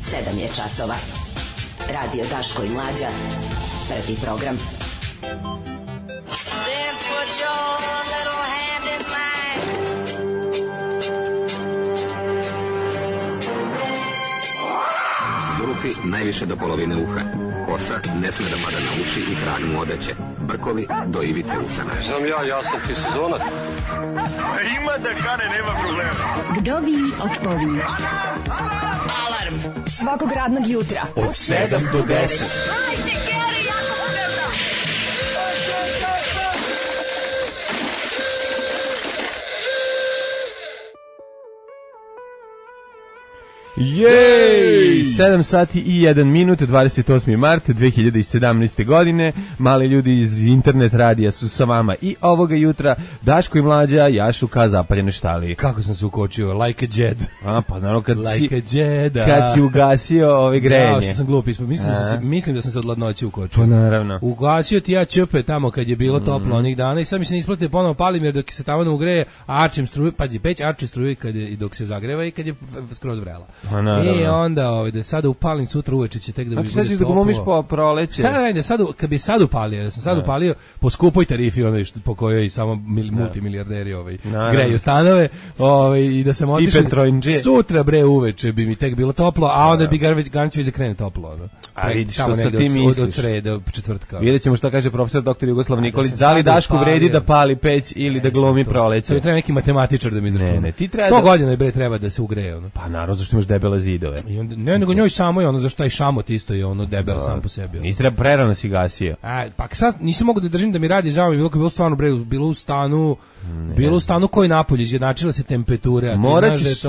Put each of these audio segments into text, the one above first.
7 je časova. Radio Daško i Mlađa. Prvi program. Zulufi najviše do polovine uha. Kosa ne sme da pada na uši i trag mu odeće. Brkovi do ivice usana. Znam ja sam ti sezonac. Ima da kane, nema problema. Vdovi od povijeć. Alarm svakog radnog jutra od 7 do 10. Jej! 7 sati i 1 minut, 28. mart 2017. godine. Mali ljudi iz internet radija su sa vama i ovoga jutra. Daško i Mlađa jašu ka zapaljene štali. Kako sam se ukočio, like a Jed. A, pa naravno kad kad si ugasio ove grejanje. Ja, što sam glup ispod. Mislim da sam se od ladnoće ukočio. Pa naravno. Ugasio ti ja čepe tamo kad je bilo toplo onih dana i sad mi se ne isplati ponovo palim jer dok se tamo ne ugreje, arčim struju, pazi, peć arči struju i dok se zagreva i kad je skroz vrela. I onda da sada upalim sutra uveče će tek da bude toplo. Znači da glumiš po proleće. Šta radi, kad bi sad upalio, da sam sad upalio po skupoj tarifi po kojoj samo multimilijarderi greju stanove, i da sam otišao sutra bre uveče bi mi tek bilo toplo, a onda bi garnić već krene toplo. A vidiš što sa ti misliš. Od srede, od četvrtka. Vidjet ćemo šta kaže profesor dr. Jugoslav Nikolić. Da li Dašku vredi da pali peć ili da glumi proleće? To treba neki matematičar da mi izračuna. Ne, ti treba 100 godina bre treba da se ugreje. Pa naravno, zašto imaš debele zidove. Ne, nego njoj samo je zašto taj šamot isto je debel sam po sebi. Nisi treba prerano si gasio. Pa sad nisam mogu da držim da mi radi, žao mi bilo stvarno bre, bilo u stanu koji napolje, izjednačila se temperatura.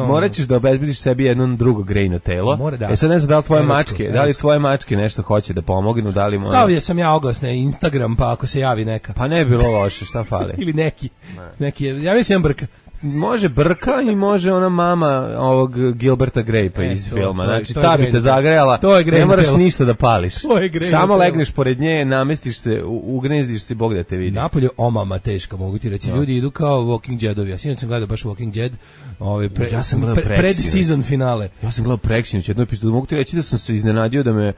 Moraćeš da obezbediš sebi jedno drugo grejno telo. Sad ne znam da li tvoje mačke nešto hoće da pomognu, da li stavio sam ja oglas na Instagram, pa ako se javi neka. Pa ne bi bilo loše, šta fali? Ili neki, javio se jedan brka. Može brka i može ona mama ovog Gilberta Grape iz filma. Znači, ta bi te zagrejala, ne moraš ništa da pališ. Samo legneš pored nje, namestiš se, ugnezdiš se, Bog da te vidi. Napolje omama teška, mogu ti reći. Ljudi idu kao Walking Deadovi. Ja sinoć sam gledao baš Walking Dead, pred-season finale. Ja sam gledao Preksinoć jednu epizodu. Mogu ti reći da sam se iznenadio da me,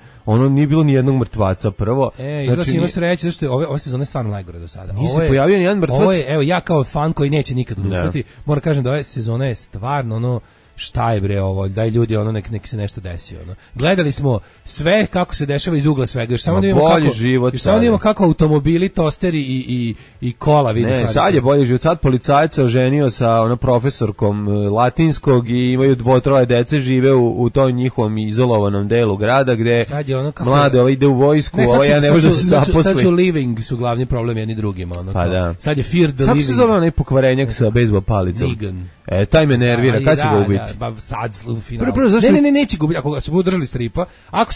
nije bilo ni jednog mrtvaca prvo. Izgleda ima sreće, zašto je ove sezone stvarno najgore do sada. Nije se pojavio ni jedan mrtvac. Evo, ja kao fan koji neće nikad odustati, moram kažem da ove sezone je stvarno šta je bre ovo, daj ljudi nek se nešto desi Gledali smo sve kako se dešava iz ugla svega, još samo da vidimo kako automobili, tosteri i kola vidi stvari. Ne, sad je bolji život, sad policajac se oženio sa profesorkom latinskog i imaju 2-3 dece, žive u tom njihovom izolovanom delu grada gde mlade ide u vojsku, ja ne može da se zaposli. Sad su living, su glavni problem jedni drugima. Pa da. Sad je fear the living. Kako se zove onaj pokvarenjak sa bejzbol palicom? Negan. Taj me nervira, kad će ga ubiti? Sad u finalu. Ne, neće ga ubiti, ako se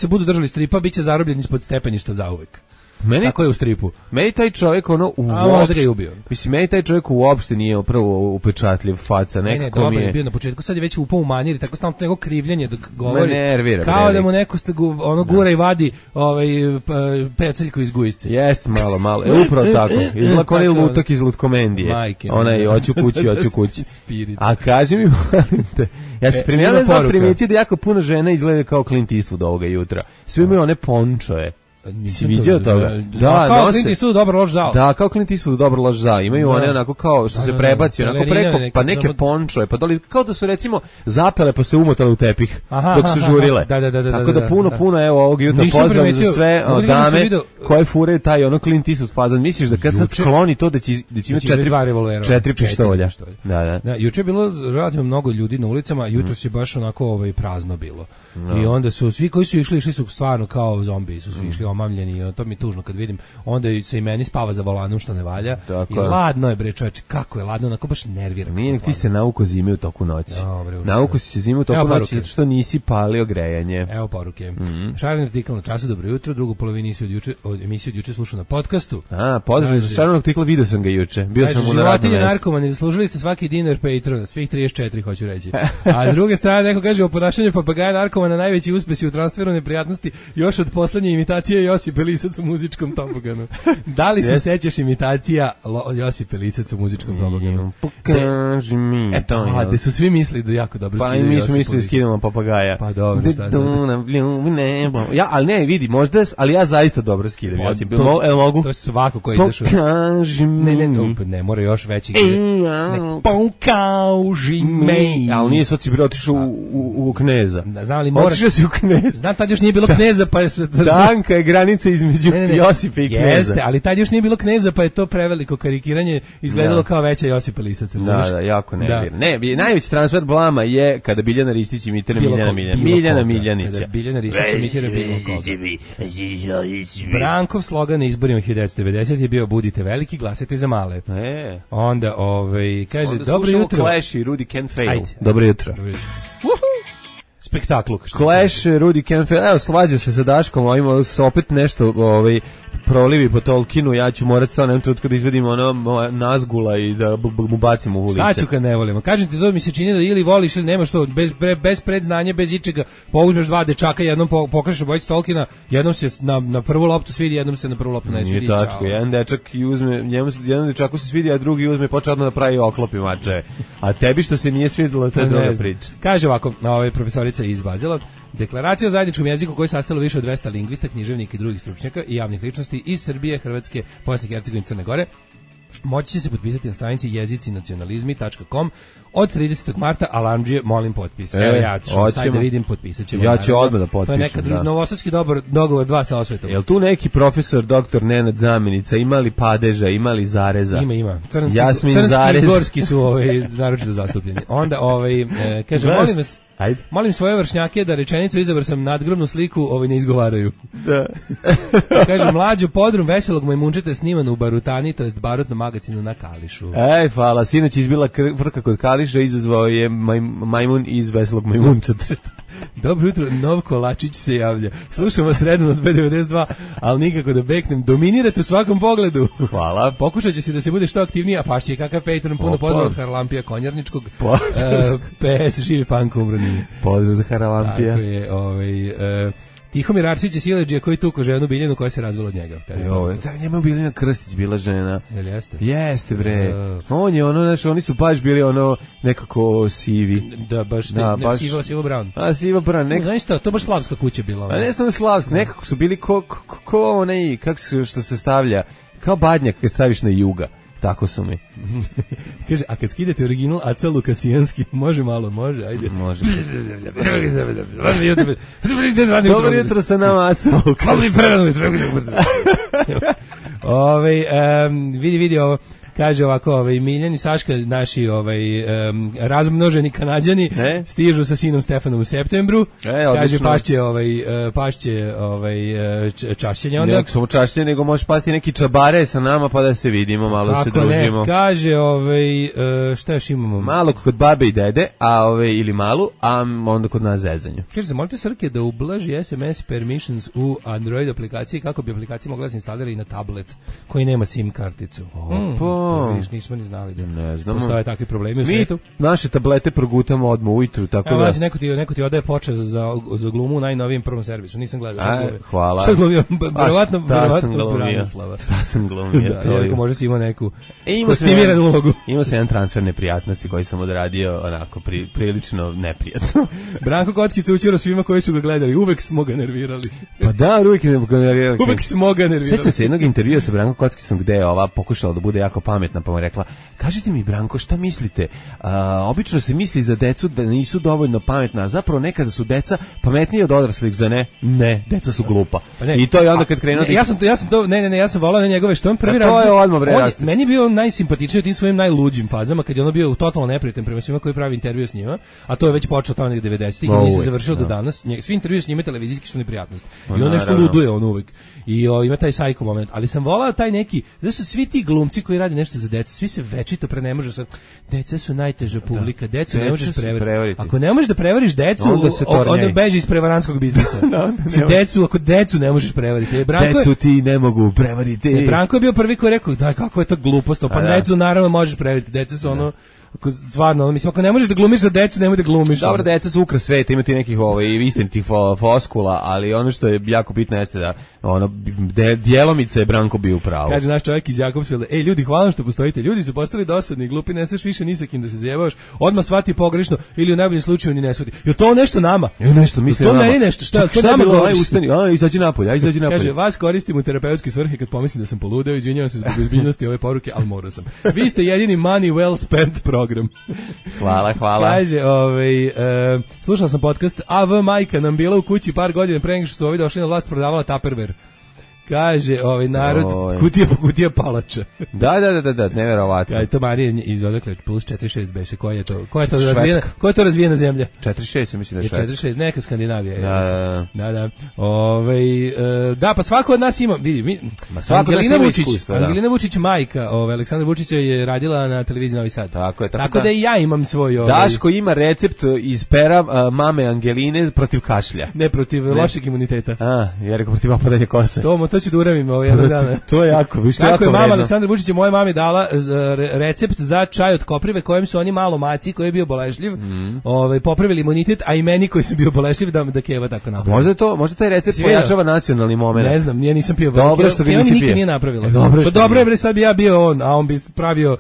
budu držali stripa, bit će zarobljen ispod stepeništa zauvek. Tako je u stripu. Meni taj čovjek možda ga je ubio. Mislim, meni taj čovjek uopšte nije prvo upečatljiv faca. Ne, dobro je bio na početku, sad je već upao u manir i tako stalno neko krivljenje dok govori. Me nervira. Kao da mu neko gura i vadi peceljku iz gujsce. Jest malo. Upravo tako. Izgleda kao onaj lutak iz Lutkomendije. Onaj, hoću kući. A kaži mi, molim te, ja se primijetio da jako puno žena izgleda kao Clint Eastwood ovoga jutra. Svi imaju one pončoje. Si vidio toga? Da, kao Clint Eastwood dobro loš zao. Da, kao Clint Eastwood dobro loš zao. Imaju one onako kao što se prebaci onako preko, pa neke pončoje, pa dole kao da su recimo zapele pa se umotale u tepih dok su žurile. Tako da puno evo ovog jutra pozdrav za sve dame koje fure taj Clint Eastwood fazan. Misliš da kad sad skloni to da će imati 4 pištolja? Da. Juče je bilo relativno mnogo ljudi na ulicama, jutro se baš onako prazno bilo. I onda su svi koji su išli su stvarno kao zombiji, su svi išli omamljeni, to mi je tužno kad vidim. Onda se i meni spava za volanom što ne valja. I ladno je bre čoveče, kako je ladno, onako baš nervira. Nije, ti se nauko zime u toku noći. Nauko si se zime u toku noći zato što nisi palio grejanje. Evo poruke. Šareni artikl na Času, dobro jutro, drugu polovinu emisiju od juče slušao na podcastu. Pozdrav za šareni artikl, vidio sam ga juče. Bio sam u radnom mestu. Narkomani, zaslužili ste svaki dinar Patrona, svih 34 hoću reći. A s druge strane neko kaže o ponašanju papagaja narkomana najveći uspesi u transferu neprijatnosti još od poslednje imitacije Josip Lisac u muzičkom toboganu. Da li se sećaš imitacija Josip Lisac u muzičkom toboganu? Pokaži mi. Eto, gde su svi mislili da jako dobro skidaju Josip Lisac. Pa mi smo mislili skidamo papagaja. Pa dobro, šta sad? Ja, ali ne, vidi, možda, ali ja zaista dobro skidam Josip. Mogu? To je svako ko je izašao. Pokaži mi. Ne, mora još veći. Pokaži mi. Ali nije sad si bilo otišao u Kneza. Znam li mora. Otišao si u Kneza. Znam, tad još nije bilo Kneza, pa je se... Danka je granica između Josipa i Kneza. Jeste, ali tad još nije bilo Kneza, pa je to preveliko karikiranje izgledalo kao veća Josipa Lisac. Da, jako nervirno. Ne, najveći transfer blama je kada Biljana Ristić imitira Miljana Miljanića. Biljana Ristić imitira bilo koga. Brankov slogan na izborima 1990 je bio budite veliki, glasajte za male. Onda, kaže, dobro jutro. Clash i Rudy Can Fail. Dobro jutro. Spektaklu. Clash, Rudy Can Fail. Evo, slađa se sa Daškom, a ima opet nešto, prolivi po Tolkienu, ja ću morat sa onom trenutku da izvedim Nazgula i da mu bacimo u ulice. Šta ću kad ne volimo? Kažem ti, to mi se čini da ili voliš ili nemaš to, bez predznanja, bez ičega, pouzmeš dva dečaka, jednom pokažeš obojicu Tolkiena, jednom se na prvu loptu svidi, jednom se na prvu loptu ne svidi. Nije tačko, jedan dečak uzme, jedan dečaku se svidi, a drugi uzme i počne odmah da pravi oklop i mače. A tebi što se nije svidjelo, to je druga priča. Kaže ovako, profesorica iz Bazela, deklaracija o zajedničkom jeziku koju je sastavilo više od 200 lingvista, književnika i drugih stručnjaka i javnih ličnosti iz Srbije, Hrvatske, Bosne i Hercegovine i Crne Gore moći će se potpisati na stranici jezicinacionalizmi.com od 30. marta, alarmdžije, molim potpis. Evo ja ću sad da vidim, potpisat ćemo. Ja ću odmah da potpišem. To je neka novosadski dogovor dva sa osvetom. Jel tu neki profesor, doktor Nenad Zamenica, imali padeža, imali zareza? Ima. Crnski i gorski su naročito zastupljeni. Onda, kaže, molim vas, molim svoje vršnjake da rečenicu izabor sam nadgrobnu sliku ne izgovaraju. Da. Kaže, mlađu podrum veselog majmunčeta snimano u Barutani, to jest barutnom magazinu na Kališu. Hvala, sinoć izbila vrka kod Kališa, izazvao je majmun iz veselog majmunčeta. Dobro jutro, Novko Lačić se javlja. Slušam vas redno od B92, ali nikako da beknem. Dominirate u svakom pogledu. Hvala. Pokušat će se da se bude što aktivniji, a pašće je kakav Patreon, puno pozdrav od Haralampija Konjarničkog. PS, živi panko, umro nije. Pozdrav za Haralampija. Tako je, Tihomir Arsić je sileđija koji tuko ženu Biljanu koja se razvila od njega. Njema Biljana Krstić bila žena. Jel jeste? Jeste, bre. On je oni su baš bili nekako sivi. Da, baš Siva Brown. A, Siva Brown. Znaš što, to baš slavska kuća bila. A ne samo slavska, nekako su bili ko onaj, kako što se stavlja, kao badnjak kad staviš na juga. Tako su mi. Kaže, a kad skidete original Aca Lukasijanski, može, ajde. Može. Dobro jutro sa nama, Aca Lukasijanski. Vidi ovo. Kaže ovako, Miljan i Saška, naši razmnoženi Kanađani, stižu sa sinom Stefanom u septembru. Kaže, pašće čašćenje onda. Ne samo čašćenje, nego možeš pasti neki čabare sa nama pa da se vidimo, malo se družimo. Ne, kaže, šta još imamo? Malo kod babe i dede, ili malu, a onda kod nas zezanju. Kaže, zamolite Srke da ublaži SMS permissions u Android aplikaciji kako bi aplikacija mogla se instalirati i na tablet koji nema SIM karticu. Nismo ni znali da postoje takvi problemi u svijetu. Naše tablete progutamo odmah ujutru, tako da... Neko ti odaje počast za glumu u najnovijem prvom servisu, nisam gledao. Hvala. Šta glumio? Verovatno Branislava. Šta sam glumio? Jerko, možda si imao neku kostimiranu ulogu. Imao sam jedan transfer neprijatnosti koji sam odradio onako prilično neprijatno. Branko Kockica učio svima koji su ga gledali, uvek smo ga nervirali. Pa da, uvek ga nervirali. Uvek smo ga nervirali. Sjećam se jednog intervjua sa Branko Kockicom gde je ova pokušala da bude jako pametna, pa mu rekla, kažite mi Branko, šta mislite? Obično se misli za decu da nisu dovoljno pametna, a zapravo nekada su deca pametniji od odraslih, za ne? Ne, deca su glupa. I to je onda kad krenuo... Ja sam volao na njegove, što on prvi meni je bio najsimpatičniji u tim svojim najluđim fazama, kad je ono bio totalno neprijatan prema svima koji pravi intervju s njima, a to je već počeo tamo nekih 90-ih i nije se završilo do danas. Svi intervju s njima televizijski su neprijatnosti. I on nešto luduje on uvek. I ima taj sajko moment. Ali sam volao taj neki, znači su svi ti glumci koji radi nešto za decu, svi se večito ne može sa deca su najteža publika, decu ne možeš prevariti. Ako ne možeš da prevariš decu, onda beži iz prevarantskog biznisa. Ako decu ne možeš prevariti. Decu ti ne mogu prevariti. Branko je bio prvi koji je rekao, daj, kakva je to glupost, pa decu naravno možeš prevariti, deca su stvarno, mislim, ako ne možeš da glumiš za decu, nemoj da glumiš. Dobro, deca su ukras sveta, imati nekih istinitih foskula, ali ono što je jako bitno jeste da ono djelomice je Branko bio u pravu. Kaže naš čovjek iz Jakobsfelda: "Ej ljudi, hvala što postojite. Ljudi su postali dosadni, glupi, ne smeš više ni sa kim da se zajebavaš. Odmah shvati pogrešno ili u najboljem slučaju ni ne shvati." Je to nešto nama? Je nešto misli nama. To ne nešto, šta nama govori? Izađi napolje. Kaže, vas koristim u terapeutske svrhe kad pomislim da sam poludeo, izvinjavam se zbog ozbiljnosti ove poruke, al morao sam. Vi ste jedini money well spent program. Hvala. Kaže, slušao sam podcast AV majka nam bila u kući par godina pre nego što su ovi došli na vlast, prodavala Tupperware. Kaže, narod kutija po kutija palača. Da, neverovatno. Kaže, to Marija iz odakle, plus 46 beše, koja je to razvijena zemlja? 46, mislim da je Švedska. 46, neka Skandinavija. Da. Da, pa svako od nas ima, vidi, Angelina Vučić, majka, Aleksandra Vučića je radila na televiziji Novi Sad. Tako da i ja imam svoj... Daško ima recept iz pera mame Angeline protiv kašlja. Ne, protiv lošeg imuniteta. Jer je protiv opadanja kose. To ću da uramim jednog dana. To je jako, viš to jako je mama Aleksandra Vučića moje mami dala recept za čaj od koprive kojem su oni malo maci koji je bio bolešljiv, popravili imunitet, a i meni koji sam bio bolešljiv da keva tako napravi. Možda taj recept pojačava nacionalni moment. Ne znam, ja nisam pio. Dobro što ga nisi pio. Nikad nije napravila. Dobro je bre, sad bi ja bio on, a on bi pravio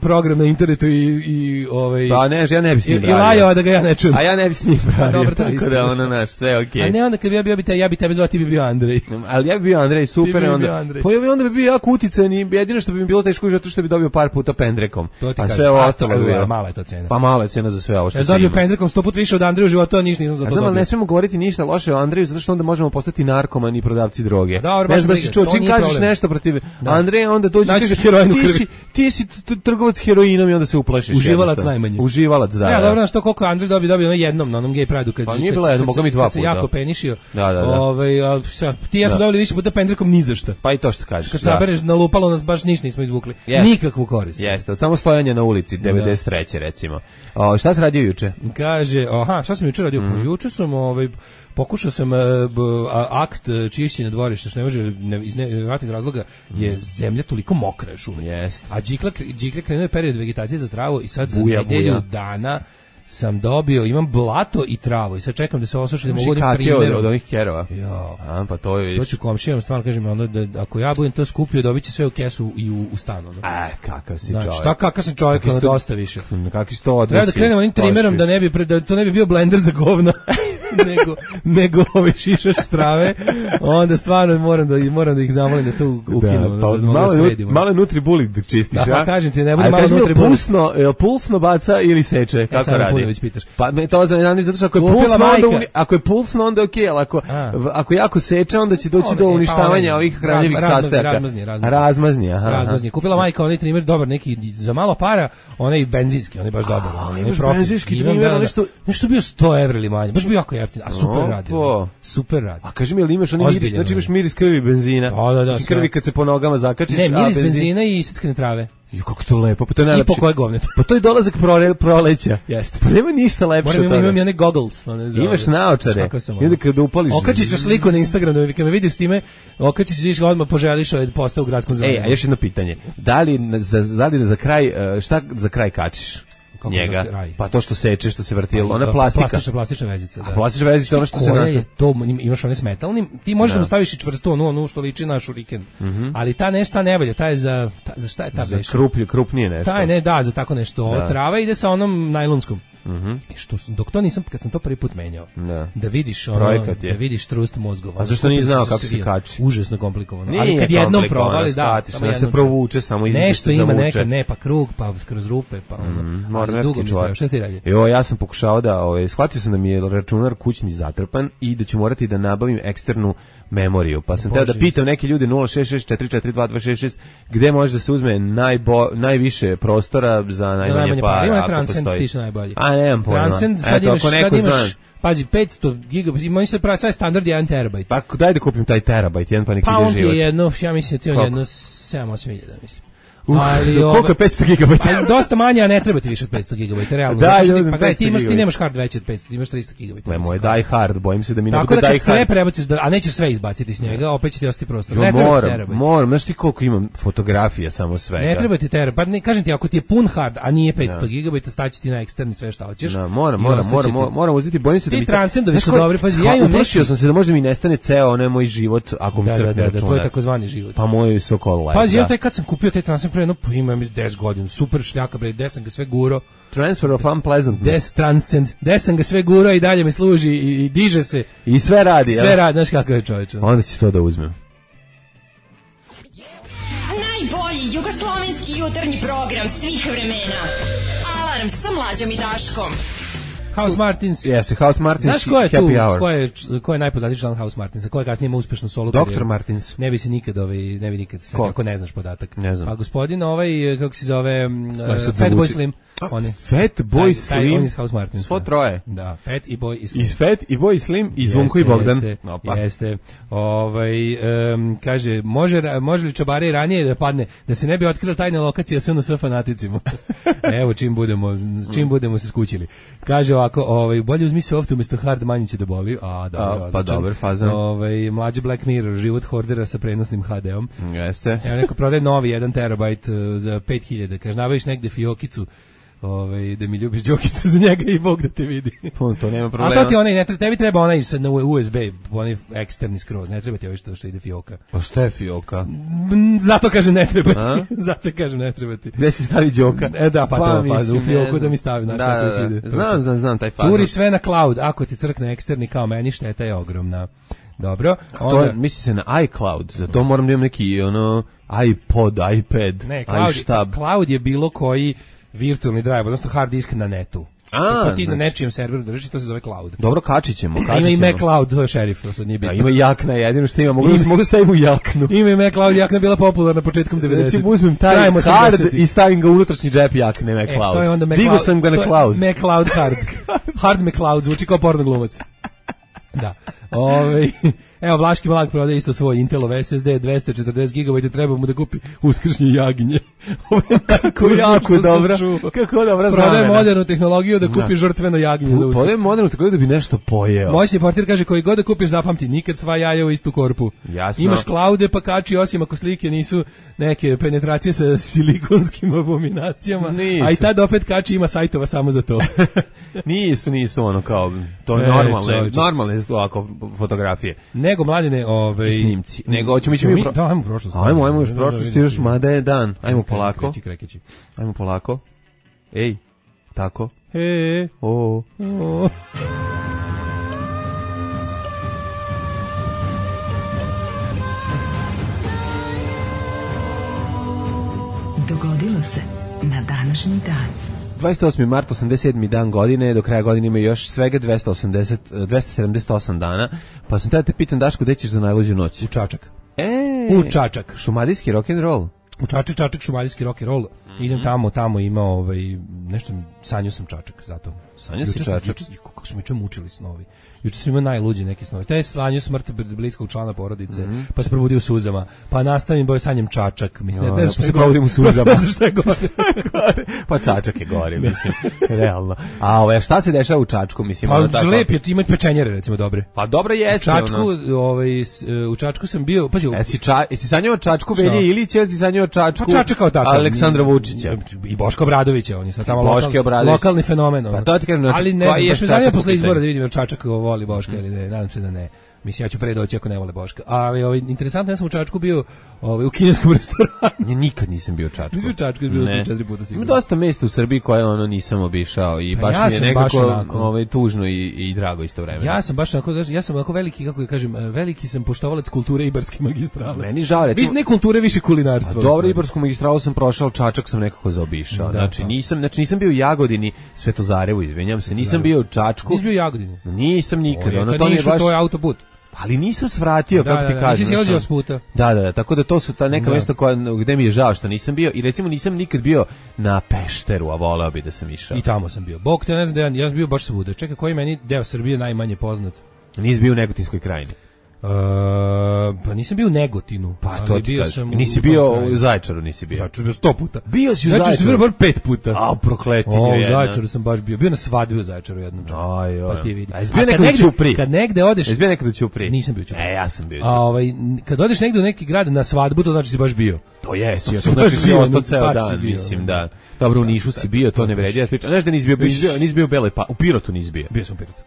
program na internetu i pa ne, ja ne bi s njim pravio. I lajao da ga ja ne čujem. A ja ne bi s njim pravio. Dobro, tako da ono naš, sve okej. A ne, onda kad bi ja bi tebe zvao, ti bi bio Andrej. Ali ja bi bio Andrej, super. Onda bi bio jako utican i jedino što bi mi bilo teško zato što bi dobio par puta pendrekom. A sve ovo ostalo bi bilo. Mala je to cena. Pa mala je cena za sve ovo što se ima. Ja dobio pendrekom 100 puta više od Andreja u životu, a ništa nisam za to dobio. Znam, ne smemo govoriti ništa loše o Andreju, zato što onda možemo postati narkomani i prodavci droge. Ne znam da si čuo, čim kažeš nešto protiv Andreja, onda dođe i kaže ti si trgovac heroinom i onda se uplašiš. Uživalac najmanje. Uživalac, da. Ja, dobro, što koliko Andrej dobio na jednom, na onom gay prideu kad. Pa nije bilo jedno, moga mi dva puta. Se jako penišio. Da. Ti ja smo dobili više puta pendrekom ni za šta. Pa i to što kažeš. Kad sabereš nalupalo nas baš ništa nismo izvukli. Nikakvu korist. Jeste, od samo stojanja na ulici 93. recimo. Šta se radio juče? Kaže, šta sam juče radio? Juče sam pokušao sam akt čišćenja dvorišta, što ne može iz nevjerojatnih razloga je zemlja toliko mokra još uvijek. A džikle krenuo je period vegetacije za travu i sad za nedelju dana sam dobio, imam blato i travu i sad čekam da se osuši da mogu da primjerom. Od onih kerova. Ja. Pa to je... To ću komšijama stvarno kažem, onda da ako ja budem to skupio, dobit će sve u kesu i u stanu. Kakav si čovjek. Šta kakav sam čovjek, ono dosta više. Kakvi si to odnosi? Treba da krenem onim trimerom da to ne bi bio blender za govna. nego šišač trave, onda stvarno moram da ih zamolim da to ukinu. Malo nutribuli dok čistiš, a? Pa kažem ti, ne bude malo nutribuli. Pulsno baca ili seče, kako radi? Pa to znam, zato što ako je pulsno, onda je okej, ali ako jako seče, onda će doći do uništavanja ovih hranjivih sastojaka. Razmazni. Kupila majka onaj trimer, dobar, neki za malo para, onaj benzinski, onaj baš dobar. Benzinski trimer, nešto bio 100 evra ili manje, baš bio jako jeftin, a super radi. A kaži mi, jel imaš onaj miris, znači imaš miris krvi benzina? Da. Krvi kad se po nogama zakačiš. Ne, miris benzina i iseckane trave. Kako to lepo, pa to je najlepše. I po koje govnete. Pa to je dolazak proleća. Jeste. Pa nema ništa lepše od toga. Imam i one goggles. Imaš naočare. I onda kada upališ... Okačit ću sliku na Instagram, da kad me vidiš s time, okačit ću vidiš odmah poželiš postav u gradskom zvanju. A još jedno pitanje. Da li za kraj, šta za kraj kačiš? Njega. Pa to što seče, što se vrti, ona plastika. Plastična vezica, da. A plastična vezica, ono što se nastaje. To imaš one s metalnim, ti možeš da staviš i čvrsto, onu što liči na šuriken. Ali ta nešto ne valja, ta je za šta je ta veš? Za krupnije nešto. Ta je za tako nešto. Trava ide sa onom najlonskom. I što dok to nisam, kad sam to prvi put menjao, da vidiš trust mozgova. A zašto nisi znao kako se kači? Užasno komplikovano. Ali kad jednom provali, da se provuče, samo ide nešto ima neka, ne pa krug, pa kroz rupe, pa mornerski čovjek. Šta ti radi? Ja sam pokušao da, shvatio sam da mi je računar kućni zatrpan i da ću morati da nabavim eksternu memoriju. Pa sam teo da pitam neke ljude 066442266 gde može da se uzme najviše prostora za najmanje para. Ima Transcend, ti su najbolji. A nemam pojma. Transcend, sad imaš pazi, 500 GB, ima se pravi sad standard 1 terabajt. Pa daj da kupim taj terabajt, jedan pa neki ide život. Pa on ti je jedno, ja mislim da ti on jedno 7-8 hiljada, mislim. Koliko je 500 GB? Dosta manje, a ne treba ti više od 500 GB, realno. Pa gledaj, ti nemaš hard veći od 500, ti imaš 300 GB. Moj die hard, bojim se da mi ne bude die hard. Tako da kad sve prebaciš, a nećeš sve izbaciti s njega, opet će ti ostati prostor. Moram, znaš ti koliko imam fotografija samo svega. Ne treba ti terabayt, pa kažem ti, ako ti je pun hard, a nije 500 GB, staći ti na eksterni sve šta hoćeš. Moram uzeti, bojim se da mi... Ti transcendovi su dobri, pa ja imam uplašio sam se da možda mi nestane ceo onaj moj život, ako mi crkne računar. To je takozvani život. Pa moj Sokol Live. Pazi, ja kad sam kupio taj transfer pre, pa imam 10 godina, super šljaka, bre, gde sam ga sve guro. Transfer of unpleasantness. Gde sam ga sve guro i dalje mi služi i diže se. I sve radi, Sve radi, znaš kakav je čovječ. Onda će to da uzmem. Najbolji jugoslovenski jutarnji program svih vremena. Alarm sa Mlađom i Daškom. House Martins. Jeste, House Martins. Znaš ko je tu? Ko je najpoznatiji član House Martinsa? Ko je kasnije imao uspešnu solo karijeru? Dr. Martins. Ne bi se nikad se ako ne znaš podatak. Ne znam. Pa gospodin kako se zove Fatboy Slim. Fatboy Slim. On iz House Martinsa. Svo troje. Da, Fat i Boy i Slim. I Fat i Boy Slim i Zvonko i Bogdan. Jeste. Kaže, može li Čabare i ranije da padne, da se ne bi otkrila tajna lokacija SNS fanaticima? Evo, čim budemo se skućili. Kaže ovako, bolje uzmi soft umjesto hard, manje će da boli. Pa dobar fazan. Mlađi Black Mirror, život hordera sa prenosnim HD-om. Jeste. Evo neko prodaje novi 1 terabajt za 5000. Kaže, nabaviš negde fiokicu, da mi ljubiš Đokicu za njega i Bog da te vidi. To nema problema. A to ti onaj, tebi treba onaj na USB, onaj eksterni skroz, ne treba ti ovo što ide fioka. Pa šta je fioka? Zato kažem ne treba ti. Zato kažem ne treba ti. Gde si stavi Đoka? Da, pa u fioku da mi stavi. Znam taj fazon. Turi sve na cloud, ako ti crkne eksterni kao meni, šteta je ogromna. Dobro. To misli se na iCloud, zato moram da imam neki iPod, iPad, iShtab. Cloud je bilo koji virtualni drive, odnosno hard disk na netu. Ako ti na nečijem serveru drži, to se zove cloud. Dobro, kačit ćemo. Ima i Mac Cloud, to je šerif, to sad nije bitno. Ima jakna, jedino što ima, mogu staviti u jaknu. Ima i Mac Cloud, jakna bila popularna početkom 90. Znači, uzmem taj hard i stavim ga u unutrašnji džep jakne Mac Cloud. To je onda Digo sam ga na cloud. Mac Cloud hard. Hard Mac Cloud, zvuči kao porno glumac. Da. Evo, Vlaški Malak prodaje isto svoj Intelov SSD 240 GB, treba mu da kupi uskršnje jaginje. Kako jako dobro. Kako dobra zamena. Prodaje modernu tehnologiju da kupi žrtveno jaginje. Prodaje modernu tehnologiju da bi nešto pojeo. Moćni portir kaže, koji god da kupiš, zapamti, nikad sva jaja u istu korpu. Jasno. Imaš klaude pa kači, osim ako slike nisu neke penetracije sa silikonskim abominacijama. Nisu. A i tad opet kači, ima sajtova samo za to. Nisu ono kao, to je normalne ovako fotografije. Nego mladine, snimci. Nego hoćemo ići ajmo u prošlost. Ajmo još prošlost, još mada je dan. Ajmo polako. Kreći. Ajmo polako. Ej, tako. O. Dogodilo se na današnji dan. 28. mart, 87. dan godine, do kraja godine ima još svega 278 dana, pa sam tada te pitan, Daško, gde ćeš za najluđu noć? U Čačak. U Čačak. Šumadijski rock'n'roll. U Čačak, šumadijski rock'n'roll. Idem tamo ima nešto, sanjao sam Čačak, zato. Sanjao si Čačak? Kako smo juče mučili snovi. Juče sam imao najluđi neki snovi. Taj sanjao smrt bliskog člana porodice, pa se probudio u suzama, pa nastavim sanjem Čačak. Mislim, ne znam što se probudim u suzama. Ne znam što je gore. Pa Čačak je gore, mislim, realno. A šta se dešava u Čačku, mislim? Pa lep je, ima pečenjere, recimo, dobre. Pa dobro jeste. U Čačku sam bio, pazi. Jesi sanjao Čačku Velje Ilića, ili si sanjao Čačku Aleksandra Vučića? I Boško Obradovića, on je sad tamo lokalni fenomen. Pa to ti kažem, ali ne znam, baš me zanima posle izbora da vidim Čačak voli Boška ili ne, nadam se da ne. Mislim, ja ću pre doći ako ne vole Boška. Ali interesantno, ja sam u Čačku bio u kineskom restoranu. Ja nikad nisam bio u Čačku. Nisam u Čačku, bio 4 puta sigurno. Ima dosta mesta u Srbiji koje nisam obišao i baš mi je nekako tužno i drago istovremeno. Ja sam baš onako veliki, kako kažem, veliki sam poštovalac kulture Ibarske magistrale. Meni žao, recimo. Više ne kulture, više kulinarstva. Dobro, Ibarsku magistralu sam prošao, Čačak sam nekako zaobišao. Znači nisam bio u Jagodini, Svetozarevu, izvinjam se, nisam bio u Čačku. Nisi bio u Jagodini? Nisam nikad. To je autoput. Ali nisam svratio, kako ti kažem. Nisi silazio s puta. Da, tako da to su ta neka mjesta gde mi je žao što nisam bio. I recimo nisam nikad bio na Pešteru, a voleo bi da sam išao. I tamo sam bio. Bog te ne znam, ja sam bio baš svuda. Čekaj, koji meni deo Srbije najmanje poznat? Nisi bio u Negotinskoj krajini? Pa nisam bio u Negotinu. Pa to ti kažem. Nisi bio u Zaječaru, nisi bio. Zaječaru bio 100 puta. Bio si u Zaječaru? Zaječaru sam bio bar 5 puta. A, prokletinje jedna. U Zaječaru sam baš bio. Bio na svadbi u Zaječaru jednom. Pa ti vidi. A izbio nekad u Ćupri? Kad negde odeš... Izbio nekad u Ćupri? Nisam bio u Ćupri. Ja sam bio u Ćupri. Kad odeš negde u neki grad na svadbu, to znači si baš bio. To jesi, to znači si ostao ceo dan, mislim, da. Dobro, u Nišu si bio, to ne vredi da pričam. Znaš da nisi bio u Beloj Palanci, u Pirotu nisi bio. Bio sam u Pirotu.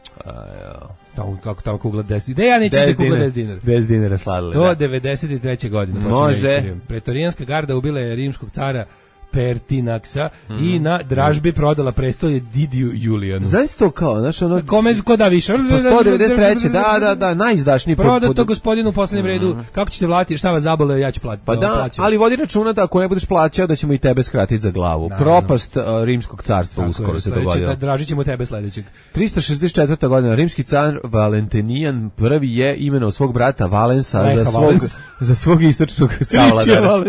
Tamo kugla 10 dinara. Ja neću da kugla 10 dinara. 10 dinara sladile. 193. godine. Može. Pretorijanska garda ubila je rimskog cara Pertinaksa i na dražbi prodala prestolje Didiju Julijanu. Znaš to kao, znaš ono... Kome, ko da više? Po 193. Da, najizdašniji... Prodato gospodinu u poslednjem redu, kako ćete vlatiti, šta vas zabole, ja ću platiti. Pa da, ali vodi računa da ako ne budeš plaćao, da ćemo i tebe skratiti za glavu. Propast rimskog carstva uskoro se dogodila. Dražit ćemo tebe sledećeg. 364. godina, rimski car Valentinijan prvi je imenovao svog brata Valensa za svog istočnog savladara.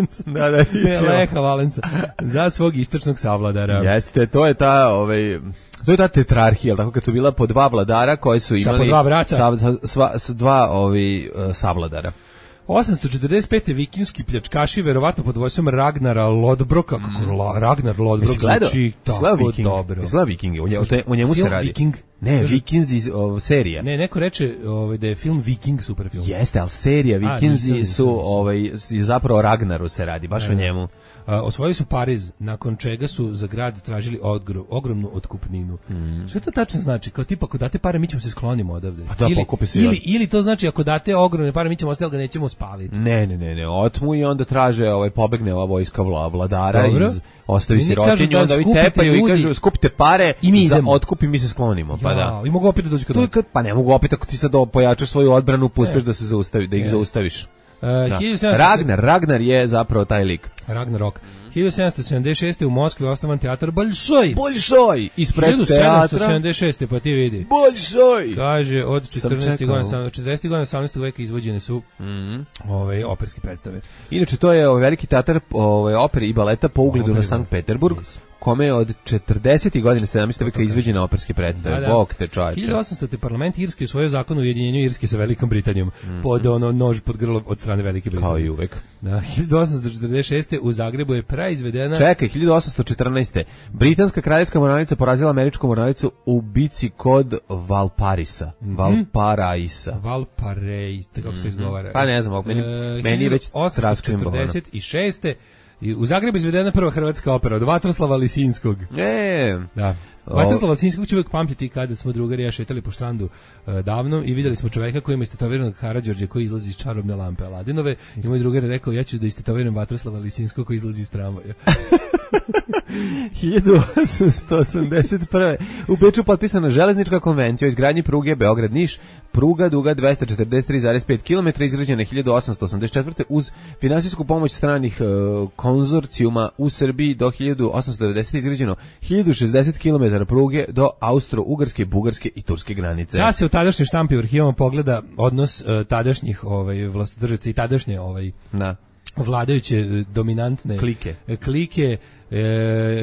Leha Valensa. Za svog istočnog savladara. Jeste, to je ta tetrarhija, tako kad su bila po dva vladara koji su imali po dva brata. dva savladara. 845. vikinski pljačkaši, verovatno pod vojstvom Ragnara Lodbroka. Ragnar Lodbrok zvuči tako dobro. Izgleda Vikingi, o njemu se radi. Viking? Ne, Vikinzi serija. Ne, neko reče da je film Viking super film. Jeste, ali serija Vikinzi su zapravo Ragnaru se radi, baš o njemu. Osvojili su Pariz, nakon čega su za grad tražili ogromnu otkupninu. Šta to tačno znači? Kao tipa, ako date pare, mi ćemo se sklonimo odavde. Ili to znači, ako date ogromne pare, mi ćemo ostati, ga nećemo spaliti. Ne, otmu i onda traže, pobegne ova vojska vladara, ostavi sirotinju, onda vi tepaju i kažu, skupite pare, za otkup i mi se sklonimo. Pa da. I mogu opet da dođu kod nas. Pa ne mogu opet, ako ti sad pojačaš svoju odbranu, uspeš da se zaustavi, da ih zaustaviš. Ragnar je zapravo taj lik. Ragnarok. 1776. u Moskvi osnovan teatar Bolšoj. Ispred teatra. 1776. pa ti vidi. Bolšoj. Kaže, od 40. godina 18. veka izvođene su operske predstave. Inače, to je veliki teatar opere i baleta po ugledu na Sankt Peterburg. Kome je od 40. godine 17. veka izvođena operske predstave. Bog te čovječe. 1800. parlament Irske usvojio zakon o ujedinjenju Irske sa Velikom Britanijom. Pod nož pod grlo od strane Velike Britanije. Kao i uvek. 1846. u Zagrebu je praizvedena... Čekaj, 1814. Britanska kraljevska mornarica porazila američku mornaricu u bici kod Valparisa. Valparaisa. Kako se to izgovara? Pa ne znam, meni je već straškim bohano. 1846. I u Zagrebu izvedena prva hrvatska opera od Vatroslava Lisinskog. Da. Vatroslava Lisinskog ću uvijek pamtiti kada smo drugari ja šetali po štrandu davno i vidjeli smo čoveka koji ima istetoviranog Karađorđe koji izlazi iz čarobne lampe Aladinove i moj drugar je rekao ja ću da istetoviram Vatroslava Lisinskog koji izlazi iz tramvaja. 1881. U Beču potpisana železnička konvencija o izgradnji pruge Beograd-Niš, pruga duga 243,5 km, izgrađena 1884. uz finansijsku pomoć stranih konzorcijuma u Srbiji do 1890. izgrađeno 1060 km pruge do Austro-Ugarske, Bugarske i Turske granice. Da se u tadašnjoj štampi u arhivama pogleda odnos tadašnjih vlastodržaca i tadašnje vladajuće dominantne klike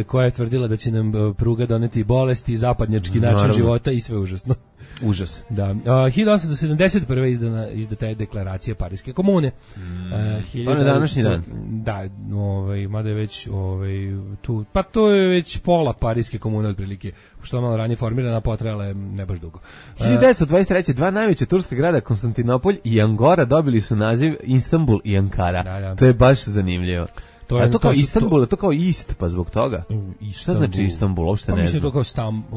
koja je tvrdila da će nam pruga doneti bolesti, zapadnjački način života i sve užasno. Užas. Da. 1871. izdata je deklaracija Pariske komune. Pa na današnji dan. Da, mada je već tu, pa to je već pola Pariske komune otprilike, što je malo ranije formirana, potrajala je ne baš dugo. 1923. dva najveća turska grada, Konstantinopolj i Angora, dobili su naziv Istanbul i Ankara. Da. To je baš zanimljivo. A to kao Istanbul, to kao Ist, pa zbog toga. Šta znači Istanbul, uopšte ne znam. Mislim to kao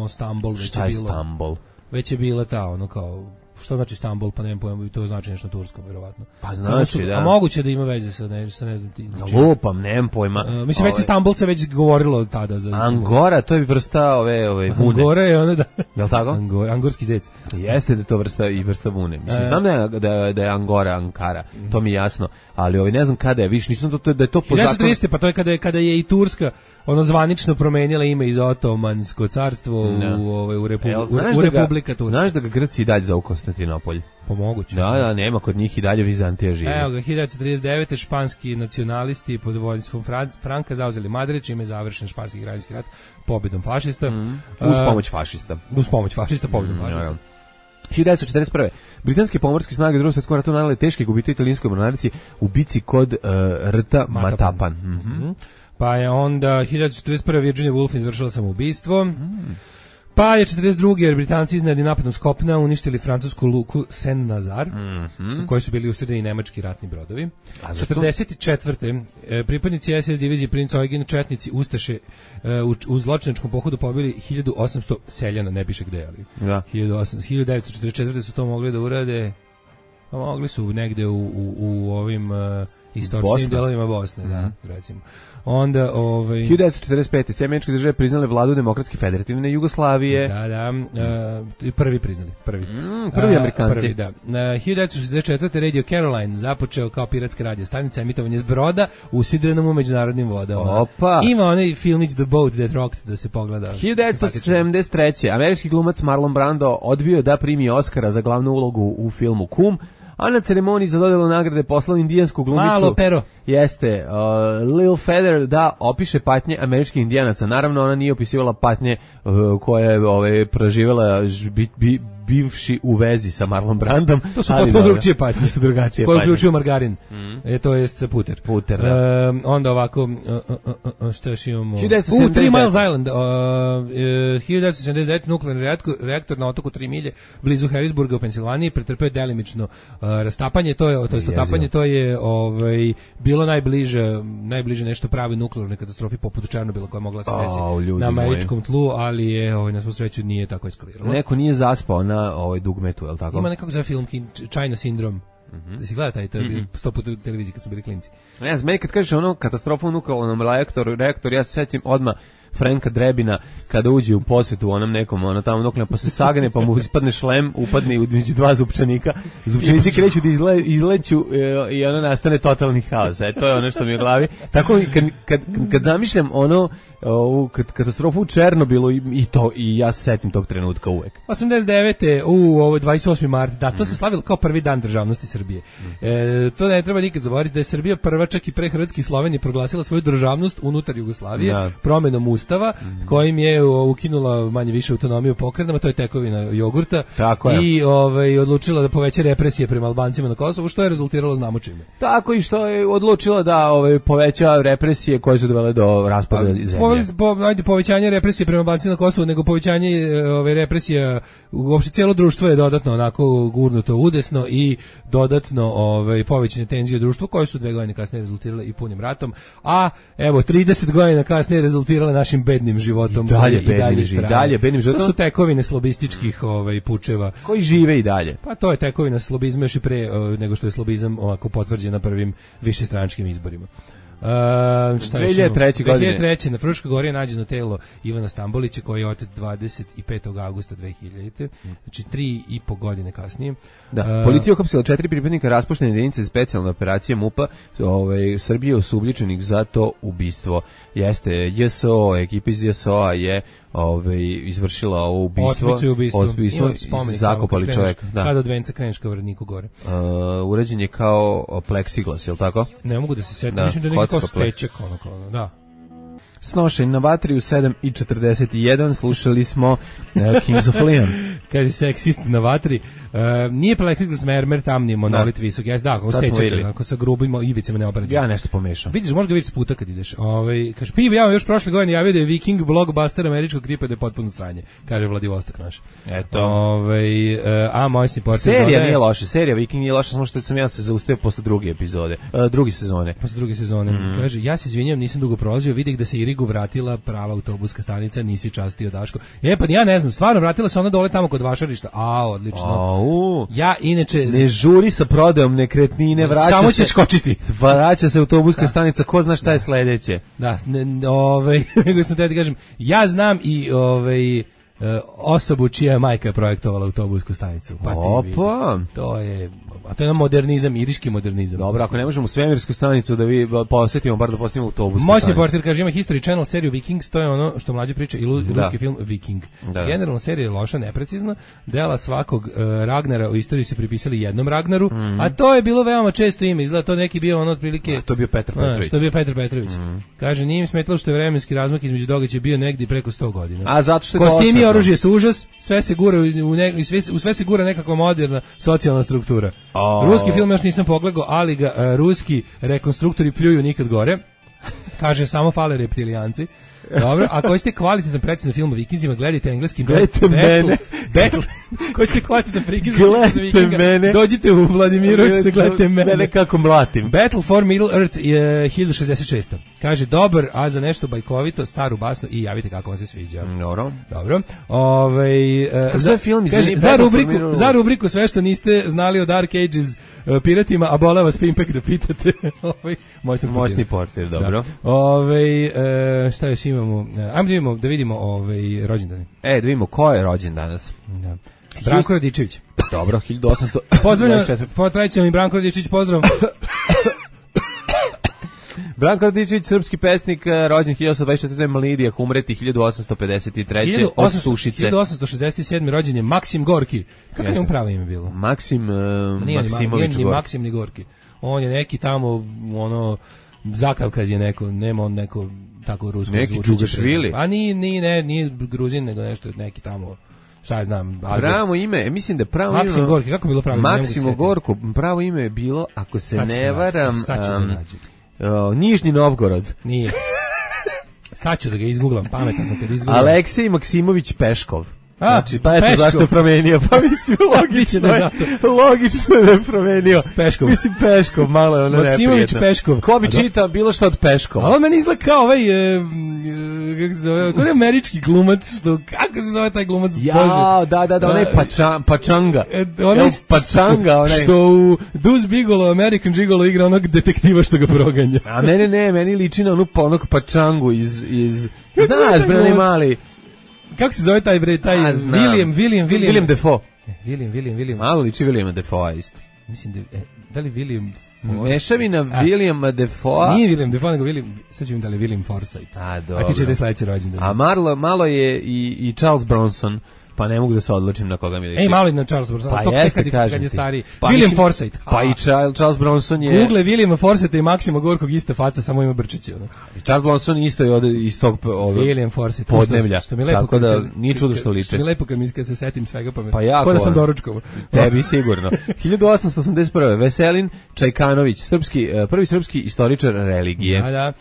Stambol. Šta je Stambol? Već je bila ta, kao... Šta znači Stambol, pa nemam pojma, to znači nešto na turskom, verovatno. Pa znači, da. A moguće da ima veze sa ne znam ti. Lupam, nemam pojma. Mislim, već Stambol se već govorilo tada. Angora, to je vrsta ove vune. Angora je ono da... Jel' tako? Angorski zec. Jeste da je to vrsta vune. Mislim, znam da je Angora, Ankara, to mi je jasno, ali ne znam kada je, viš, nisam da je to po zakonu. 1930, pa to je kada je i Turska zvanično promenila ime iz Otomansko carstvo u Republika Turska. Znaš da ga Grci i dalje zovu Konstantinopolj? Pomoguće. Da, nema kod njih i dalje Vizantija živi. Evo ga, 1939. španski nacionalisti pod vođstvom Franka zauzeli Madrid, čime je završen španski građanski rat pobjedom fašista. Uz pomoć fašista. Pobjedom fašista. 1941. Britanske pomorske snage u Drugom svjetskom ratu nanele teške gubitke italijanskoj mornarici u bici kod rta Matapan. Pa je onda 1941. Virginia Woolf izvršila samoubistvo. Pa je 42. jer Britanci iznenadnim napadom s kopna uništili francusku luku Saint-Nazar, u kojoj su bili usredeni nemački ratni brodovi. 44. pripadnici SS divizije Princ Eugen, četnici Ustaše u zločinačkom pohodu pobili 1800 seljana, ne piše gde, ali 1944. su to mogli da urade, a mogli su negde u ovim istočnim delovima Bosne, da, recimo. Onda 1945. sve američke države priznale vladu Demokratske federativne Jugoslavije. Prvi priznali, prvi Amerikanci. Prvi, da. 1964. Radio Caroline započeo kao piratska radio stanica emitovanje s broda u sidrenom u međunarodnim vodama. Opa. Ima onaj filmić The Boat That Rocked da se pogleda. 1973. američki glumac Marlon Brando odbio da primi Oscara za glavnu ulogu u filmu Kum, a na ceremoniji za dodelu nagrade poslao indijansku glumicu. Malo pero. Jeste, Lil Feather da opiše patnje američkih indijanaca. Naravno, ona nije opisivala patnje koje je proživjela bivši u vezi sa Marlon Brandom. To su potpuno drugčije patnje. Su drugačije koje uključuju margarin. To jest puter. Puter, da. Onda ovako, što još imamo? 1979. 3 Miles Island. 1979. nuklearni reaktor na otoku 3 milje blizu Harrisburga u Pensilvaniji pretrpeo delimično rastapanje. To je otapanje, to je bilo najbliže nešto pravi nuklearnoj katastrofi poput Černobila koja mogla se desiti na američkom tlu, ali je na svu sreću nije tako eskaliralo. Neko nije zaspao na dugmetu, je li tako? Ima nekako za film China Syndrome. Da si gleda taj, to je bio 100 puta u televiziji kad su bili klinci. Ne znam, meni kad kažeš katastrofa u nuklearnom reaktoru, ja se setim odmah Franka Drebina kada uđe u posjetu onom nekom, tamo nuklearno, pa se sagne, pa mu ispadne šlem, upadne između dva zupčanika, zupčanici kreću da izleću i nastane totalni haos. To je ono što mi je u glavi. Tako kad zamišljam ovu katastrofu u Černobilu i ja se setim tog trenutka uvek. 89. ovo 28. mart, da, to se slavilo kao prvi dan državnosti Srbije. To ne treba nikad zaboraviti da je Srbija prva čak i pre Hrvatske i Slovenije proglasila svoju državnost unutar Jugoslavije promenom Ustava, kojim je ukinula manje više autonomiju pokrajinama, to je tekovina jogurta. Tako je. I odlučila da poveća represije prema Albancima na Kosovu, što je rezultiralo znamo čime. Tako i što je odlučila da poveća represije koje su dovele do raspada zemlje. Povećanje represije prema Albancima na Kosovu, nego povećanje represija, uopšte cijelo društvo je dodatno onako gurnuto udesno i dodatno povećane tenzije u društvu koje su 2 godine kasnije rezultirale i punim ratom, a evo 30 godina kasnije rezultirale našim bednim životom. Dalje bednim životom. To su tekovine slobističkih pučeva. Koji žive i dalje. Pa to je tekovina slobizma još i pre nego što je slobizam ovako potvrđen na prvim višestranačkim izborima. 2003. godine. 2003. na Fruškoj gori je nađeno telo Ivana Stambolića koji je otet 25. augusta 2000. Znači 3,5 godine kasnije. Da, policija uhapsila 4 pripadnika raspuštene jedinice za specijalne operacije MUP-a Srbije osumnjičenih za to ubistvo. Jeste, JSO, ekipa iz JSO-a je izvršila ovo ubistvo. Otmicu zakopali čovjeka. Kada od venca kreneš ka Vrdniku gore. Urađen je kao pleksiglas, je li tako? Ne mogu da se setim, mislim da je neki kao stečak, da. Snošenj na vatri u 7:41, slušali smo Kings of Leon. Kaže seksist na vatri. Nije plexiglas mermer, tamni monolit visok. Ako stečak, ako sa grubim ivicama ne obrađen. Ja nešto pomešam. Vidiš, možda ga vidiš puta kad ideš. Kaže, ja vam još prošle godine javio da je Viking blockbuster američkog tipa da je potpuno sranje. Kaže Vladivostok naš. Eto. A Mojsni portir. Serija nije loša, serija Viking nije loša, samo što sam ja se zaustavio posle druge sezone. Posle druge sezone. Kaže, ja se izvinjam, nisam dugo prolazio, vidim da se Irigu vratila prava autobuska stanica, nisi častio Daško. Pa ja ne znam, stvarno vratila se ona dole tamo kod Vašarišta. Odlično. Ja inače ne žuri sa prodajom nekretnine, vraća se skočiti. Vraća se autobuska stanica, ko zna šta je sledeće. Da, nego sam te da kažem, ja znam i osobu čija majka je projektovala autobusku stanicu. Opa! To je modernizam, iriški modernizam. Dobro, ako ne možemo svemirsku stanicu da vi posjetimo, bar da posjetimo autobusku stanicu. Moćni portir kaže, ima History Channel seriju Vikings, to je ono što mlađe priča i ruski film Viking. Generalno serija je loša, neprecizna, dela svakog Ragnara u istoriji su pripisali jednom Ragnaru, a to je bilo veoma često ime, izgleda to neki bio ono otprilike... To je bio Petar Petrović. To je bio Petar Petrović. Kaže, nije im smetalo što je vremenski razmak između događaja bio negdje preko 100 godina. A zato što je kostimi Vojno oružje su užas, sve se gura u sve se gura nekakva moderna socijalna struktura. Ruski film još nisam pogledao, ali ga ruski rekonstruktori pljuju nikad gore. Kaže, samo fale reptilijanci. Dobro, ako hoćete kvalitetan precizan film o Vikinzima, gledajte engleski Battle. Ko ćete kvalitetan prikaz Vikinga, dođite u Vladimirović da gledate mene kako mlatim. Battle for Middle Earth je 1066. Kaže, dobar, a za nešto bajkovito, staru basnu i javite kako vam se sviđa. Dobro. Za rubriku sve što niste znali o Dark Ages piratima, a bola vas Pimpek da pitate. Moćni portir, dobro. Šta još imamo? Ajmo da vidimo rođendane. Da vidimo ko je rođen danas. Da. Branko Radičević. Dobro, 1800. Pozdravljam, tradicionalni Branko Radičević, pozdrav. Branko Radičević, srpski pesnik, rođen 1824. Malidija, umreti 1853. od Sušice. 1867. rođen je Maksim Gorki. Kako je mu pravo ime bilo? Maksimović Gorki. Maksim ni Gorki. On je neki tamo, Zakavkaz je neko, nema on neko tako rusko neki Džugašvili. A nije Gruzin, nego nešto, neki tamo, šta ja znam, Azir. Pravo ime, mislim da pravo ime... Maksim Gorki, kako je bilo pravo ime? Maksimo Gorko, pravo ime je bilo, ako se ne varam, Nižni Novgorod. Nije. Sad ću da ga izgooglam, pametan sam kad izgooglam. Aleksej Maksimović Peškov. Znači, pa eto zašto je promenio, pa mislim logično je da je promenio. Peškov. Mislim Peškov, malo je ono neprijetno. Maksimović Peškov. Ko bi čitao bilo što od Peškova? A on meni izgleda kao kako se zove, kao američki glumac, kako se zove taj glumac? Da, onaj Pačanga. Onaj Pačanga, onaj. Što u Deuce Bigalow, American Gigolo igra onog detektiva što ga proganja. A meni liči na onog Pačangu iz znaš, bre, onaj mali. Kako se zove taj William Defoe. William. Malo liči Williama Defoe isto. Mislim da li William Mešavina Williama Defoe. Nije William Defoe, nego sad ću im da li William Forsythe. Dobro. A ti će da je sledeći rođendan. A malo je i Charles Bronson. Pa ne mogu da se odlučim na koga mi liči. Malo na Charles Bronson, pa to kad je stari. Pa William Forsythe. Pa i Charles Bronson je... Google Williama Forsythe i Maksima Gorkog iste faca, samo ima brčići. Charles Bronson isto je iz tog William Forsythe podneblja. Tako da nije čudo što liče. Što mi lepo kad se setim svega, pa jako. Ko da sam doručkovao. Tebi sigurno. 1881. Veselin Čajkanović, prvi srpski istoričar religije. Da.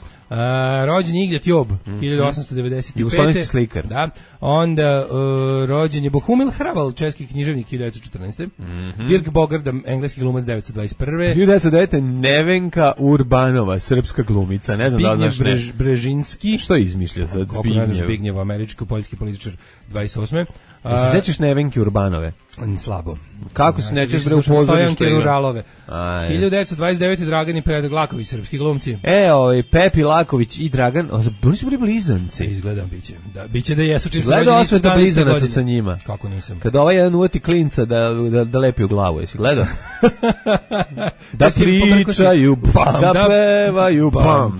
Rođen je Ignjat Job, 1895. Jugoslovenski slikar. Da. Onda rođen je Bohumil Hraval, česki književnik, 1914. Dirk Bogarda, engleski glumac, 1921. 1909. Nevenka Urbanova, srpska glumica. Ne znam da znaš ne. Brežinski. Što je izmišljao sad? Zbignjev, američki poljski političar, 28. Se sećaš Nevenke Urbanove? Slabo. Kako se nećeš bre u pozorištu? Ruralove. 1929. Dragan i Predrag Laković, srpski glumci. Pepi Laković i Dragan, oni su bili blizanci. Izgledam biće. Da, biće da jesu čim su rođeni. Gledao Osveta blizanaca sa njima. Kako nisam? Kada ovaj jedan uvati klinca da lepi u glavu, jesi gledao? Da pričaju, da pevaju,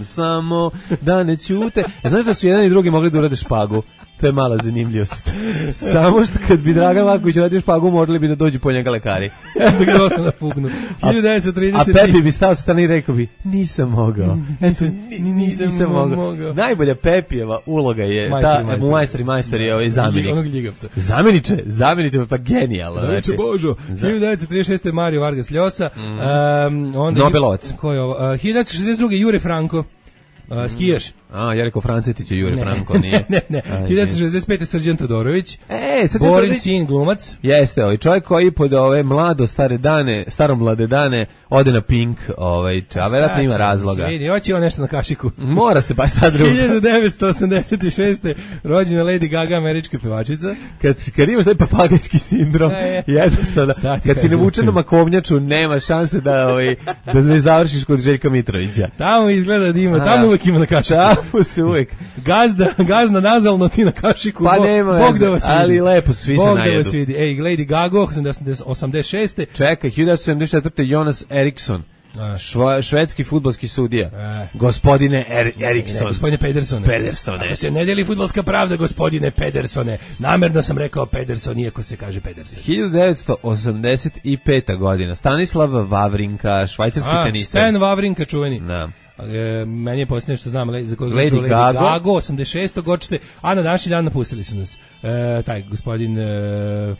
samo da ne ćute. Znaš da su jedan i drugi mogli da urade špagu? To je mala zanimljivost. Samo što kad bi Dragan Laković radio špagu, morali bi da dođu po njega lekari. Da ga osnovno napugnu. 1930. A Pepi bi stao sa strane i rekao bi, nisam mogao. Nisam mogao. Najbolja Pepijeva uloga je u Majstor je zamjenik. Onog ljigavca. Zamjeniče, pa genijalno. Zamjeniče Božo. 1936. Mario Vargas Llosa. Nobelovac. Ko je ovo? 1962. Jure Franko. Skijaš. Ja rekao Francetić je Jure Franko, nije. Ne. 1965. Srđan Todorović. Borin sin glumac. Jeste, čovjek koji pod ove staromlade dane ode na Pink, a verovatno ima razloga. Vidi, hoće on nešto na kašiku. Mora se baš ta druga. 1986. rođena Lady Gaga, američka pevačica. Kad imaš taj papagajski sindrom, jednostavno, kad si navučen na makovnjaču, nema šanse da ne završiš kod Željka Mitrovića. Tamo izgleda da ima, tamo uvek ima na kašiku. Tamo se uvek. Gazda nazalno, ti na kašiku. Pa nema Bog da vas vidi. Ali lepo svi se najedu. Bog da vas vidi. Lady Gaga, 86. Čekaj, 1974. Jonas Eriksson. Švedski fudbalski sudija. Gospodine Eriksson. Gospodine Pedersone. Ako se ne deli fudbalska pravda, gospodine Pedersone. Namerno sam rekao Pederson, iako se kaže Pedersen. 1985. godina. Stanislav Wawrinka, švajcarski tenisar. Stan Wawrinka, čuveni. Da. Meni je posljednje što znam za kojeg Lady Gaga 86. godište, a na današnji dan napustili su nas taj gospodin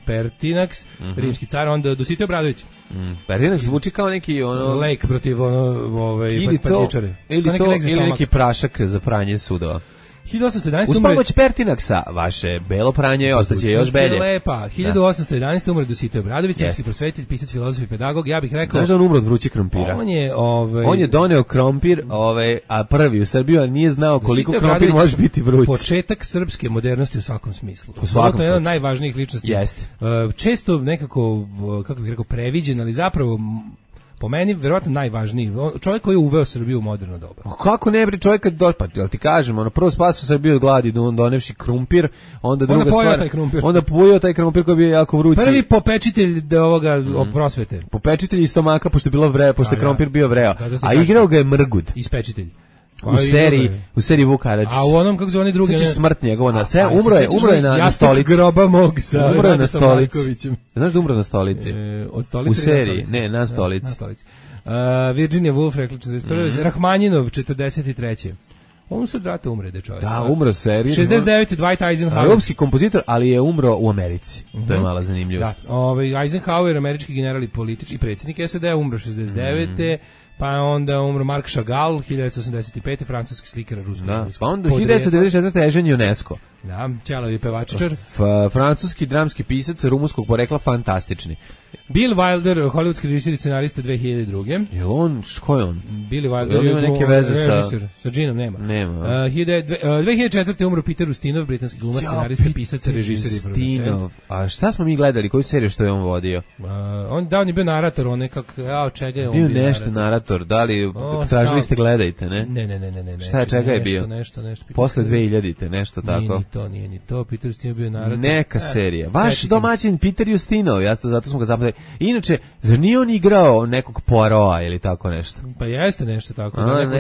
Pertinax, rimski car, onda Dositej Obradović. Pertinax zvuči kao neki lek protiv patičare. Ili neki prašak za pranje sudova. 1811. Uz pomoć Pertinaxa vaše belo pranje ostaće još belje. Lepa. 1811. umre Dositej Obradović, srpski prosvetitelj, pisac, filozof i pedagog. Ja bih rekao... Znaš da on umro od vrućeg krompira? On je doneo krompir, a prvi u Srbiju, a nije znao koliko krompir može biti vruć. Početak srpske modernosti u svakom smislu. U svakom. To je jedan od najvažnijih ličnosti. Jeste. Često nekako, kako bih rekao, previđen, ali zapravo... Po meni, verovatno najvažniji. Čovjek koji je uveo Srbiju u moderno doba. Kako ne bre čovjek pa ti kažem, prvo spasio Srbiju od gladi, donevši krumpir, onda druga stvar. Onda pojeo taj krumpir koji je bio jako vrući. Prvi popečitelj ovoga prosvete. Popečitelj iz stomaka, pošto je bilo vreo, pošto je krumpir bio vreo. A igrao ga je Mrgud. Ispečitelj. U seriji Vuk Karadžić. A u onom, kako zove oni drugi... Znači smrt njegova na sve, umro je na stolici. Groba mog sa Radostom Markovićem. Znaš da umro na stolici? Od stolice u seriji, ne, na stolici. Na stolici. Virginia Woolf, rekla 41. Rahmanjinov, 43. On su drate umre, čovjek. Da, umro seriji. 69. Dwight Eisenhower. Europski kompozitor, ali je umro u Americi. To je mala zanimljivost. Da, Eisenhower, američki general i politički predsjednik SAD-a, umro 69. Pa onda umro Marc Chagall, 1985. francuski slikar ruskog. Da, pa onda 1994. Eugene Ionesco. Da, ćelavi pevačičar. Francuski dramski pisac rumunskog porekla, fantastični. Bill Wilder, hollywoodski režiser i scenarista 2002. Je on, ko je on? Bill Wilder ima neke veze sa Ginom, nema. 2004. umro Peter Ustinov, britanski glumac, scenarista, pisac, režiser i producent. A šta smo mi gledali, koju seriju što je on vodio? On je bio narator, on nekak, čega je on bio nešto narator, da li tražili ste gledajte, ne? Ne. Šta je, čega je bio? Nešto. Posle 2000-te, nešto tako. Nije ni to, Peter Ustinov bio narator. Neka serija. Vaš domaćin Peter Ustinov, zato smo ga zapamtili. Inače, zar nije on igrao nekog Poirota ili tako nešto? Pa jeste nešto tako, neko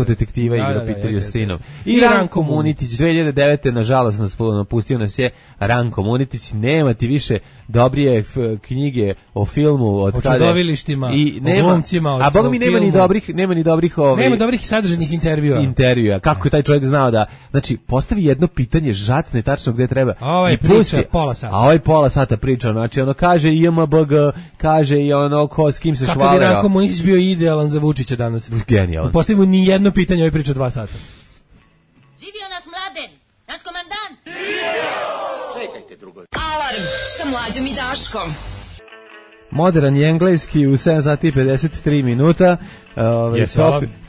detektiva igra Peter Ustinov. I Ranko Munitić, 2009. nažalost napustio nas je Ranko Munitić, nema ti više dobrije knjige o filmu od o čudovilištima, o glumcima, a boga mi nema ni dobrih nema dobrih sadržajnih intervjua. Kako je taj čovjek znao da, znači, postavi jedno pitanje, žacne tačno gde treba. Ovaj priča pola sata. A ovaj pola sata priča, znači ono kaže IMBG, kaže i ono s kim se švalera. Kako bi Ranko Munitić bio idealan za Vučića danas. Genijalan. Postavimo ni jedno pitanje, ovaj priča 2 sata. Živio naš Mladen, naš komandant. Čekajte drugo. Alarm sa Mlađom i Daškom. Modern je engleski u 7 sati i 53 minuta.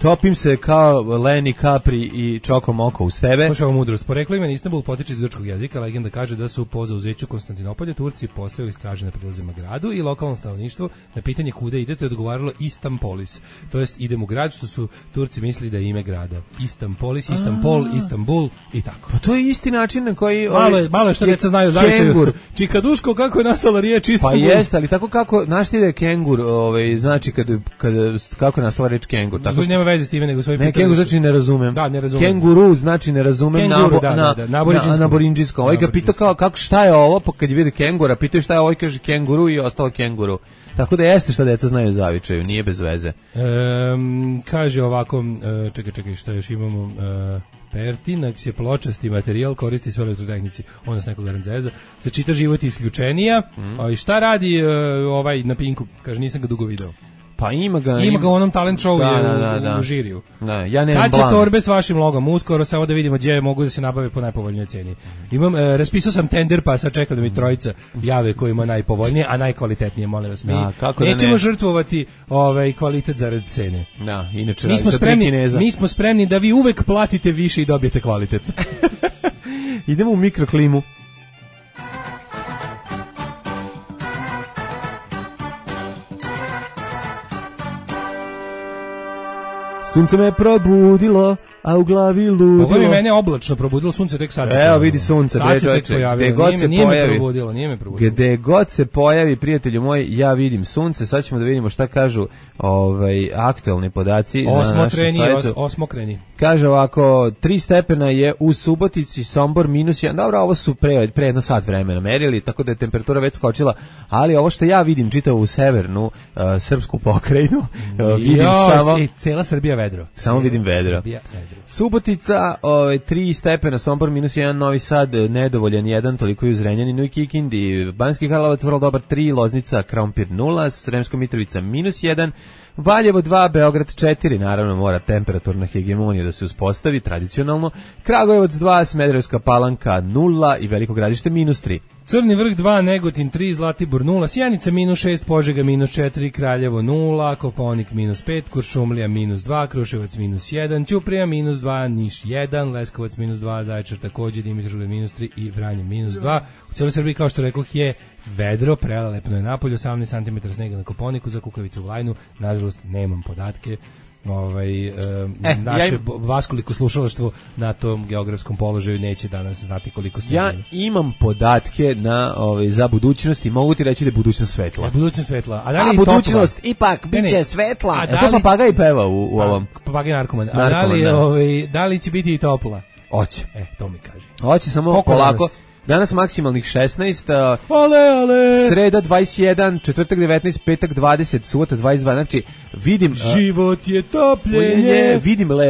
Topim se kao Lenny Capri i Čoko Moko uz tebe. Slušaj ovo mudrost. Poreklo ime Istanbul potiče iz grčkog jezika. Legenda kaže da su po zauzeću Konstantinopolja Turci postavili straže na prilazima gradu i lokalno stanovništvo na pitanje kuda idete odgovaralo Istampolis. To jest idem u grad, što su Turci mislili da je ime grada. Istampolis, Istanbul, Istanbul i tako. Pa to je isti način na koji... Malo je što djeca znaju zavičaju. Čikaduško, kako je nastala riječ Istanbul? Pa jeste, ali tako kako, znaš ti da je kengur, znači kako je nastala reč kengur. Tako nema veze s time, nego svoje pitanje. Ne, kengur znači ne razumem. Da, ne razumem. Kenguru znači ne razumem na borinđinskom. Ovaj ga pitao kako šta je ovo, pa kad je vidi kengura, pitao šta je ovo i kaže kenguru i ostalo kenguru. Tako da jeste šta deca znaju zavičaju, nije bez veze. Kaže ovako, čekaj, šta još imamo... Pertinax je pločasti materijal, koristi se u elektrotehnici. Onda s nekog aranzeza. Se čita život isključenija. I šta radi ovaj na Pinku? Kaže, nisam ga dugo video. Pa ima ga u onom talent showu u žiriju. Da, ja nemam kad će torbe s vašim logom? Uskoro, samo da vidimo gdje mogu da se nabave po najpovoljnijoj cijeni. Raspisao sam tender, pa sad čekam da mi trojica jave koji ima najpovoljnije, a najkvalitetnije, molim vas. Nećemo žrtvovati kvalitet zarad cene. Da, inače mi smo spremni da vi uvek platite više i dobijete kvalitet. Idemo u mikroklimu. Sunce me probudilo, a u glavi ludilo. Ovo je mene oblačno probudilo, sunce tek sad. Evo vidi sunce, gde god se pojavi. Nije me probudilo. Gde god se pojavi, prijatelju moj, ja vidim sunce. Sad ćemo da vidimo šta kažu aktuelni podaci na našem sajtu. Osmokreni. Kaže ovako, 3 stepena je u Subotici, Sombor -1. Dobro, ovo su pre jedno sat vremena merili, tako da je temperatura već skočila, ali ovo što ja vidim čitavo u severnu srpsku pokrajinu, vidim samo... Cela Srbija vedro. Samo vidim vedro. Subotica, 3 stepena, Sombor -1, Novi Sad nedovoljan 1, toliko i u Zrenjaninu i Kikindi, Banjski Karlovac vrlo dobar 3, Loznica, Krompir 0, Sremska Mitrovica -1, Valjevo 2, Beograd 4, naravno mora temperaturna hegemonija da se uspostavi tradicionalno, Kragujevac 2, Smederevska Palanka 0 i Veliko Gradište -3. Crni vrh 2, Negotin 3, Zlatibor 0, Sjenica -6, Požega -4, Kraljevo 0, Kopaonik -5, Kuršumlija -2, Kruševac -1, Ćuprija -2, Niš 1, Leskovac -2, Zaječar takođe, Dimitrovgrad -3 i Vranje -2. U cijeloj Srbiji, kao što rekoh, je vedro, prelelepno je napolju, 18 cm snega na Kopaoniku, za Kukavicu u Lajnu, nažalost nemam podatke. Naše vaskoliko slušalaštvo na tom geografskom položaju neće danas znati koliko snega. Ja imam podatke za budućnost i mogu ti reći da je budućnost svetla. Budućnost svetla. A da li budućnost ipak biće svetla. A to papagaj peva u ovom. Papagaj narkoman. A da li će biti i topla? Hoće. To mi kaže. Hoće, samo polako. Danas maksimalnih 16, sreda 21, četvrtak 19, petak 20, subota 22, znači vidim... Život je topljenje.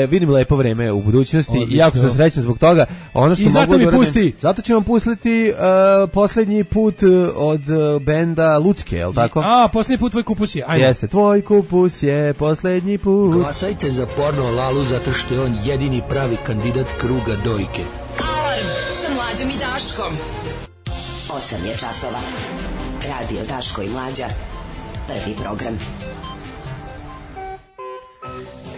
Vidim lepo vreme u budućnosti i jako sam srećan zbog toga. Ono što i zato mi pusti. Zato ću vam pustiti poslednji put od benda Lutke, je li tako? Poslednji put tvoj kupus je. Ajde. Jeste, tvoj kupus je poslednji put. Glasajte za porno Lalu zato što je on jedini pravi kandidat kruga dojke. Alarm sa Mlađom i Daškom. 8 je časova. Radio Daško i Mlađa. Prvi program.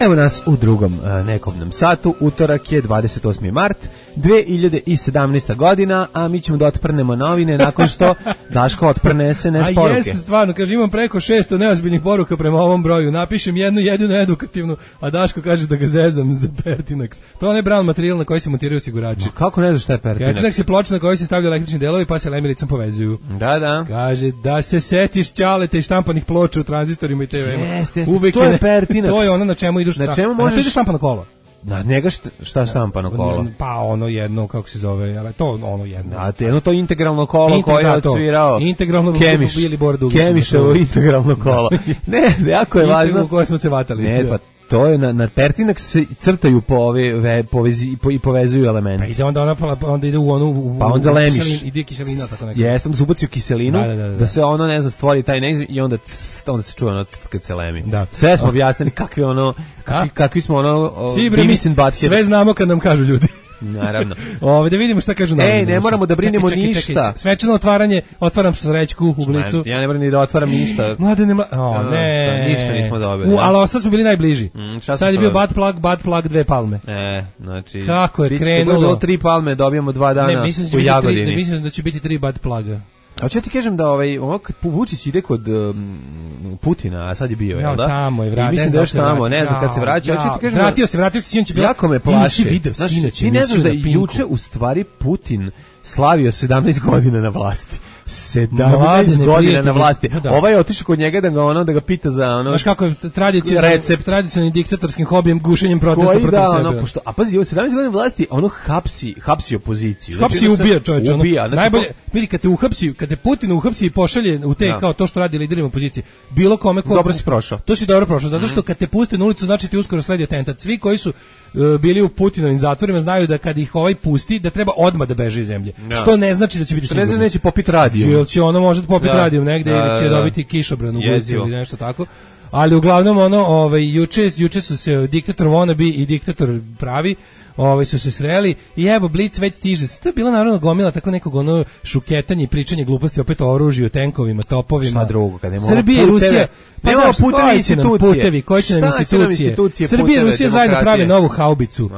Evo nas u drugom nekobnom satu, utorak je 28. mart 2017. godina, a mi ćemo da otprnemo novine nakon što Daško otprne SNS poruke. A jeste, stvarno, kaže, imam preko 600 neozbiljnih poruka prema ovom broju, napišem jednu jedinu edukativnu, a Daško kaže da ga zezam za Pertinax. To je brown materijal na koji se montiraju osigurači. Kako ne znaš šta je Pertinax? Pertinax je ploča na kojoj se stavljaju električni delovi pa se lemiricom povezuju. Da. Kaže da se setiš ćalete i štampanih ploča u tranzistorima i TV-ima. Jeste, to je Pertinax. To je ono na čemu iduš. Na čemu možeš... To ide štampano kolo. Na njega šta štampano kolo? Pa ono jedno, kako se zove, ali to ono jedno. A to jedno to integralno kolo koje je odsvirao Kemiševo integralno kolo. Ne, jako je važno. U koje smo se vatali. Ne, pa to je na Pertinax se crtaju i povezuju elemente. Pa ide onda ide u onu... Pa onda lemiš. Ide kiselina, tako nekako. Jeste, onda se ubaci u kiselinu, da se ono, ne znam, stvori taj negdje i onda se čuje ono kad se lemi. Sve smo objasnili kakvi smo ono... Sve znamo kad nam kažu ljudi. Naravno. Da vidimo šta kažu novine. Ne moramo da brinemo ništa. Svečano otvaranje, otvaram srećku u Blicu. Ja ne moram ni da otvaram ništa. Mladene, ništa nismo dobili. Ali sad smo bili najbliži. Sad je bio bad plug 2 palme. Znači. Kako je krenulo? Bilo 3 palme, dobijamo 2 dana u Jagodini. Ne mislim da će biti 3 bad pluga. A ću ti kažem da kad Vučić ide kod Putina, a sad je bio, jel da? Tamo je vratio. Mislim da još tamo, ne znam kad se vraća. Vratio se, sinoć je bilo. Jako me plaši. Ti ne znaš da je juče u stvari Putin slavio 17 godina na vlasti. 17 godina na vlasti. Ovaj je otišao kod njega da ga pita za ono. Znaš kako je tradicionalnim diktatorskim hobijem, gušenjem protesta protiv sebe. A pazi, ovo 17 godina vlasti, ono hapsi opoziciju. Hapsi i ubija, čovječe. Najbolje, vidi, kad te Putin uhapsi i pošalje u te kao to što radi liderima opozicije, bilo kome ko... Dobro si prošao. To si dobro prošao, zato što kad te puste na ulicu, znači ti uskoro sledi atentat. Svi koji su bili u Putinovim zatvorima znaju da kad ih ovaj pusti, da treba odmah da beže iz zemlje. Što ne znači da će biti sigurno. Ne znači neće popiti radio. Ili će ono možda popiti radio negde ili će dobiti kišobran u guzi ili nešto tako. Ali uglavnom juče su se diktator wannabe i diktator pravi su se sreli i evo Blic već stiže. To je bilo naravno gomila tako nekog ono šuketanje i pričanje gluposti opet o oružju, tenkovima, topovima. Šta drugo, kad nemamo Srbija i Rusija, pa da, putevi, koji će nam institucije. Srbija i Rusija zajedno prave novu haubicu.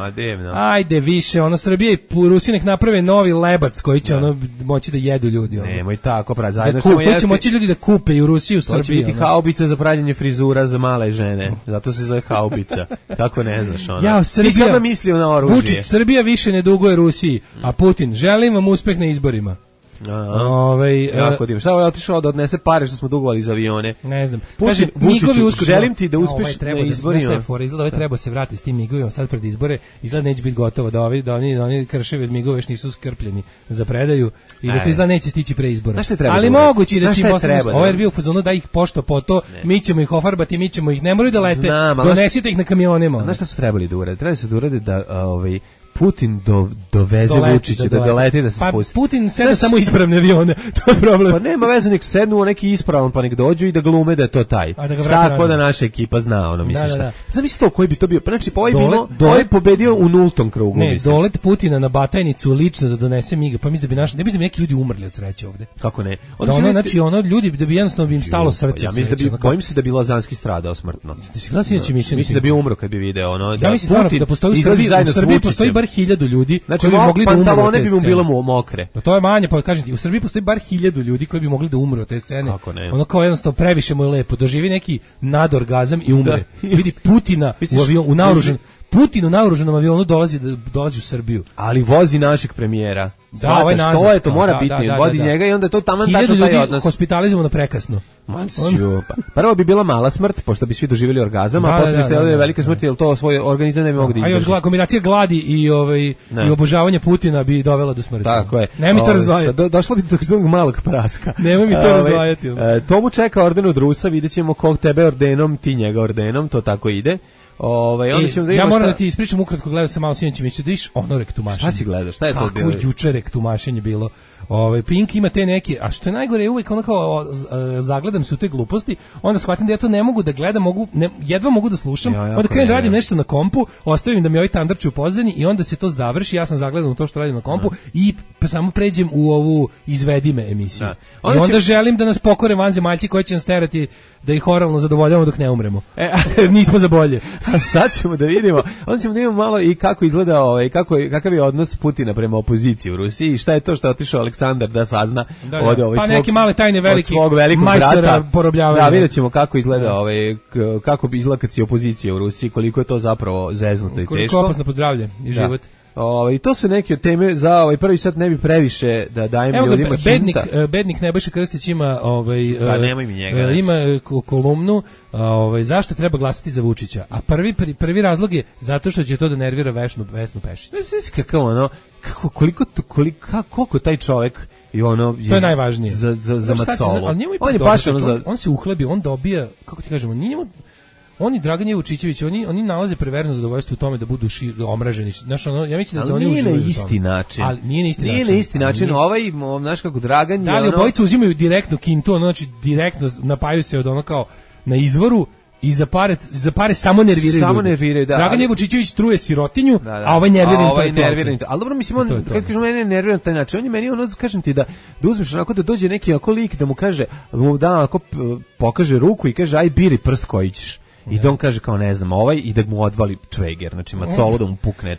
Ajde više, ono Srbija i Rusija nek naprave novi lebac koji će ono moći da jedu ljudi. Nemoj tako, pravi, zajedno koji će moći ljudi da kupe i u Rusiji i u Srbiji. To će biti haubica za pravljenje frizura za male žene. Zato se zove haubica. Kako ne znaš ono. Ja, Srbija, ti sada mislio na oružje. Vučić, Srbija više ne duguje Rusiji, a Putin, želim vam uspeh na izborima. Jako divno. Šta je otišao da odnese pare što smo dugovali za avione? Ne znam. Putin, Vučiću, želim ti da uspeš na izborima. Izgleda treba se vratiti s tim migovima sad pred izbore. Izgleda neće biti gotovo da oni krševi od migova još nisu skrpljeni za predaju i da to izgleda neće stići pre izbora. Ali moguće da će im postaviti. Ovo je bio u fazonu da ih pošto po to, mi ćemo ih ofarbati, mi ćemo ih, ne moraju da lete, donesite ih na kamionima. Znaš šta su trebali da urede? Trebali su da urede da Putin doveze Vučića da doleti da se spusti. Pa Putin seda samo ispravne avione, to je problem. Pa nema veze, nek sednu neki ispravan pa nek dođu i da glume da je to taj. Tako da naša ekipa zna, ono misliš šta. Zamisli to koji bi to bio. Znači pa ovaj pobedio u nultom krugu. Ne, dolet Putina na Batajnicu lično da donese miga, pa mislim da bi ne bi neki ljudi umrli od sreće ovde. Kako ne? Znači ljudi da bi jednostavno im stalo srce. Ja mislim da bi bojim se da bi Lazanski stradao smrtno. Mislim da bi umro kad bi video ono. Ja mislim da postoji u Srbiji postoji bar 1000 ljudi koji bi mogli da umru. Pantalone bi mu bilo mokre. No to je manje, pa kažem ti, u Srbiji postoji bar 1000 ljudi koji bi mogli da umru od te scene. Ono kao jednostavno previše mu je lepo, doživi neki nadorgazam i umre. Vidi Putina u avionu, Putin u naoružanom avionu dolazi u Srbiju. Ali vozi našeg premijera. Da, ovaj nazad. Što je to, mora biti, vodi njega i onda je to taman tačno taj odnos. Hospitalizujemo na prekasno. Prvo bi bila mala smrt, pošto bi svi doživjeli orgazam, a posle bi stajala velika smrt, jer to svoj organizam ne bi mogu da izdrži. A kombinacija gladi i obožavanja Putina bi dovela do smrti. Tako je. Nemoj mi to razdvajati. Došlo bi do takzvanog malog praska. Nemoj mi to razdvajati. Tomu čeka orden od Rusa, vidjet ćemo kog tebe ordenom, ti njega ordenom, to tako ide. Ja moram da ti ispričam ukratko, gledao sam malo sinoć emisiju, da vidiš ono rektumašenje. Šta si gledao? Šta je to bilo? Kako juče rektumašenje bilo. Pink ima te neke, a što je najgore je uvijek ono kao zagledam se u te gluposti, onda shvatim da ja to ne mogu da gledam, jedva mogu da slušam, onda krenem da radim nešto na kompu, ostavim da mi ovaj tandarči u pozadini i onda se to završi, ja sam zagledan u to što radim na kompu i samo pređem u ovu izvedi me emisiju. I onda želim da nas pokore vanzemaljci koji će nas terati da ih oralno zadovoljavamo dok ne umremo. Nismo za bolje. Sad ćemo da vidimo, onda ćemo da vidimo malo i kako izgleda, kakav je odnos Putina prema opoziciji u Rusiji i šta je to što je otišao Aleksandar da sazna od pa neke male tajne svog velikog majstora porobljavanja. Da, vidjet ćemo kako izgleda kako bi izgleda kad si opozicija u Rusiji, koliko je to zapravo zeznuto i teško. Koliko opasno pozdravlje i život. I to su neke teme za prvi sat, ne bi previše da dajem ljudima hinta. Bednik Nebojša Krstić ima nemoj mi njega. Ima kolumnu zašto treba glasati za Vučića. A prvi razlog je zato što će to da nervira Vesnu Pešić. Koliko taj čovjek i ono to je najvažnije za macolo. On je baš on se uhlebi, on dobija, kako ti kažemo, oni Dragan Vučićević, oni nalaze perverzno zadovoljstvo u tome da budu omraženi. Znaš, ja mislim da oni uživaju. Nije na isti način. Ali nije na isti način. Znaš kako Dragan je da li obojica uzimaju direktno kintu, znači direktno napaju se od ono kao na izvoru i za pare samo nerviraju. Dragan Vučićević truje sirotinju, a ovaj nervira. Ali dobro, mislim, on, kad kažem mene nervira na taj način, on je meni ono, kažem ti da uzmeš onako da dođe neki ako lik da mu kaže, ako pokaže ruku i kaže aj biri prst koji ćeš. I da on kaže kao ne znam i da mu odvali čveger, znači macolo da mu pukne.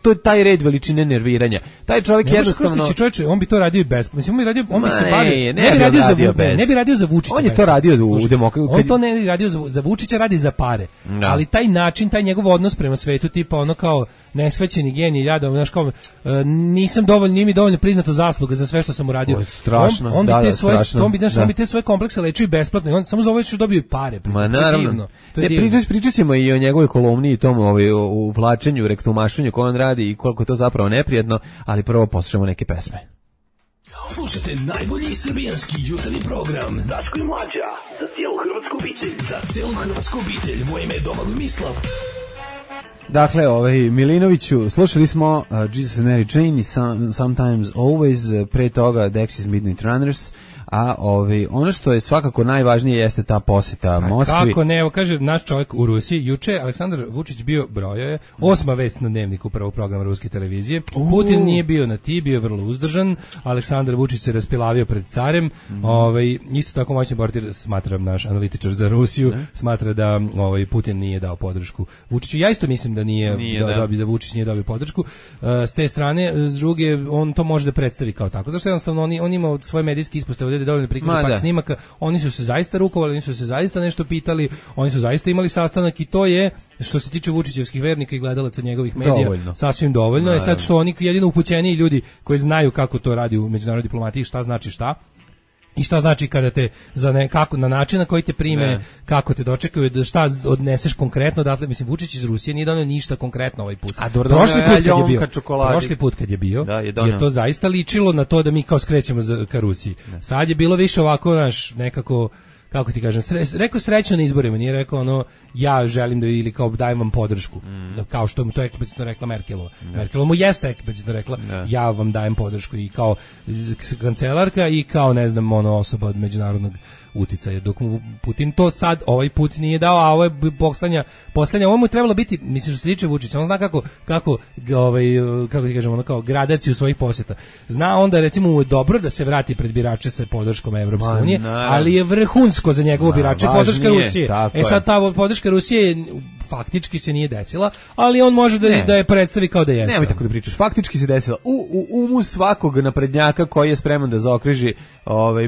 To je taj red veličine nerviranja. Taj čovjek jednostavno on bi to radio i bez. Mislim on bi se bavio. Ne bi radio za Vučića. On je to radio u demokratiji. On to ne bi radio za Vučića, radi za pare. Ali taj način, taj njegov odnos prema svetu, tipa ono kao nesvećeni genij, jadom, znaš kao nije mi dovoljno priznato zasluga za sve što sam uradio. Strašno. On bi te svoje komplekse lečio i besplatno. On samo za ovo što dobio pare. Naravno. Pričat ćemo i o njegovoj kolumni i tom u vlačenju, rektumašenju koje on radi i koliko je to zapravo neprijatno, ali prvo poslušamo neke pesme. Slušajte najbolji srbijanski jutarnji program Daško i Mlađa, za cijelu hrvatsku obitelj. Za cijelu hrvatsku obitelj, moje ime je Domagoj Mislav. Dakle, Milinoviću, slušali smo Jesus and Mary Chain i Sometimes Always, pre toga Dexys Midnight Runners, a ono što je svakako najvažnije jeste ta poseta Moskvi. Kako ne, evo kaže naš čovjek u Rusiji, juče Aleksandar Vučić bio, brojao je, 8. vest na Dnevniku prvog programa ruske televizije. Putin nije bio na ti, bio je vrlo uzdržan. Aleksandar Vučić se raspilavio pred carem. Isto tako moćni bortir, smatram naš analitičar za Rusiju, smatra da Putin nije dao podršku Vučiću. Ja isto mislim da da Vučić nije dobio podršku. S te strane, s druge, on to može da predstavi kao tako. Zašto jednostavno on ima svoje medijske ispostave da dovoljno prikaže par snimaka. Oni su se zaista rukovali, oni su se zaista nešto pitali, oni su zaista imali sastanak i to je, što se tiče Vučićevskih vernika i gledalaca njegovih medija, sasvim dovoljno. Je sad što oni jedino upućeniji ljudi koji znaju kako to radi u međunarodnoj diplomatiji, šta znači šta. I šta znači kada te kako na način na koji te prime, kako te dočekaju, da šta odneseš konkretno, dakle mislim Vučić iz Rusije nije doneo ništa konkretno ovaj put. Prošli put kad je bio, je to zaista ličilo na to da mi kao skrećemo ka Rusiji. Sad je bilo više ovako nekako, kako ti kažem, rekao srećno na izborima, nije rekao ja želim da ili kao dajem vam podršku, kao što mu to eksplicitno rekla Merkelova. Merkelova mu jeste eksplicitno rekla, ja vam dajem podršku i kao kancelarka i kao ne znam osoba od međunarodnog uticaja, dok mu Putin to sad ovaj put nije dao, a ovo je poslednja, ovo mu je trebalo biti, mislim što se tiče Vučića, on zna kako ti kažemo, kao gradaciju svojih posjeta. Zna onda recimo mu je dobro da se vrati pred birače sa podrškom Evropske unije, ali je vrhunsko za njegovo birače podrška Rusije. Sad ta podrška Rusije faktički se nije desila, ali on može da je predstavi kao da jeste. Nemoj tako da pričaš, faktički se desila. U umu svakog naprednjaka koji je spreman da zaokruži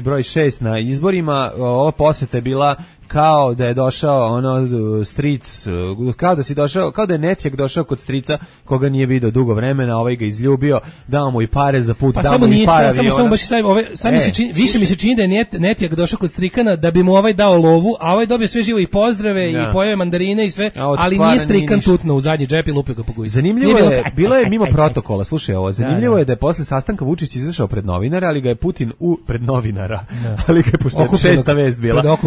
broj 6 na izborima, ova poseta je bila kao da je došao stric, kao da je Netjak došao kod strica koga nije video dugo vremena, ovaj ga izljubio, dao mu i pare za put, dao mu i pare aviona. Samo baš više mi se čini da je Netjak došao kod strikana da bi mu ovaj dao lovu, a ovaj dobio sve živo i pozdrave i pojeo mandarine i sve, ali nije strikan tutno u zadnji džep i lupio ga po guzi. Zanimljivo je, bilo je mimo protokola, slušaj ovo, zanimljivo je da je posle sastanka Vučić izašao pred novinare, ali ga je Putin pred novinara, ali ga je pošto je 6. vest bila.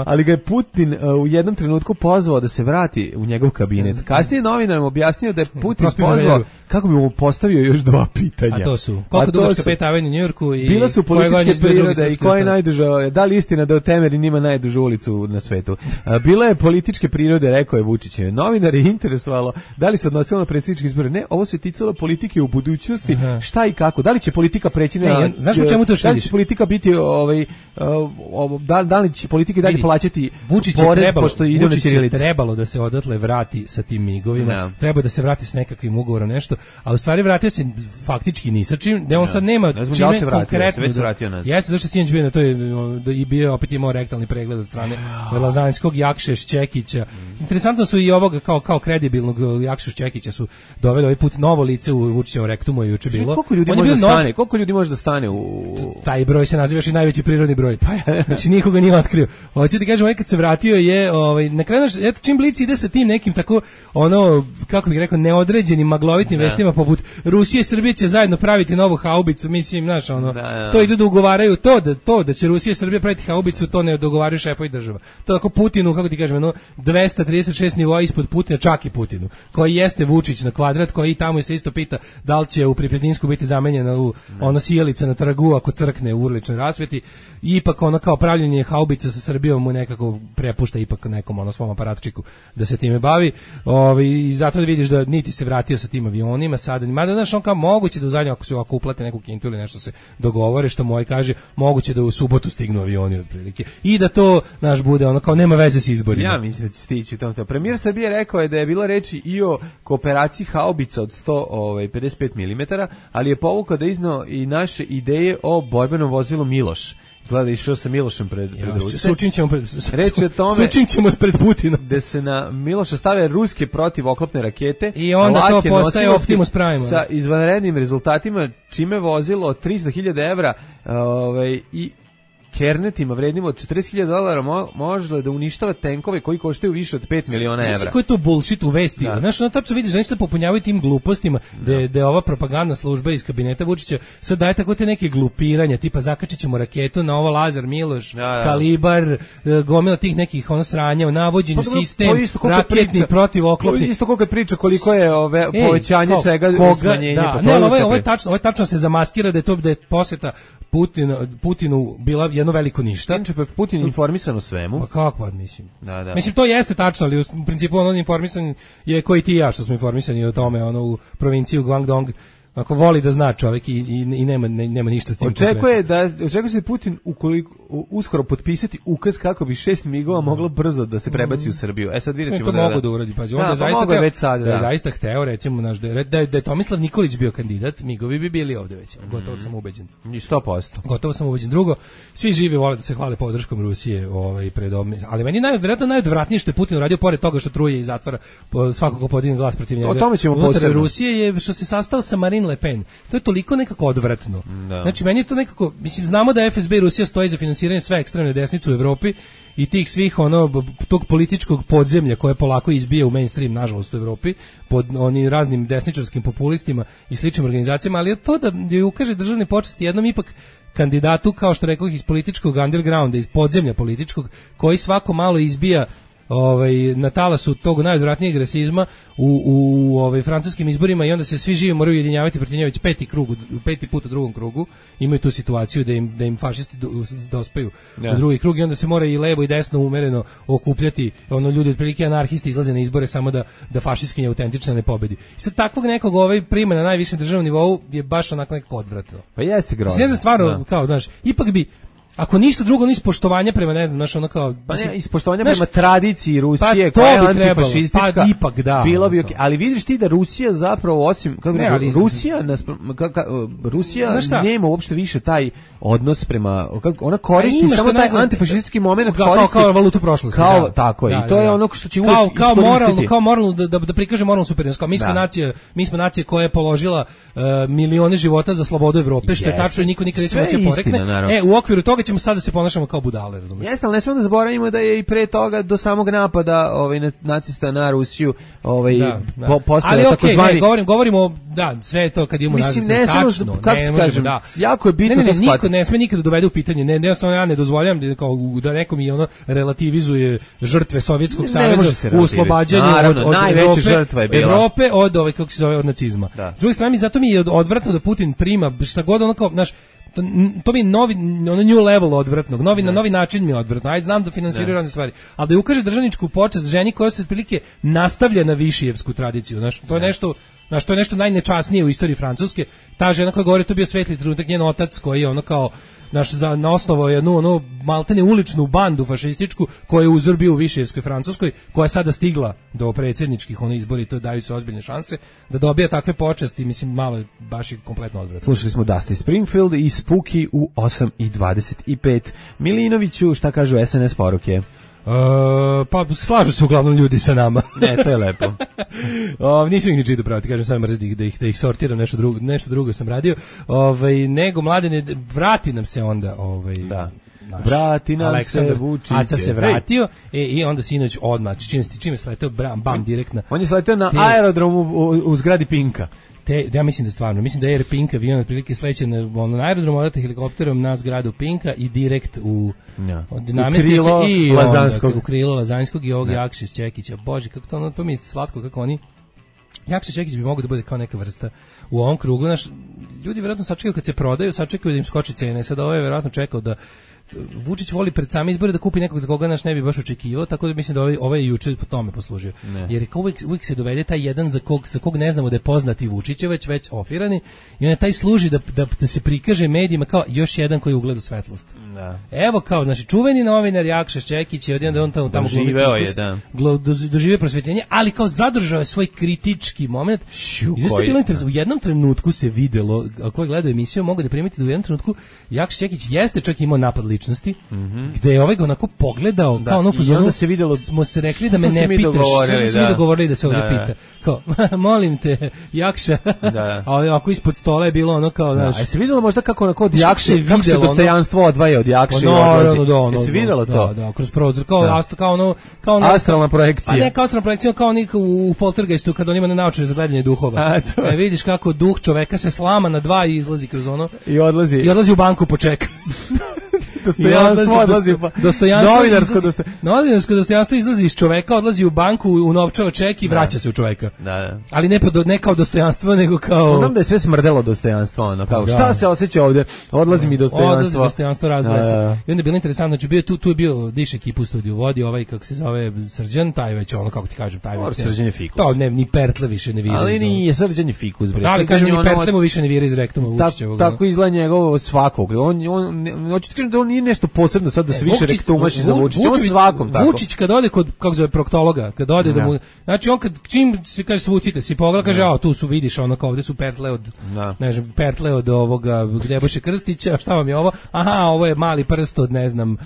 Ali ga je Putin u jednom trenutku pozvao da se vrati u njegov kabinet. Kasnije novinarima objasnio da je Putin pozvao kako bi mu postavio još 2 pitanja. A to su, koliko dugačka 5. avenue u Njujorku i bila su političke prirode i koja je najduža, da li istina da u Temerin ima najdužu ulicu na svetu. Bila je političke prirode, rekao je Vučić. Novinar je interesovalo da li se odnosilo na predsjedničke izbore. Ne, ovo se ticalo politike u budućnosti, šta i kako. Da li će politika preći na... Znaš u čemu to što vidiš? Da li će politika biti, da li će politika dalje plaćati porez, pošto ide na ćirilicu? Trebalo da se odatle vrati sa tim migovima, treba da se vrati s nekakvim ugovorom nešto, a u stvari vratio se faktički ni sa čim, da on sad nema čime konkretno. Jeste, zašto sinoć bio na to i bio opet imao rektalni pregled od strane Lazanjskog, Jakše Šćekića. Interesantno su i ovoga kao kredibilnog Jakšu Šćekića su doveli ovaj put novo lice u Vučićevom rektumu je juče bilo. Koliko ljudi može da stane u... Taj broj se naziva još i najveći prirodni broj. Znači nikoga nije otkrio. Hoćete kažem, kad se vratio je na kraju eto čim Blic ide sa tim nekim tako kako bih rekao neodređenim maglovitim vestima poput Rusije i Srbije će zajedno praviti novu haubicu, mislim, znaš, to idu da ugovaraju to da će Rusija i Srbija praviti haubicu, to ne dogovaraju šefovi država. To tako Putinu, kako ti kažem, 236 nivoa ispod Putina, čak i Putinu, koji jeste Vučić na kvadrat, koji tamo se isto pita da li će u Pripizninsku biti zamenjena u sijalica na trgu ako crkne u urličnoj rasveti. Ipak kao pravljenje haubica sa Srbijom mu nekako prepušta ipak nekom svom aparatčiku da se time bavi. I zato da vidiš da niti se vratio sa tim avionima sada, mada znaš on kao moguće da u zadnjem ako uplate neku kintu ili nešto se dogovore, što moj kaže, moguće da u subotu stignu avioni otprilike i da to naš bude kao nema veze s izborima. Ja mislim da će stići u tom. Premijer Srbije rekao je da je bilo reči i o kooperaciji haubica od 155 mm, ali je povukao da iznao i naše ideje o borbenom vozilu Miloš. Gleda, išao sa Milošem pred Rusice. Sučin ćemo pred Putina. Da se na Miloša stave ruske protivoklopne rakete. I onda to postaje Optimus Prime. Sa izvanrednim rezultatima, čime vozilo 300.000 evra i kernetima vrednim od $40.000 može da uništava tenkove koji koštaju više od 5 miliona evra. Znaš koji je to bullshit u vesti? Znaš, tačno vidiš, oni se popunjavaju tim glupostima, da je ova propagandna služba iz kabineta Vučića sad daje tako te neke glupiranja, tipa zakačit ćemo raketu na ovo Lazar Miloš, Kalibar, gomila tih nekih sranja, navođenju sistem, raketni, protivoklopni. Isto ko kad priča koliko je povećanje čega smanjenje. Ovo je tačno se zamaskira da je posjeta Putinu bila jedno veliko ništa. Inače, Putin informisan o svemu. Pa kako, mislim. Da. Mislim, to jeste tačno, ali u principu on informisan je koji ti i ja što smo informisani o tome, u provinciju Guangdong. Ako voli da zna čovjek i nema ništa s tim. Očekuje se Putin uskoro potpisati ukaz kako bi 6 migova moglo brzo da se prebaci u Srbiju. Sad vidjet ćemo to mogu da uradi. Pa on je zaista hteo, recimo, da je Tomislav Nikolić bio kandidat, migovi bi bili ovde već. Gotovo sam ubeđen. 100%. Gotovo sam ubeđen. Drugo, svi živi vole da se hvale podrškom Rusije, ali meni vjerojatno najodvratnije što je Putin uradio, pored toga što truje i zatvara svakog ko podigne glas protiv njega. O tome ćemo posebno. Rusije je što se sastao sa Marine Le Pen. To je toliko nekako odvratno. Da. Znači, meni je to nekako, mislim, znamo da FSB i Rusija stoji za finansiranje sve ekstremne desnice u Evropi i tih svih, tog političkog podzemlja koje polako izbija u mainstream, nažalost, u Evropi, pod onim raznim desničarskim populistima i sličnim organizacijama, ali je to da je ukaže državne počasti jednom ipak kandidatu, kao što rekao, iz političkog undergrounda, iz podzemlja političkog, koji svako malo izbija na talasu tog najodvratnijeg rasizma u francuskim izborima i onda se svi živi moraju ujedinjavati protiv njega već peti put u drugom krugu. Imaju tu situaciju da im fašisti dospaju u drugi krug i onda se mora i levo i desno umereno okupljati. Ljudi otprilike anarhisti izlaze na izbore samo da fašistkinja autentična ne pobedi. I sad takvog nekog prima na najvišem državnom nivou je baš onako nekako odvratno. Pa jeste grozno. Ne znam stvarno, kao, znaš, ipak bi ako ništa drugo, ni poštovanja prema, ne znam, znaš, ono kao... Pa ne, ispoštovanja prema tradiciji Rusije, koja je antifašistička, pa ipak da. Bilo bi ali vidiš ti da Rusija zapravo, osim, Rusija nema uopšte više taj odnos prema, ona koristi samo taj antifašistički moment, kao valutu prošlosti. Tako je, i to je ono što će uvijek iskoristiti. Kao moralno, da prikaže moralnu superiornost, kao mi smo nacija koja je položila milione života za slobodu Evrope, što je tačno i niko nikad neće moći porekne. U okviru toga ćemo sad da se ponašamo kao budale, razumiješ? Jeste, ali ne smemo da zaboravimo da je i pre toga do samog napada nacista na Rusiju postao takozvani... Govorimo, sve to kad imamo naziv, tačno, ne možemo, jako je bitno to shvatiti. Niko ne sme nikada dovede u pitanje, ja ne dozvoljam da neko mi relativizuje žrtve Sovjetskog saveza u oslobađanju od Evrope, od nacizma. S druge strane, zato mi je odvratno da Putin prima šta god onako, znaš, to mi je novi, new level odvratnog, na novi način mi je odvratno. Ajde, znam da finansiraju razne stvari, ali da ukaže državničku počast ženi koja se otprilike nastavlja na višijevsku tradiciju. Znaš, to je nešto najnečasnije u istoriji Francuske. Ta žena koja govori, to bio svetli trenutak, njen otac koji je kao na osnovu jednu maltene uličnu bandu fašističku koja je uzor bio u višijevskoj Francuskoj, koja je sada stigla do predsjedničkih izbori, to daju se ozbiljne šanse da dobija takve počasti, mislim, malo baš je kompletno odvratno. Slušali smo Dusty Springfield i Spooky u 8:25. Milinoviću, šta kažu SNS poruke? Pa slažu se uglavnom ljudi sa nama. Ne, to je lepo. Nisam ih ni čitao praviti, kažem sam mrzim da ih sortiram, nešto drugo sam radio. Nego Mladene, vrati nam se onda da. Vrati nam Aleksandar se Vučić. Aca se vratio i onda sinoć odmah, čim je sleteo bam direktno. On je sleteo na aerodromu u zgradi Pinka. Ja mislim da stvarno, mislim da je Air Pink avion otprilike sleće na aerodrom, odate helikopterom na zgradu Pinka i direkt u krilo Lazanskog i ovog Jakšić Čekića. Bože, kako to mi je slatko, kako oni... Jakšić Čekić bi mogao da bude kao neka vrsta u ovom krugu. Ljudi vjerojatno sačekaju kad se prodaju, sačekaju da im skoči cene. Sad ovo je vjerojatno čekao da Vučić voli pred same izbore da kupi nekog za koga ne bi baš očekivao, tako da mislim da ovaj je juče po tome poslužio. Jer uvijek se dovede taj jedan za kog ne znamo da je poznati Vučićeveć, već ofirani, i on je taj služi da se prikaže medijima kao još jedan koji ugleda svetlost. Evo kao, znači, čuveni novinar Jakša Čekić je odjedan da on tamo doživio prosvjetljenje, ali kao zadržao je svoj kritički moment. Isto je bilo interesantno, u jednom trenutku se videlo, ko je gledao emisiju mogu da primiti da u jednom trenutku Jakša Čekić jeste čak imao napad ličnosti, gde je ovaj ga onako pogledao, kao ono fuzonu, smo se rekli da me ne pitaš, što smo mi dogovorili da se ovdje pita. Kao, molim te, Jakša, a ako ispod stola je bilo ono kao, znaš... A se vidjelo možda kako onako od Jakše, kako se dostojanstvo odvaja od Jakše i odlazi? Je se vidjelo to? Da, kroz prozor, kao ono... Astralna projekcija. Pa ne kao astralna projekcija, kao onih u Poltergeistu, kad on ima naočare za gledanje duhova. Vidiš kako duh čoveka se slama na dva i izlazi kroz ono... I odlazi u banku počeka. dostojanstvo odlazi. Novinarsko dostojanstvo izlazi iz čoveka, odlazi u banku, unovčava ček i vraća se u čoveka. Da. Ali ne kao dostojanstvo, nego kao... Znam da je sve smrdelo dostojanstvo, ono, kao, šta se osjeća ovde? Odlazi mi dostojanstvo. Odlazi dostojanstvo, razgleda se. I onda je bilo interesantno, znači tu je bio Diš ekipu u studiju, vodi ovaj, kako se zove, Srđan, taj već ono, kako ti kažem, taj već... Srđan je fikus. To ne, ni pertle više ne vira. Ali nije Srđan je fikus, bre. Da, ali kažem, ni pertle mu više ne vira iz rektuma Vučićevog. Tako izgleda njegovo svakog. Hoću ti kažem da on nije nešto posebno sad da se više rektumaši za Vučića. On svakom tako. Vučić kad ode kod, kako zove, proktologa, kad ode da mu... Znači on čim se kaže svucite, si pogleda, kaže, tu su, vidiš, ono kao, ovde su pertle od, ne znam, pertle od ovoga Nebojše Krstića, šta vam je ovo? Aha, ovo je mali prst od, ne znam,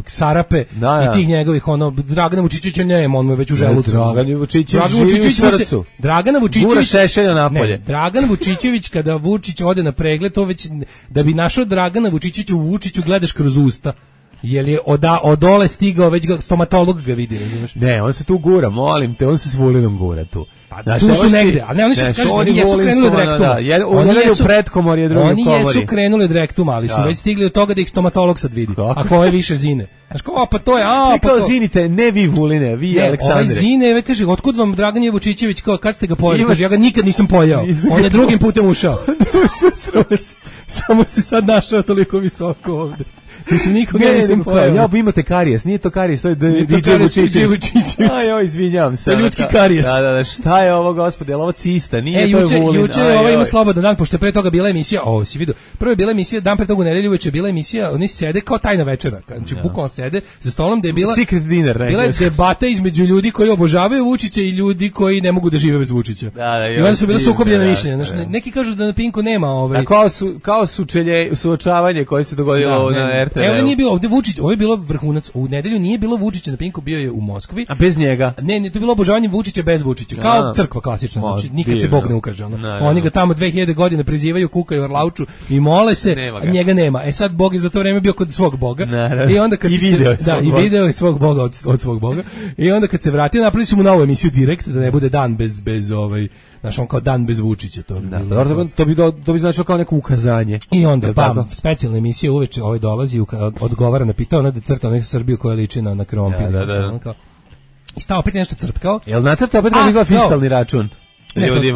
Sarape i tih njegovih, ono, Dragana Vučićevića nema, on mu je već u želucu. Dragan Vučićević živi u srcu. Dragana Vučićević... Gura Šešelja napolje. Dragan Vučićević, kada Vučić ode na pregled, to već, da bi našao Dragana Vučićevića u Vučiću, gledaš kroz usta. Jer je odole stigao, već stomatolog ga vidi, razumiješ? Ne, on se tu gura, molim te, on se s Vulinom gura tu. Pa tu su negde, ali ne, oni su, kažu, oni jesu krenuli od rektuma. Oni jesu pred komor, je drugi komori. Oni jesu krenuli od rektuma, ali su već stigli od toga da ih stomatolog sad vidi. Ako ovo je više zine. Znaš kao, pa to je, pa to. Zinite, ne vi Vuline, vi Aleksandre. Ovaj Zine, kaže, otkud vam Dragan Vučićević, kao, kad ste ga pojeli? Kaže, ja ga nikad nisam pojao. On je drugim putem ušao. Samo se sad našao toliko visoko ovde. Mislim, nikoga nisam pojao. Ja, imate karijes, nije to karijes, to je DJ Vučićević. Aj, izvinjavam se. To je ljudski karijes. Da, šta je ovo, gospode, je li ovo cista? Nije, to je Vulin. Juče ima slobodan dan, pošto je pre toga bila emisija, si vidio, prvo je bila emisija, dan pre toga u nedelju, uveče je bila emisija, oni sede kao tajna večera, znači bukvalno sede za stolom, da je bila secret dinner, bila je debata između ljudi koji obožavaju Vučića i ljudi koji ne mogu da žive bez Vučića. I onda su bile sukobljena mišljenja. Neki kažu da na Pinku nema kao suočavanje koje se dogodilo na RTV. Evo nije bio ovde Vučić, ovo je bilo vrhunac. U nedelju nije bilo Vučića na Pinku, bio je u Moskvi. A bez njega? Ne, to je bilo obožavanje Vučića bez Vučića. Kao crkva klasična, znači nikad se Bog ne ukaže. Oni ga tamo 2000 godina prizivaju, kukaju, orlauču i mole se, a njega nema. Sad Bog je za to vreme bio kod svog Boga. I onda kad video je svog Boga od svog Boga. I onda kad se vratio, napravili su mu novu emisiju direkt, da ne bude dan bez znaš, on kao dan bez Vučića. To bi značilo kao neko ukazanje. I onda, specijalna emisija uveče dolazi, odgovara na pitao, ona da crta neku Srbiju koja liči na krompir. I stao opet nešto crtkao. Jel nacrta opet kako izgleda fiskalni račun?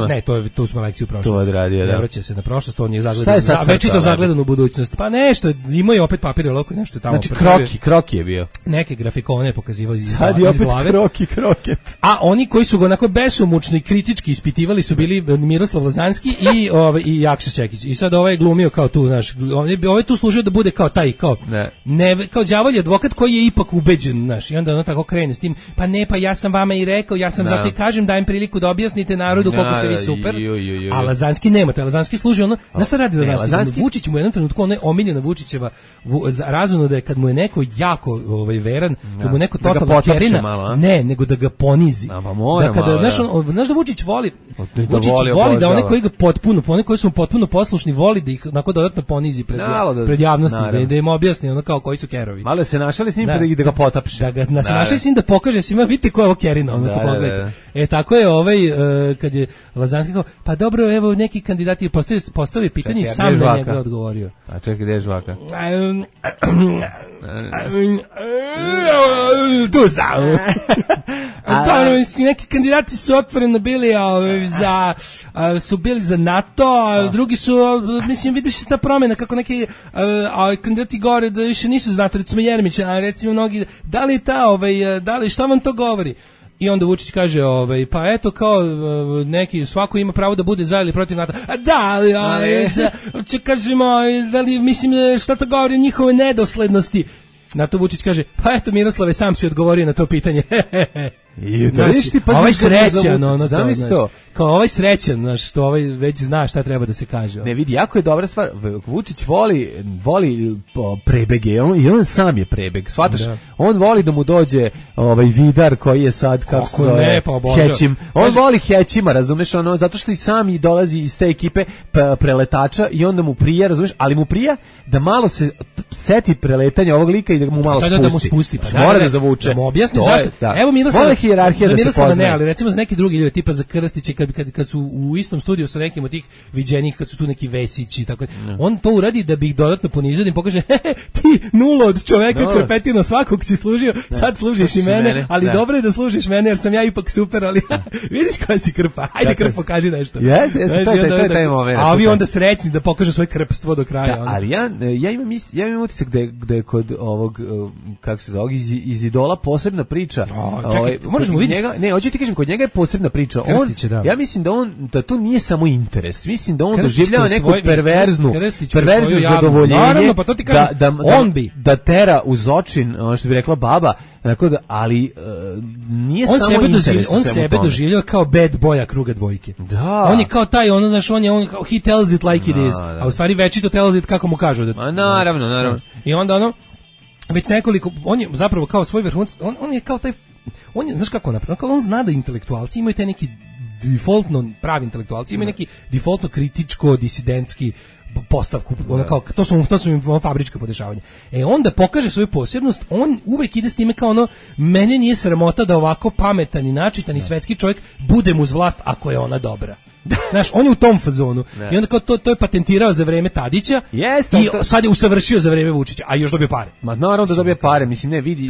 Ne, tu smo lekciju prošli. To odradio, da. Ne vraća se na prošlost, on je zagledan. Već je to zagledan u budućnost. Pa nešto, imao je opet papir loko i nešto tamo. Znači kroki je bio. Neke grafikone pokazivao iz glave. Sad je opet kroket. A oni koji su ga onako besomučno i kritički ispitivali su bili Miroslav Lazanski i Jakša Čekić. I sad ovaj je glumio kao tu, znaš, ovaj tu služio da bude kao taj, kao kao đavolji advokat koji je ipak ubeđen, znaš, i onda ono tako krene s tim, pa ja sam vama i rekao, ja sam zato i kažem, dajem priliku da objasnite narodu koliko ste vi super, a Lazanski nema, Lazanski služi ono, znaš šta radi Lazanski? Vučić mu je jednom trenutku, ono je omiljena Vučićeva razumno da je kad mu je neko jako veran, kad mu je neko totalno kerina, nego da ga ponizi. Da kada, znaš da Vučić voli da one koji ga one koji su mu potpuno poslušni, voli da ih onako dodatno ponizi pred javnosti, da im objasni ono kao koji su kerovi. Malo se našali s njim da ga potapše. Da se našali s njim da pokaže svima, vidite ko je ovo kerina, ono ko pogledajte. Tako je kad je Lazanski kao, pa dobro, evo neki kandidati postavio pitanje i sam na njega odgovorio. A čekaj, gde je žvaka? Tu sam. Neki kandidati su otvoreno bili su bili za NATO, a drugi su, mislim, vidiš ta promjena, kako neki kandidati govore da više nisu za NATO, recimo Jeremić, a recimo mnogi, da li šta vam to govori? I onda Vučić kaže, pa eto kao neki, svako ima pravo da bude za ili protiv NATO. A da li, kažemo, da li, mislim, šta to govori o njihove nedoslednosti? Na to Vučić kaže, pa eto Miroslave, sam si odgovorio na to pitanje. Ovaj srećan, kao ovaj srećan, znaš, što ovaj već zna šta treba da se kaže. Ne vidi, jako je dobra stvar, Vučić voli prebege, i on sam je prebeg, shvataš, on voli da mu dođe Vidar koji je sad, kako se zove, Hećim, on voli Hećima, razumeš, zato što i sam i dolazi iz te ekipe preletača i onda mu prija, razumeš, ali mu prija da malo se seti preletanja ovog lika i da mu malo spusti. Mora da zavuče. Da mu objasni zašto. Evo Miroslav, hijerarhija da se poznaje. Ne, ali recimo za neki drugi ljudi, tipa za Krstiće, kad su u istom studiju sa nekim od tih viđenih, kad su tu neki Vesići, tako on to uradi da bi ih dodatno ponizio, da im pokaže, ti nulo od čoveka koji je petino svakog si služio, sad služiš i mene, ali dobro je da služiš mene, jer sam ja ipak super, ali vidiš koja si krpa, ajde krp, pokaži nešto. Jeste, to je taj moment. A ovi onda srećni da pokažu svoje krpstvo do kraja. Ali ja imam utisak da je kod ovog, kako se zove, iz Idola posebna priča. Možemo vidjeti. Ne, hoću ti kažem, kod njega je posebna priča. Ja mislim da to nije samo interes. Mislim da on doživljava neku perverznu zadovoljenje. Naravno, pa to ti kažem, on bi. Da tera uz očin, ono što bi rekla baba, tako da, ali nije samo interes. On sebe doživljava kao bad boya kruga dvojke. Da. On je kao taj, on he tells it like it is. A u stvari večito tells it kako mu kažu. Naravno. I onda već nekoliko, on je zapravo kao svoj vrhunac, on je kao taj, on je, znaš kako napravno, on zna da intelektualci imaju taj neki defaultno, pravi intelektualci imaju neki defaultno kritičko, disidentski postavku, kao, to su im fabrička podešavanja. Onda pokaže svoju posebnost, on uvek ide s time kao mene nije sramota da ovako pametan i načitan i svetski čovjek budem uz vlast ako je ona dobra. Znaš, on je u tom fazonu. I onda kao to je patentirao za vreme Tadića i sad je usavršio za vreme Vučića, a još dobio pare. Ma naravno da dobije pare, mislim, ne vidi.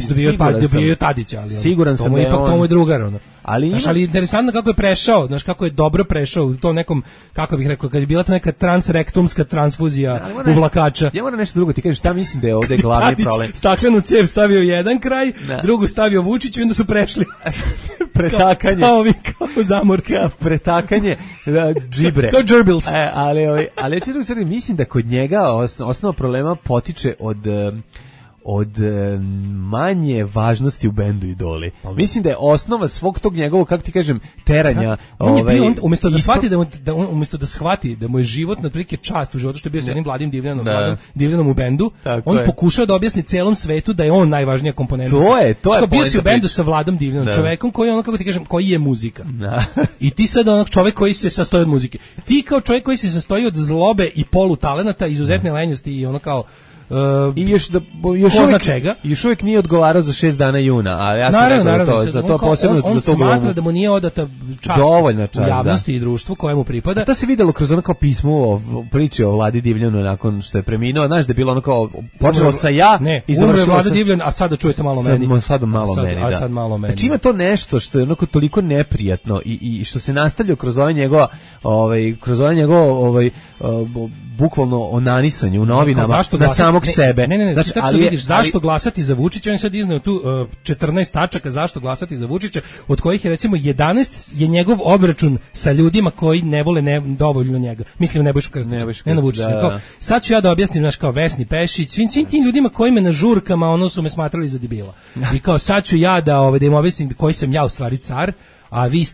Dobio Tadića, ali siguran sam da je ipak tomu je drugar. Ali interesantno kako je prešao, znaš, kako je dobro prešao u tom nekom, kako bih rekao, kad je bila ta neka transrektumska transfuzija uvlakača. Ja moram nešto drugo ti kažem, šta mislim da je ovdje glavni problem. Staklenu cev stavio jedan kraj, drugu stavio Vučiću i onda su prešli. Pretakanje. Kao zamorci. Pretakanje džibre. Kao džrbils. Ali ja ću drugo, mislim da kod njega osnova problema potiče od manje važnosti u bendu Idoli. Mislim da je osnova svog tog njegovog, kako ti kažem, teranja. Umjesto da shvati da mu je život na prilike čast u životu što je bio s jednim Vladim Divljanom u bendu, on pokušao da objasni celom svetu da je on najvažnija komponenta. To je bio si u bendu sa Vladom Divljanom, čovekom koji je kako ti kažem, koji je muzika. I ti sad čovek koji se sastoji od muzike. Ti kao čovjek koji se sastoji od zlobe i polutalenata, izuzetne lenjosti i kao i još uvijek nije odgovarao za 6 dana juna, a ja sam rekao za to posebno on smatra da mu nije odata čast u javnosti i društvu kojemu pripada. A to se videlo kroz ono kao pismo o priči o Vladi Divljanu nakon što je preminuo, znaš da je bilo ono kao počelo sa i završilo Vlada Divljan, a sada čujete malo meni. Sad malo meni. Znači ima to nešto što je onako toliko neprijatno i što se nastavlja kroz ovaj njegov bukvalno onanisanje u novinama na samog sebe. Znači, tako vidiš zašto glasati za Vučića, on je sad izneo tu 14 tačaka zašto glasati za Vučića, od kojih je recimo 11 je njegov obračun sa ljudima koji ne vole dovoljno njega. Mislim Nebojšu Krstića, ne na Vučića. Sad ću ja da objasnim, znaš, kao Vesni Pešić, svim tim ljudima koji me na žurkama su me smatrali za debila. I kao sad ću ja da im objasnim koji sam ja u stvari car, a vi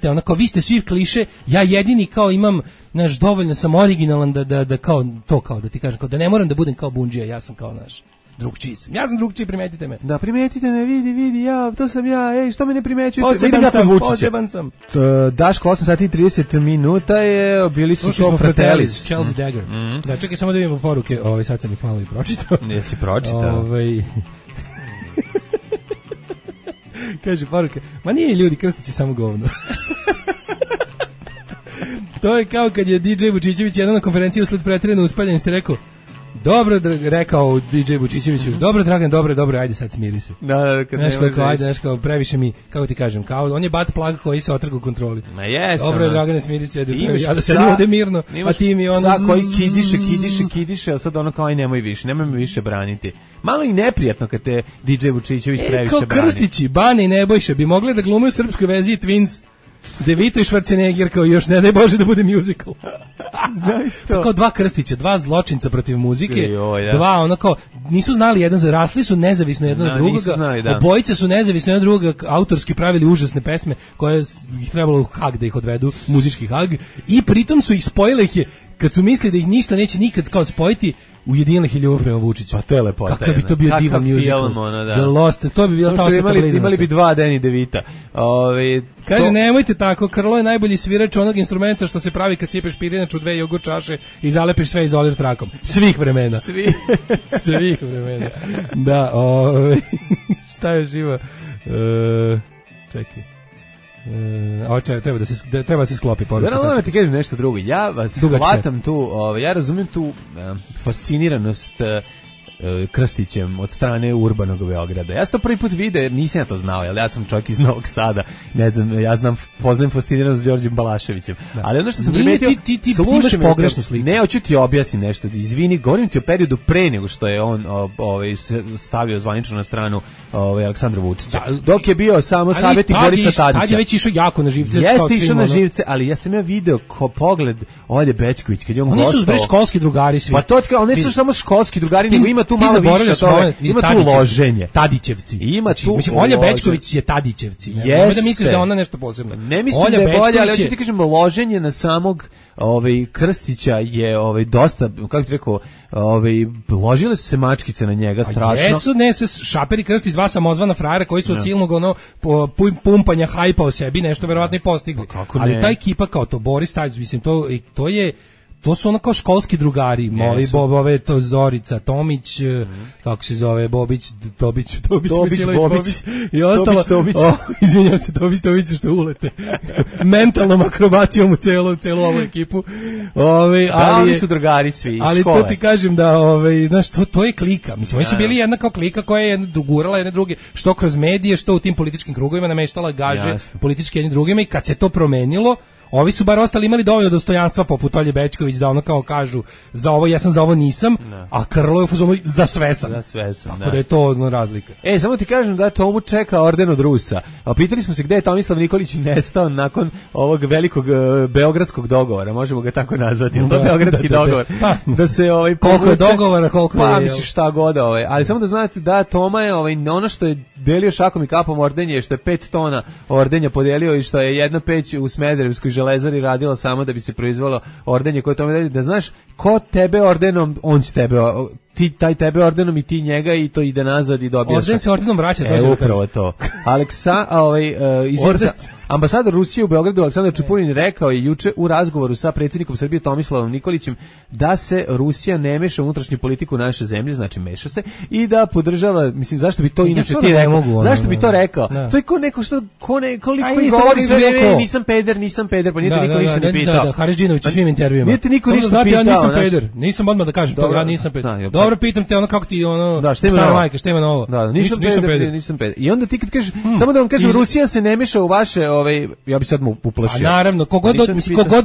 ste svi kliše, ja jedini kao imam, znaš, dovoljno sam originalan da kao da ti kažem, kao da ne moram da budem kao Bundžija, ja sam kao, znaš, drugčiji sam. Ja sam drugčiji, primetite me. Da, primetite me, vidi, to sam ja, što me ne primećujete? Poseban sam. Daško, 8 sati i 30 minuta je, bili su to Fratellis. Chelsea Dagger. Da, čekaj, samo da vidimo poruke, sad sam ih malo i pročitao. Nisi pročitao? Kaže poruke, ma nije ljudi, Krstić je samo govno. To je kao kad je DJ Vučićević jedan na konferenciji usled pretjerane uspaljenosti rekao, dobro, rekao DJ Vučićeviću, dobro Dragan, dobro, ajde sad smiri se. Znaš kao, previše mi, kako ti kažem, kao on je bat plug koji se otrga u kontroli. Ma jes. Dobro, Dragane, smiri se, ja da sedim ovde mirno, a ti mi ono... Sad koji kidiše, a sad ono kao, aj nemoj me više braniti. Malo i neprijatno kad te DJ Vučićević previše brani. Kao Krstići, Bane i Nebojša bi mogli da glume u srpskoj verziji Twins, DeVito i Schwarzenegger, kao još ne daj Bože da bude musical. Zaista. Kao dva Krstića, dva zločinca protiv muzike, dva ono kao, nisu znali jedan za, rasli su nezavisno jedan od drugoga, obojice su nezavisno jedan od drugoga, autorski pravili užasne pesme koje ih trebalo u Hag da ih odvedu, muzički Hag, i pritom su ih spojile ih je, kad su mislili da ih ništa neće nikad kao spojiti, ujedinili ih je ljubav prema Vučiću. Pa to je lepota. Kakav bi to bio divan musical. The Lost, to bi bila ta osveta blizanaca. Imali bi dva Danny DeVita. Kaže, nemojte tako, Krlo je najbolji svirač onog instrumenta što se pravi kad cijepeš pirinač u 2 jogurt čaše i zalepiš sve izolir trakom. Svih vremena. Svih vremena. Da, šta je živa? Čekaj. Treba da se sklopi poruka. Ja ti kažem nešto drugo. Ja vas hvatam tu, ja razumijem tu fasciniranost Krstićem od strane urbanog Beograda. Ja sam to prvi put video, jer nisam ja to znao, jer ja sam čovjek iz Novog Sada, ne znam, poznajem fasciniranost s Đorđem Balaševićem. Da. Ali ono što sam primetio, ti imaš pogrešnu sliku. Ne, hoću ti objasniti nešto, izvini, govorim ti o periodu pre nego što je on stavio zvanično na stranu Aleksandra Vučića. Dok je bio samo savjetnik Borisa Tadića. Tad je već išao jako na živce. Jeste išao na živce, ali ja sam video pogled Olje Bećković, kad je on gostao. Oni su već školski drugari svi. Pa to oni su samo školski drugari, nego ima tu malo više toga. Ima tu loženje. Tadićevci. Ima tu. Mislim, Olja Bećković je Tadićevci. Ne da misliš da ona nešto posebno. Ne mislim da je bolje, ali hoću ti kažem, loženje na samog Krstića je dosta, kako ti rekao, ložile su se mačkice na njega strašno. Jesu, ne, sve Šaper i Krstić, dva samozvana frajera koji su od silnog pumpanja hajpa o sebi nešto verovatno i postigli. Ali ta ekipa kao to Boris Tadić, mislim, to su ono kao školski drugari, moji Bobove, to Zorica Tomić, kako se zove, Bobić, Misilović, Bobić i ostalo. Izvinjam se, Tomić, što ulete. Mentalnom akrobacijom u celu ovu ekipu. Oni su drugari svi iz škole. Ali to ti kažem da, znaš, to je klika. Mislim, oni su bili jedna kao klika koja je dogurala jedne druge, što kroz medije, što u tim političkim krugovima nameštala gaže politički jedni drugima, i kad se to promenilo, ovi su bar ostali imali dovoljno dostojanstva poput Olje Bećković da ono kao kažu za ovo ja sam, za ovo nisam, a Krlo je u fazonu za sve sam. Tako da je to razlika. Samo ti kažem da Tomu čeka orden od Rusa. A pitali smo se gde je Tomislav Nikolić nestao nakon ovog velikog beogradskog dogovora, možemo ga tako nazvati. To je beogradski dogovor. Da se koliko je dogovora, koliko je. Pa misliš šta god, ali samo da znate da Toma je ono što je delio šakom i kapom ordenje, što je 5 tona ordenja podelio i što je jedna peć u Smederevskoj železari radila samo da bi se proizvelo ordenje koje tome da znaš, ko tebe ordenom, on će tebe, taj tebe ordenom i ti njega, i to ide nazad i dobijaš. Orden se ordenom vraća, to upravo to. Ambasador Rusije u Beogradu Aleksandar Čupurin rekao je juče u razgovoru sa predsjednikom Srbije Tomislavom Nikolićem da se Rusija ne meša u unutrašnju politiku naše zemlje, znači meša se, i da podržava, mislim, zašto bi to inače ti rekao? Zašto bi to rekao? To je ko neko što koliko govori sve vreme, nisam peder, pa nije te niko ništa ne pitao. Da, Haridžinović u svim intervjuima. Nije te niko ništa pitao. Ja nisam peder, nisam odmah da kažem, ja nisam peder. Dobro, pitam te ono kako ti stara majka, šta ima novo? Da, nisam peder. I onda ti kad kažeš, samo da vam kažem, Rusija se ne meša u vaše, ja bih sad mu uplašio. A naravno, kogod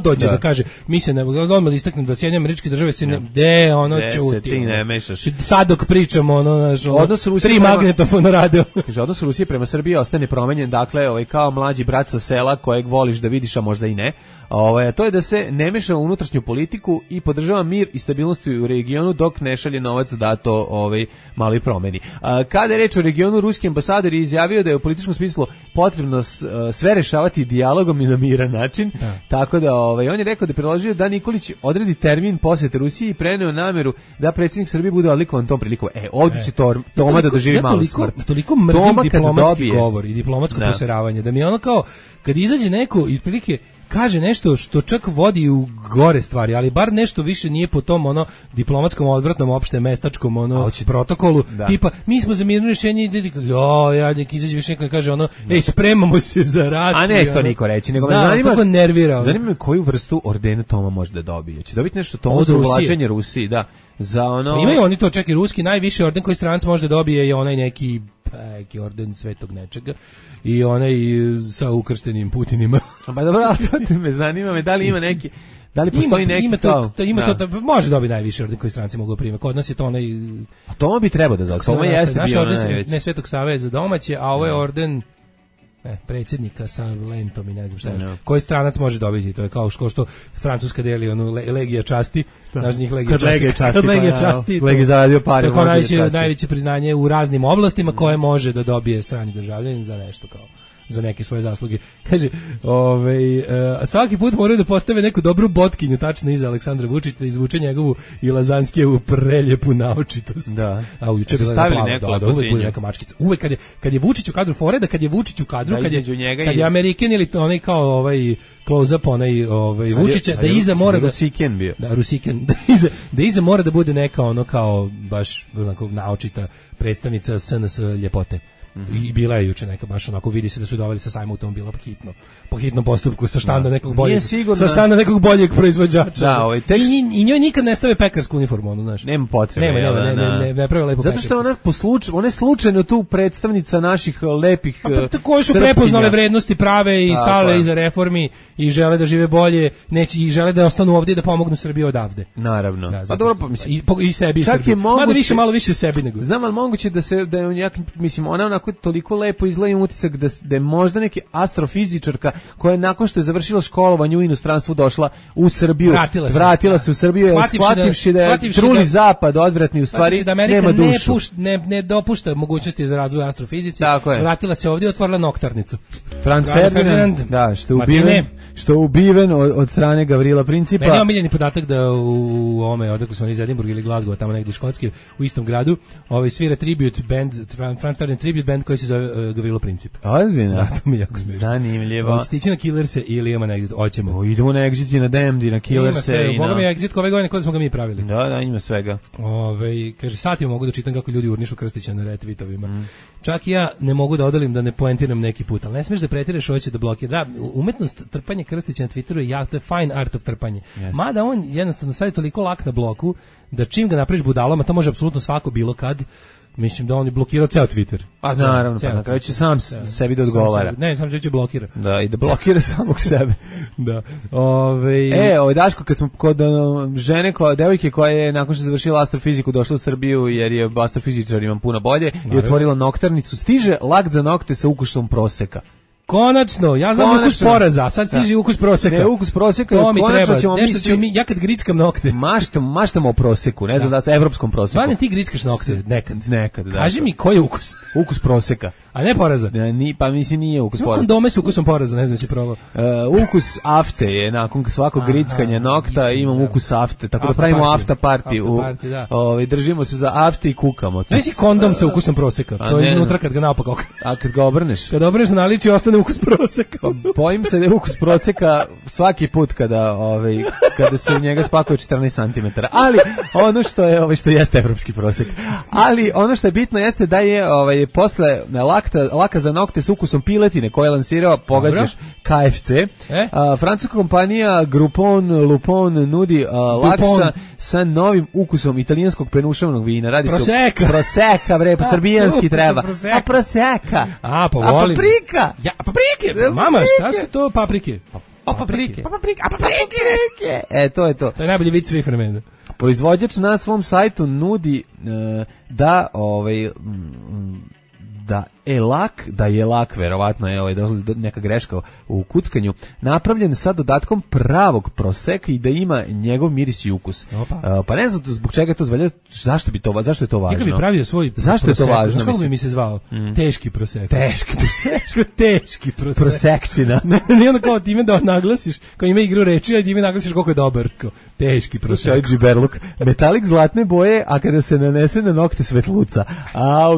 dođe da kaže, mi se ne odmah istaknem da Sjedinjene Američke Države se čuti. Ti ne mešaš. Sad dok pričamo, tri magnetofona rade. Kaže, odnos Rusije prema Srbiji ostane promenjen, dakle, kao mlađi brat sa sela kojeg voliš da vidiš, a možda i ne. To je da se ne meša u unutrašnju politiku i podržava mir i stabilnost u regionu dok ne šalje novac da to mali promeni. Kada je reč o regionu, ruski ambasador je izjavio da je u političkom smislu potrebno sve rešavati dijalogom i na miran način. Tako da on je rekao da je predložio da Nikolić odredi termin posete Rusiji i preneo nameru da predsjednik Srbije bude odlikovan tom prilikom. Ovdje će Toma da doživi malu smrt. Toliko mrzim diplomatski govor i diplomatsko poseravanje da mi je ono kao kad izađe neko i prilike kaže nešto što čak vodi u gore stvari, ali bar nešto više nije po tom diplomatskom odvratnom opšte mestačkom protokolu, tipa mi smo za mirno rješenje i nek izađe više neko i kaže spremamo se za rat. A ne to niko reći, nego me zanima me koju vrstu ordena Toma može da dobije. Će dobiti nešto Toma za uvlačenje Rusiji, da. Imaju oni to, čak i ruski najviši orden koji stranac može da dobije je onaj neki orden svetog nečega i onaj sa ukrštenim Putinima. Pa dobro, to me zanima, da li ima neki, da li postoji neki može dobiti najviši orden koji stranci mogu primiti. Kod nas je to onaj. A Toma bi trebao da zove. Toma jeste bio onaj. Ne Svetog Save za domaće, a ovo je orden predsjednika sa lentom i ne znam šta je. Koji stranac može dobiti? To je kao što Francuska deli legija časti, znaš njih legija časti. Legija zaradio pare. To je najveće priznanje u raznim oblastima koje može da dobije strani državljanin za nešto kao za neke svoje zasluge. Kaže, svaki put moraju da postave neku dobru botkinju tačno iza Aleksandra Vučića da izvuče njegovu i Lazanskijevu preljepu naočitost. Da. A juče je stavili uvek bude neka mačkica. Uvek kad je Vučić u kadru, fore da kad je Vučić u kadru, kad je Amerikan ili onaj kao close up Vučića, da iza mora da Rusiken bio. Da, Rusiken. Da iza mora da bude neka kao baš onako naočita predstavnica SNS ljepote. I bila je juče neka baš onako, vidi se da su doveli sa sajma automobila po hitnom postupku sa štanda nekog boljeg, sa štanda nekog boljeg proizvođača. Da, ovaj tekst... I njoj nikad ne stave pekarsku uniformu, ono, znaš. Nema potrebe. Ne pravi lepo. Zato što ona je slučajno tu predstavnica naših lepih koji su prepoznale vrednosti prave i stale iza reformi i žele da žive bolje, i žele da ostanu ovdje da pomognu Srbiji odavde. Naravno. Da, pa dobro, mislim, i sebi i Srbiji. Malo više sebi nego. Znam, ali moguće da je mislim, ona onako toliko lepo izgleda, utisak da je možda neki astrofizičarka koja je nakon što je završila školovanje u inostranstvu došla u Srbiju, vratila se u Srbiju, shvativši da je truli zapad odvratni, u stvari da nema dušu. Ne dopušta mogućnosti za razvoj astrofizici. Vratila se ovdje i otvorila noktarnicu. Franz Ferdinand, da, što je ubiven od strane Gavrila Principa. Meni je omiljeni podatak da u ovome, odakle su oni iz Edinburgha ili Glasgow, tamo negdje škotski, u istom gradu, svira tribute band, Franz Ferdinand tribute band koji se zove Gavrilo Princip. Ozbiljno? Da, to mi jako smiješ. Zanimljivo. Hoćete ići na Killerse ili idemo na Exit? Hoćemo. Idemo na Exit i na Damned i na Killerse. Boga mi je Exit ove godine kada smo ga mi pravili. Da, ima svega. Kaže, satima mogu da čitam kako ljudi urnišu Krstića na retweetovima. Čak i ja ne mogu da odolim da ne poentiram neki put, ali ne smiješ da pretiraš, hoće da blokira. Da, umetnost trpanja Krstića na Twitteru je to je fine art of trpanje. Yes. Mada on jednostavno sad je toliko lak na bloku da čim ga napraviš budalama, to može apsolutno svako bilo kad. Mislim da on je blokirao ceo Twitter. A naravno, pa na kraju će sam sebi da odgovara. Sam će blokira. Da, i da blokira samog sebe. Da. Daško, kad smo kod žene, devojke koja je nakon što je završila astrofiziku došla u Srbiju jer je astrofizičar imam puno bolje i otvorila noktarnicu, stiže lak za nokte sa ukusom proseka. Konačno, ja znam ukus poraza, sad stiže ukus proseka. Ne, ukus proseka, to mi treba, nešto ću ja kad grickam nokte. Maštamo o proseku, ne znam da sa evropskom proseku. Stvarno ti grickaš nokte, nekad. Da. Kaži mi koji je ukus? Ukus proseka. A ne poraza? Pa mislim nije ukus poraza. Kondome s ukusom poraza, ne znam si probao. Ukus afte je, nakon svakog grickanja nokta imam ukus afte, tako da pravimo afta party. Držimo se za afte i kukamo. Ne si kondom sa ukusom proseka, to je iznutra kad ga naopako. A kad ga obrneš? Kad obrneš naliči ostane ukus proseka. Bojim se da je ukus proseka svaki put kada se u njega spakuje 14 cm. Ali ono što jeste evropski prosek. Ali ono što je bitno jeste da je posle laka za nokte s ukusom piletine koje je lansirao, pogađaš, KFC. Francuska kompanija Groupon Lupon nudi lak sa novim ukusom italijanskog penušavnog vina. Radi se o proseka, bre, pa srbijanski treba. A proseka. Pa volim. Paprika. Ja, paprike. Mama, šta su to paprike? Paprike. To je to. To je najbolji vic svih vremena. Proizvođač na svom sajtu nudi da je lak, verovatno je neka greška u kuckanju, napravljen sa dodatkom pravog proseka i da ima njegov miris i ukus. Pa ne znam zbog čega je to zvalja, zašto je to važno? Neka bi pravio svoj zašto prosek, je to važno? Kako bi mi se zvao? Teški prosek. Teški prosek. Prosekčina. Ne onda kao time da naglasiš, kao ima igru reči, a time naglasiš koliko je dobar. Teški prosek. Džiberluk. Metalik zlatne boje, a kada se nanese na nokte svetluca.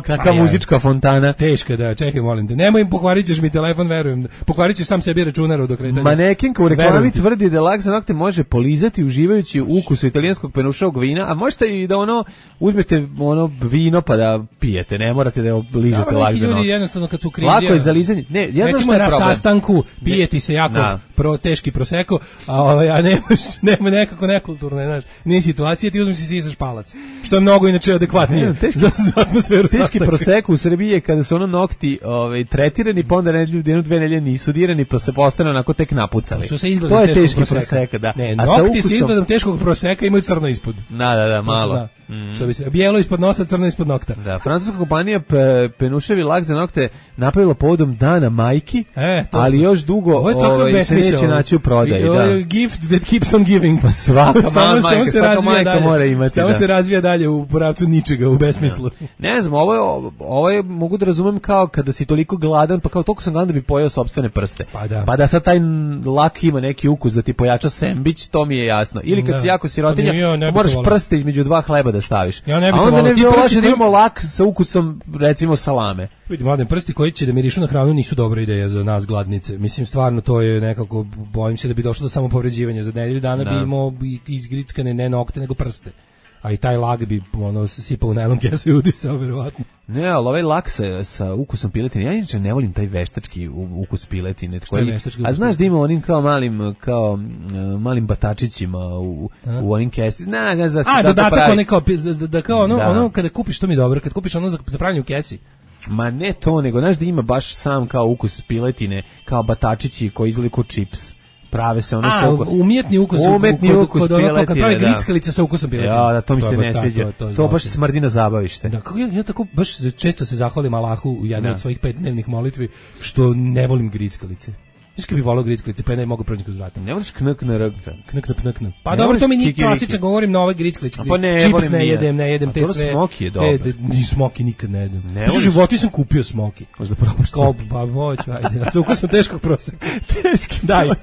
Kakva muzička fontana. Teška, da, čekaj, molim te. Nemoj im, pokvarit ćeš mi telefon, verujem. Pokvarit ćeš sam sebi računar od okretanja. Manekenka u reklami tvrdi da lak za nokte može polizati uživajući ukusu italijanskog penušavog vina, a možete i da uzmete vino pa da pijete, ne morate da ližete lak za nokte. Ljudi jednostavno kad su krizi. Lako je za lizanje. Ne, recimo na sastanku pijeti se jako teški proseko, a nema nekako nekulturno, znaš. Nije situacija, ti uzmeš si sisaš palac. Što je mnogo inače adekvatnije za atmosferu sastanka. Teški proseko u Srbiji je kada su nokti tretirani, pa onda jednu dve nedelje nisu dirani, pa se postane onako tek napucali. To je teški proseka, da. Ne, nokti s izgledom teškog proseka imaju crno ispod. Da, malo. Što bi se bijelo ispod nosa, crno ispod nokta. Da, francuska kompanija penuševi lak za nokte napravila povodom Dana majki, ali još dugo se neće naći u prodaji. Ovo je gift that keeps on giving. Pa svaka majka mora imati. Samo se razvija dalje u pravcu ničega, u besmislu. Ne znam, ovo je, mogu da razumem kao kada si toliko gladan, pa kao toliko sam gladan da bi pojeo sopstvene prste. Pa da sad taj lak ima neki ukus da ti pojača sendvič, to mi je jasno. Ili kad si jako sirotinja, moraš prste između dva hleba da staviš. Ja ne bih a onda ne bi loše da imamo lak sa ukusom, recimo, salame. Vidi, mladen, prsti koji će da mirišu na hranu nisu dobra ideja za nas gladnice. Mislim, stvarno, to je nekako, bojim se da bi došlo do samopovređivanja. Za nedelju dana bi imao izgrickane ne nokte, nego prste. a i taj lak bi ono sipao u najlon kesu i udisao verovatno. Ne, ali ovaj lak sa ukusom piletine, ja inače ne volim taj veštački ukus piletine. A znaš da ima onim kao malim batačićima u onim kesi. Ne znam da se tako dodatak pravi. Da kao ono kada kupiš, to mi je dobro, kad kupiš ono za pravljanje u kesi. Ma ne to, nego znaš da ima baš sam kao ukus piletine, kao batačići koji izgleda kao čips. Prave se ono umjetni ukus kod ono kad pravi grickalice sa ukusom piletine. Ja, da, to mi se ne sviđa. To baš smrdi na zabavište. Da, kako ja tako baš često se zahvalim Allahu u jednoj od svojih 5 dnevnih molitvi što ne volim grickalice. Mislim bi volao grickalice, pa ne mogu proći kroz vrata. Ne voliš knak. Pa dobro, to mi nije klasično, govorim na ove grickalice. Čips ne jedem te sve. Smoki je dobro. Ni smoki nikad ne jedem. U životu sam kupio smoki. Možda probaš. Pa hoću, ajde. Sa ukusom teškog proseka. Teški daj. 9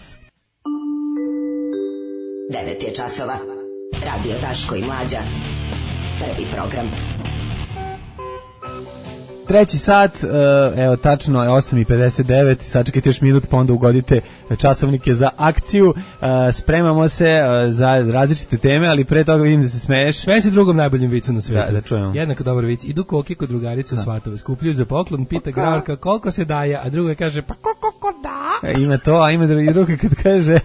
je časova. Radio Daško i Mlađa. Prvi program. Treći sat, evo tačno je 8:59, sačekajte još minut pa onda ugodite časovnike za akciju. Spremamo se za različite teme, ali pre toga vidim da se smeješ. Sve si drugom najboljim vicu na svijetu. Da čujemo. Jednako dobar vic. Idu koke kod drugarice u Svatove, skupljuju za poklon, pita Graorka koliko se daje, a druga kaže pa koliko da? Ima to, a ima druga kad kaže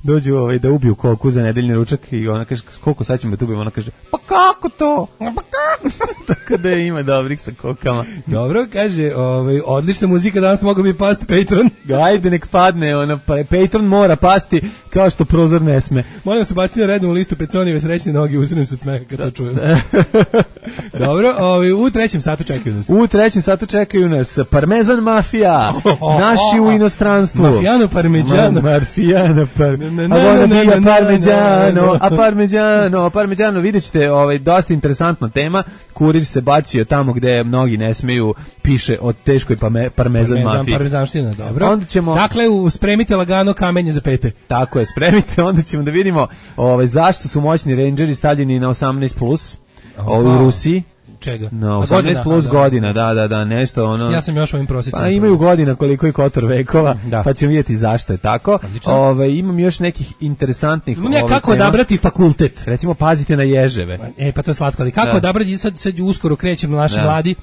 dođu da ubiju koku za nedeljni ručak i ona kaže koliko sad ćemo da ubijemo, ona kaže pa kako to? Tako da ima dobrih sa kokama. Dobro, kaže, odlična muzika, danas mogu bi pasti Patreon. Ajde, nek padne, Patreon mora pasti kao što prozor ne sme. Molim se baciti na rednu listu Peconijeve srećne noge, usrenim se od smeha kad to čujem. Dobro, u trećem satu čekaju nas. U trećem satu čekaju nas Parmezan mafija, naši u inostranstvu. Mafijano parmeđano. Marfijano parmeđano, vidjet ćete dosta interesantna tema. Kurir se bacio tamo gde mnogi ne smeju, piše o teškoj parmezan mafiji. Parmezanština, dobro. Onda ćemo, dakle, spremite lagano kamenje za pete. Tako je, spremite, onda ćemo da vidimo zašto su moćni Rangeri stavljeni na 18+, u Rusiji. Čega? No, 18 plus godina, da, nešto ono. Ja sam još ovim prosjecima. Pa imaju godina koliko i Kotor vekova, pa ćemo vidjeti zašto je tako. Imam još nekih interesantnih kako odabrati fakultet. Recimo, pazite na ježeve. Pa to je slatko, ali kako odabrati, sad uskoro krećemo naši mladi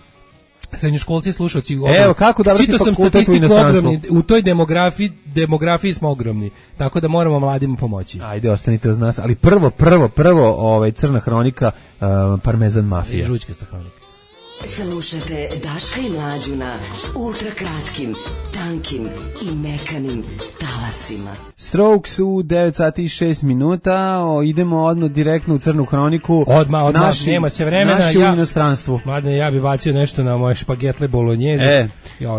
srednjoškolci, slušalci. Evo, kako da čitao sam statistiku ogromni, u toj demografiji smo ogromni, tako da moramo mladima pomoći. Ajde, ostanite uz nas, ali prvo crna hronika, Parmezan mafija. Žućkasta hronika. Slušate Daška i Mlađu na ultrakratkim, tankim i mekanim talasima. Strokes u 9 sati i 6 minuta, idemo odmah direktno u crnu hroniku. Odmah, nema se vremena. Naši u inostranstvu. Mladine, ja bi bacio nešto na moje špagetle bolognjeze.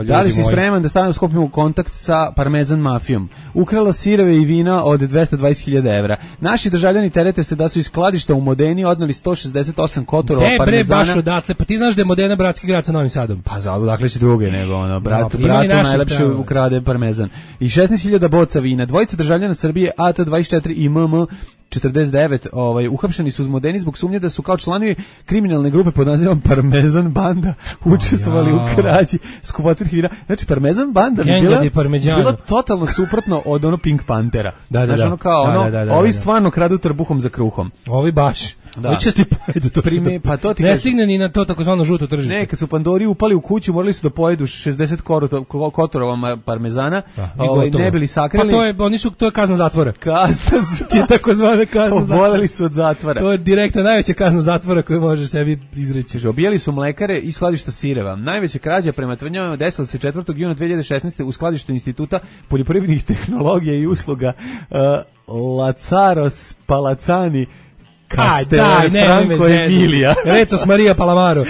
Da li si spreman da skopimo kontakt sa Parmezan mafijom? Ukrala sireve i vina od 220.000 evra. Naši državljani terete se da su iz skladišta u Modeni odneli 168 kotorova parmezana. Baš odatle, pa ti znaš da je Modena bratski grad sa Novim Sadom. Pa dakle si druge nego bratu najlepše ukrade parmezan. I 16.000 boca vina. Dvojica državljana Srbije AT24 i MM 49 uhapšeni su uz Modeni zbog sumnje da su kao članovi kriminalne grupe pod nazivom Parmezan banda učestvovali u krađi skupocitih vina. Znači Parmezan banda bi bila totalno suprotno od Pink Panthera. Znači ovi stvarno kradu trbuhom za kruhom. Ovi baš. Često i pojedu to. Pa to ti ne stigne ni na to takozvano žuto tržište. Ne, kad su Pandori upali u kuću, morali su da pojedu 60 kotorova parmezana, ne bili sakrili. Pa to je kazna zatvora. Ti je takozvana kazna zatvora. Oboleli su od zatvora. To je direktna najveća kazna zatvora koju može sebi izreći. Obijali su mlekare i skladišta sireva. Najveća krađa prema tvrdnjama desila se 4. juna 2016. u skladištu Instituta poljoprivrednih tehnologija i usluga Lazaros Palacani Franco Emilija. Retos Marija Palamaro.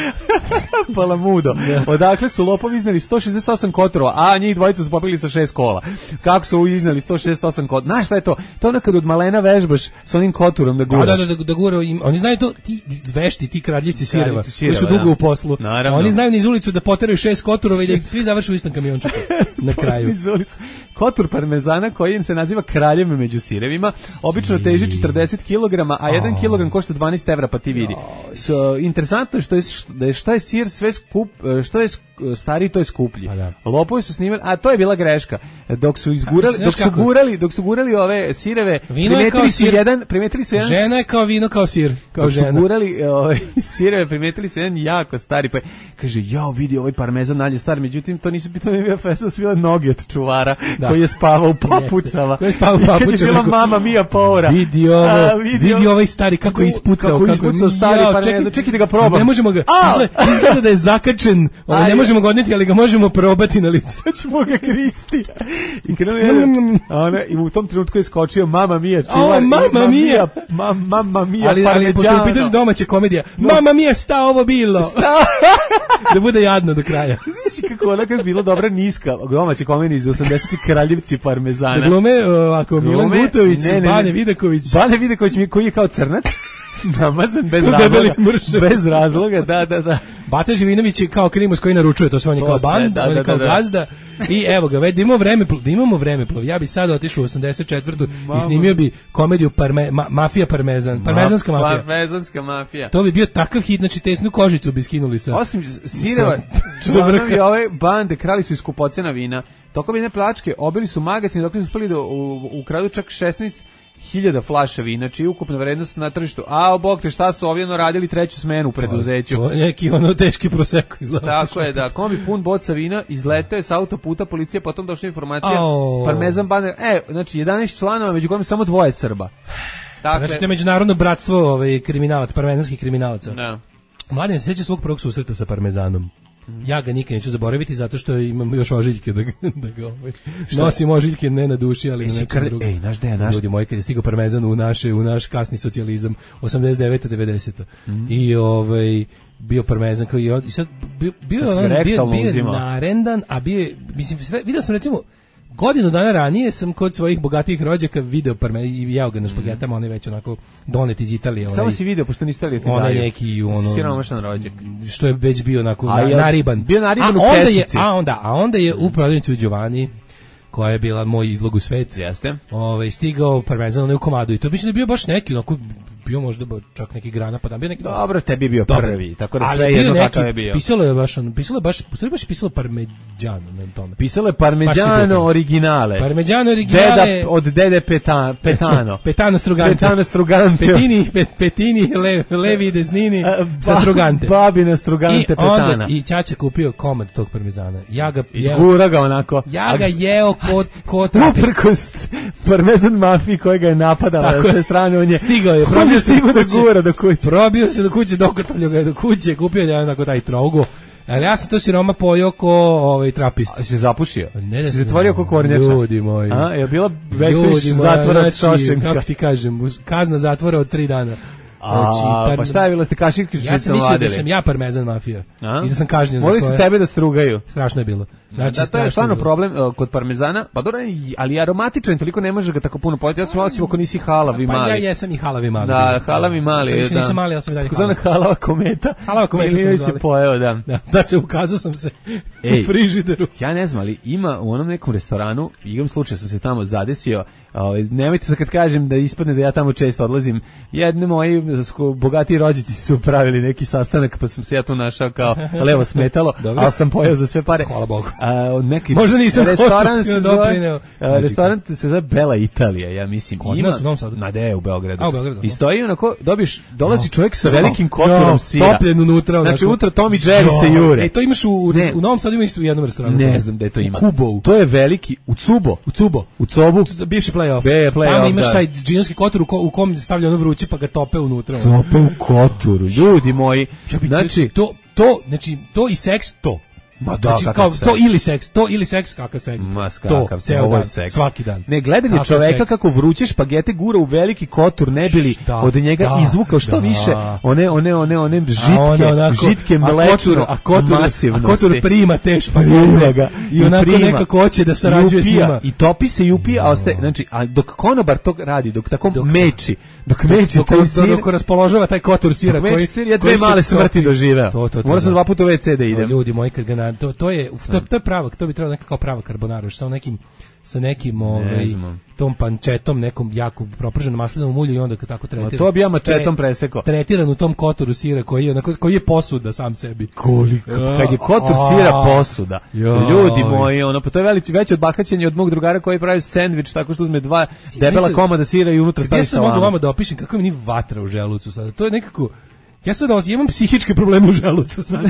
Palamudo. Odakle su lopovi izneli 168 kotorova, a njih dvojica su popili sa 6 kola. Kako su izneli 168 kotorova? Znaš šta je to? To je kad od malena vežbaš s onim koturom da guraš. Da gura. Oni znaju to, ti vešti, ti kradljici sireva, koji su dugo u poslu. Naravno. Oni znaju niz ulicu da poteraju 6 kotorova i da svi završe u istom kamiončuku na kraju. Kotur parmezana koji se naziva kraljem među sirevima, obično teži 40 kg, a 1 kilogram košta 12 evra, pa ti vidi. Interesantno je što je sir sve skup, što je stariji, to je skuplji. Lopovi su snimali, a to je bila greška. Dok su gurali ove sireve, primetili su jedan žena je kao vino, kao sir, kao dok žena. Su gurali sireve, primetili su jedan jako stari, pa kaže, jao, vidi ovaj parmezan nalje star, međutim, to nisu bila festa, su bila noge od čuvara, koji je spavao u papučama. Koji je spavao u papučama. Kad je bila mama Mia Paura. Vidi ovaj stari, kako je ispucao. Kako ispucao stari parmezan. Čekaj da ga probam. Ne možemo ga, izgleda da je zakačen, ne možemo ga odneti, ali ga možemo probati na lice. Ćemo ga kristi. I u tom trenutku je skočio Mama Mia čuvar. Mama Mia. Mama Mia ali pošto je pitanje domaće komedija. Mama Mia, sta ovo bilo. Da bude jadno do kraja. Znaš kako ona kad bila dobra niska domaća komedija iz 80-ih, Kraljevci parmezana. Da glume ovako Milan Gutović, Bane Vidaković. Bane Vidaković koji je kao crnac. Namazan bez razloga, da. Bata Živinović je kao Krimos koji naručuje, to sve on je kao band, on je kao gazda. I evo ga, da imamo vremeplov. Ja bi sada otišao u 84. i snimio bi komediju Mafija Parmezan, Parmezanska mafija. Parmezanska mafija. To bi bio takav hit, znači tesnu kožicu bi skinuli sa. Osim sireva, članovi ove bande krali su iz skupocena vina. Tokom jedne plačke obili su magacin dok su uspeli da ukradu čak 16.000 flaša vina, čiji ukupna vrednost na tržištu. Bog te, šta su ovdje radili treću smenu u preduzeću. Neki teški proseko izgleda. Tako je, da. Kombi pun boca vina, izletao je s autoputa, policija potom došla informacija. Parmezan bande, znači 11 članova, među kojima samo 2 Srba. Dakle, znači to je međunarodno bratstvo kriminalaca, parmezanskih kriminalaca. Da. Mladen se sjeća svog prvog susreta sa parmezanom. Ja ga nikad neću zaboraviti zato što imam još ožiljke da ga nosim ožiljke ne na duši, ali na nekom drugom. Naš dejan, ljudi moji, kad je stigao parmezan u naš kasni socijalizam 89. 90. I bio parmezan kao i sad bio narendan, a bio, mislim, vidio sam recimo godinu dana ranije sam kod svojih bogatijih rođaka video parmezan i jeo ga na špagetama, on je već onako donet iz Italije. Samo si video, pošto niste li ti daju. On je neki siromašan rođak. Što je već bio onako nariban. Bio nariban u kesici. A onda je u prodavnici u Giovanni, koja je bila moj izlog u svet. Jeste. Stigao parmezan u komadu i to bi bio baš neki, onako bio možda čak neki grana, pa da bio neki. Dobro, tebi je bio prvi, tako da sve jedno kakav je bio. Pisalo je baš pisalo Parmeđano na tome. Pisalo je Parmeđano originale. Parmeđano originale. Od dede Petano. Petano Strugante. Petini, levi desnini sa Strugante. Babina Strugante Petana. I ćaća kupio komad tog parmezana. Ja ga jeo. Gura ga onako. Ja ga jeo kod uprkos parmezan mafiji koja ga je napadala na sve strane, on je stigao je. Probio se do kuće, dokotalio ga do kuće, kupio je onako taj trougo. Ali ja sam to siroma pojao ko trapist. A si zapušio? Ne, si zatvorio ko kornjača? Ljudi moji. Je bila backstage zatvora od Šošenka? Kako ti kažem, kazna zatvora od 3 dana. Pa šta je bilo, ste kaširke ja sam mislio da sam ja parmezan mafija i da sam kažnjen za svoje. Morali su tebe da strugaju. Strašno je bilo. Znači, to je stvarno problem kod parmezana, pa dobro, ali aromatičan, toliko ne može ga tako puno pojeti, ja sam osim ako nisi halavi mali. Pa ja jesam i halavi mali. Da, halavi mali. Više nisam mali, ali sam i dalje halavi. Halava kometa. Halava kometa sam zvali. Pojeo, da. Znači, ukazao sam se u frižideru. Ja ne znam, ali ima u onom nekom restoranu, igrom slučaja sam se tamo zadesio, nemojte se kad kažem da ispadne da ja tamo često odlazim, jedne moji bogati rođaci su pravili neki sastanak, pa sam se ja tu našao kao levo smetalo, ali sam pojeo za sve pare. Hvala Bogu. Neki možda nisam restoran se zove Bela Italija, ja mislim. Ima u Novom Sadu. U Beogradu. I stoji onako, dolazi čovjek sa velikim kotorom sira. Topljen unutra. Znači unutra Tom i Jerry se jure. To imaš u Novom Sadu, ima isto u jednom restoranu. Ne znam da je to ima. Kubou. To je veliki, u Cubo. U Cobu. Bivši play-off. Tamo imaš taj džinovski kotor u kom stavlja ono vruće pa ga tope unutra. Tope u kotoru, ljudi moji. Znači, to i seks, to. Ma da, znači, kao, to ili seks, kakav seks. To, ceo dan, svaki dan. Ne, gledanje čoveka kako vruće špagete gura u veliki kotur, ne bili od njega izvukao što više one žitke mlečno masivnosti. A kotur prima te špagete i onako nekako hoće da sarađuje s njima. I topi se i upije, a ostaje, znači, a dok konobar to radi, dok tako meči, dok taj sir, dok raspoložava taj kotur sira koji sir, ja 2 male smrti doživeo. Moram sam 2 puta u WC da idem. Ljudi moji, kad ga to je pravo, to bi trebalo neka kao prava carbonara, sa nekim tom pančetom, nekom jako proprženom maslinovom ulju i onda tako tretira. To bi ja mačetom presekao. Tretiran u tom kotoru sira koji je posuda sam sebi. Koliko? Kad je kotor sira posuda. Ljudi moji, pa to je veće od bahaćenja od mog drugara koji pravi sendvič tako što uzme 2 debela komada sira i unutra stavi salamu. Ja sam mogu vama da opišem kako mi ni vatra u želucu sada. To je nekako ja sad imam psihičke probleme u želucu sad.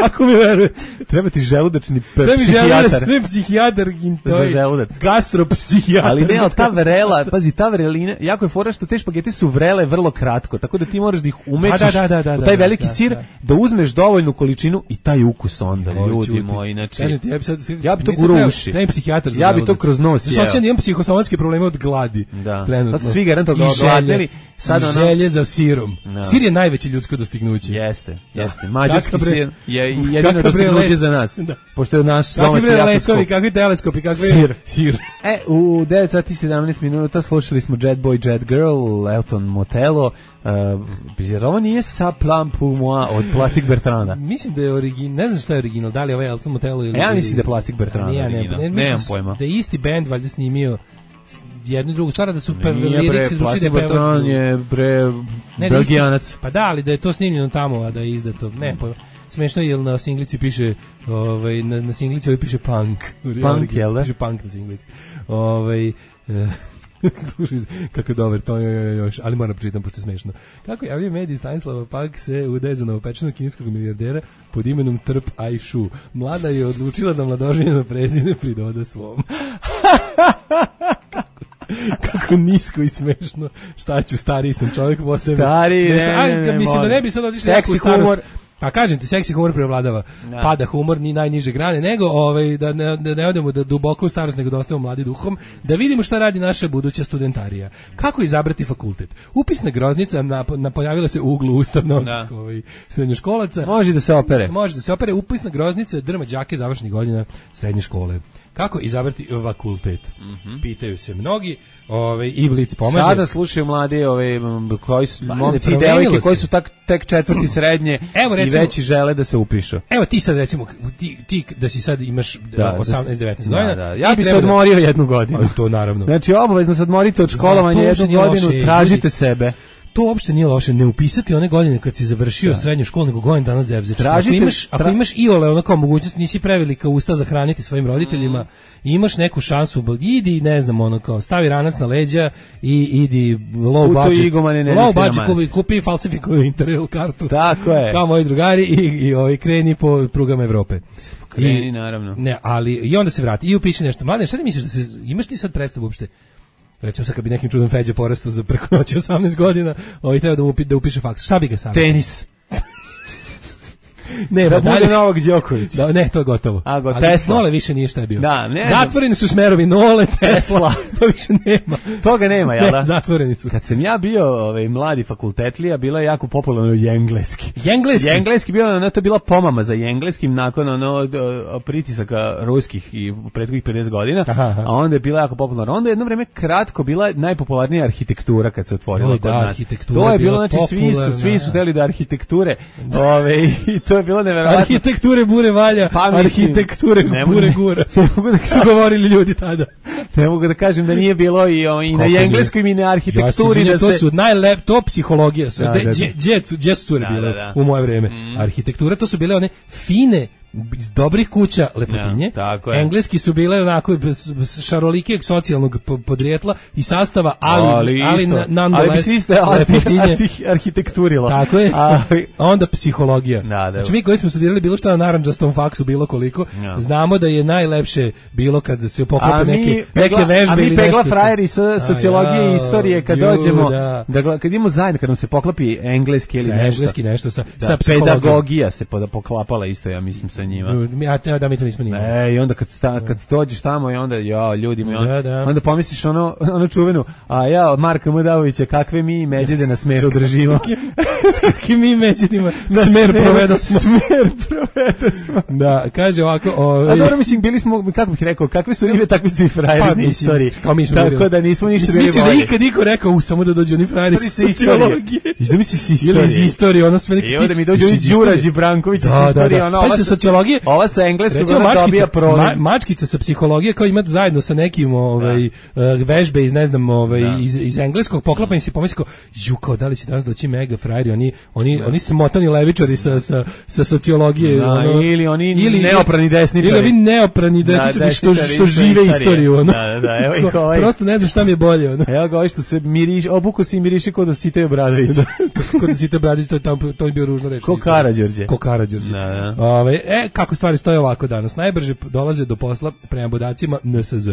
Ako mi verujete. Treba ti želudačni psihijatar. Ne psihijatar, za želudac. Gastropsihijatar. Ali ne, ta vrela, pazi, ta vrelina, jako je fora što te špagete su vrele vrlo kratko, tako da ti moraš da ih umećiš u taj veliki sir, da uzmeš dovoljnu količinu i taj ukus onda, ljudi moji. Znači, ja bi to gurao u uši. Treba psihijatar za ja bi to kroz nos jeo. Sad imam psihosomatske probleme od gladi. Sad svi garantovno odgladnili. Želje za sirom. Sir je najveće ljudsko dostignuće. Jeste. Mađarski sir je jedino dostignuće za nas. Pošto je naš domaći jako skup. Kakvi teleskopi, kakvi sir. U 9 sati 17 minuta slušali smo Jet Boy, Jet Girl, Elton Motello. Jer ovo nije Sa plan pour moi od Plastic Bertranda. Mislim da je original, ne znam šta je original, da li je ovaj Elton Motello ili... Ja mislim da je Plastic Bertranda original. Nemam pojma. Da je isti band valjda snimio jednu i drugu stvar, da su liriksi drugačije da pevaš. Je Belgijanac. Pa da, ali da je to snimljeno tamo, a da je izdato. Ne, smešno je, na singlici piše, na singlici ovaj piše punk. Punk, jel da? Piše punk na singlici. Kako je dobar, to je još, ali moram pročitam, pošto je smešno. Kako javljaju mediji, Stanislava Pak se udaje za novopečenog kineskog milijardera pod imenom Trp Aishu. Mlada je odlučila da mladoženjeno prezime pridoda svom. Kako nisko i smešno. Šta ću, stariji sam čovjek po sebi. Stariji, mislim da ne bi sad otišli jako u starost. Pa kažem ti, seksi humor preovladava. Pada humor ni najniže grane, nego da ne odemo da duboko u starost, nego da ostavimo mladi duhom, da vidimo šta radi naša buduća studentarija. Kako izabrati fakultet? Upisna groznica pojavila se u uglu ustavnog srednjoškolaca. Može da se opere. Upisna groznica drma đake završnih godina srednje škole. Kako izabrati fakultet? Pitaju se mnogi, i Blic pomaže. Sada slušaju mladi koji su momci i devojke koji su tek četvrti srednje i veći žele da se upišu. Evo ti sad recimo, ti da si sad imaš 18-19 godina. Ja bi se odmorio jednu godinu. To naravno. Znači obavezno se odmorite od školovanja jednu godinu, tražite sebe. To uopšte nije loše, ne upisati one godine kad si završio srednju školu, nego godin dana zevzeš. Ako imaš iole ono kao mogućnost, nisi prevelika usta za hraniti svojim roditeljima, i imaš neku šansu, idi, ne znam, ono kao, stavi ranac na leđa i idi low budget, kupi falsifikovanu Interrail kartu. Tako je. Kao moji drugari i kreni po prugama Evrope. Kreni, naravno. Ne, ali i onda se vrati i upiši nešto. Mladen, šta ti misliš imaš ti sad predstavu uopšte? Recimo sad kad bi nekim čudom Feđa porastao za preko noći 18 godina, treba da upiše faks. Šta bi ga sam? Tenis. Ne, da bude Novak Đoković. Da, ne, to je gotovo. Tesla. Nole više nije šta je bio. Da, ne. Zatvoreni su smerovi Nole, Tesla. To više nema. Toga nema, jel da? Ne, zatvoreni su. Kad sam ja bio mladi fakultetlija, bilo je jako popularno engleski. Engleski bio, to je bila pomama za engleskim nakon pritisaka ruskih i prethodnih 50 godina, a onda je bila jako popularna. Onda je jedno vreme kratko bila najpopularnija arhitektura kad se otvorila kod nas. To je bilo, znači svi su hteli da arhitekture, i to je bilo neverovatno. Arhitekture bure valja, arhitekture bure gura. Su govorili ljudi tada. Ne mogu da kažem da nije bilo i na engleskom i na arhitектuri. To su to psihologija. Gdje su cure bile u moje vreme? Arhitektura, to su bile one fine, iz dobrih kuća lepotinje. Engleski su bile onako šarolikijeg socijalnog podrijetla i sastava, ali nonetheless lepotinje. Arhitekturilo. Tako je. Onda psihologija. Znači mi koji smo studirali bilo što na narandžastom faksu, bilo koliko, znamo da je najlepše bilo kad se poklope neke vežbe ili nešto. A mi pegla frajeri sa sociologije i istorije kad dođemo, kad idemo zajedno, kad nam se poklopi engleski ili nešto sa psihologijom. Pedagogija se poklapala isto, ja mislim, sa njima. Da, mi to nismo nimali. I onda kad dođeš tamo i onda, ljudi mi, onda pomisliš ono čuvenu, Marka Mudavovića, kakve mi međede na smeru držimo. Kakve mi međedima smer provedo smo. Da, kaže ovako. A dobro, mislim, bili smo, kako bih rekao, kakve su ribe, takvi su i frajeri na istoriji. Tako da nismo ništa bili bolji. Misliš da ikad niko rekao, samo da dođu oni frajeri sa sociologije. Zamisli si istorije. Ili iz istorije, ono sve neki. I onda mi dođu i Đurađ i Branković iz istorije, ono. Pa se sociologije. Ova sa engleskog dobija problem. Mačkica sa psihologije kao ima zajedno sa nekim vežbe iz ne znam iz engleskog poklapanje se pomislio kao da li će danas doći mega frajeri, oni smotani levičari sa sociologije, ili oni neoprani desničari. Ili neoprani desničari što žive istoriju, evo ih ovaj. Prosto ne znam šta mi je bolje, Evo ga, što se miriši, obuku se i miriši kod Dositej Obradović. Kod Dositej Obradović, to je bio ružno reč. Ko Karađorđe. Kako stvari stoje ovako danas? Najbrže dolaze do posla prema podacima NSZ.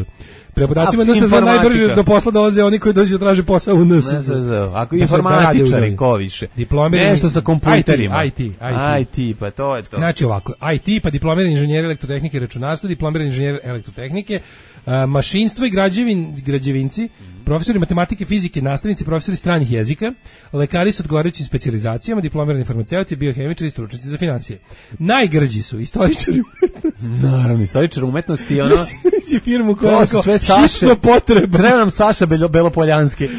Prema podacima NSZ najbrže do posla dolaze oni koji dođu da traže posao u NSZ. Ako informatičari, ko više. Nešto sa kompjuterima. IT, pa to je to. Znači ovako, IT, pa diplomirani inženjer elektrotehnike i računarstva, diplomirani inženjer elektrotehnike, mašinstvo i građevinci, profesori matematike, fizike, nastavnici, profesori stranih jezika, lekari s odgovarajućim specijalizacijama, diplomirani farmaceuti, biohemičari i stručnjaci za financije. Najgrđi su istoričari umetnosti. Naravno, istoričari umetnosti, si firmu koja je hitno potreba. Treba nam Saša Belopoljanski.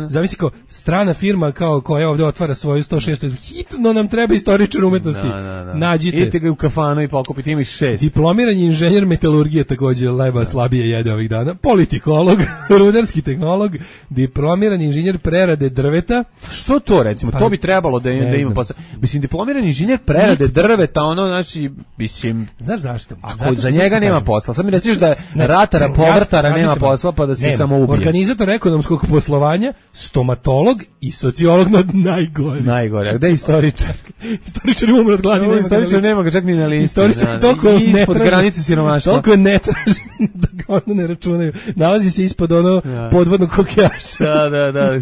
Zavisi kao strana firma kao koja ovdje otvara svoju 106. Hitno nam treba istoričar umetnosti. Nađite. Idite ga u kafanu i pokupite, ima ih 6. Diplomirani inženjer metalurgije, također leba slabije jede ovih dana. Politikolog, rudarski tehnolog, diplomirani inženjer prerade drveta. Što to recimo? To bi trebalo da ima posao. Mislim, diplomirani inženjer prerade drveta, znači, mislim... Znaš zašto? Ako za njega nema posla, sad mi reciš da ratara, povrtara nema posla, pa da se samo ubije. Organizator ekonomskog poslovanja, stomatolog i sociolog najgore. Najgore, a gde je istoričar? Istoričar umre od gladi. Istoričar nema ga čak ni na listi. Istoričar toliko ispod granice siromaštva. Toliko ne traži da ga ono ne računaju. Nalazi se ispod podvodnog kokejaša. Da.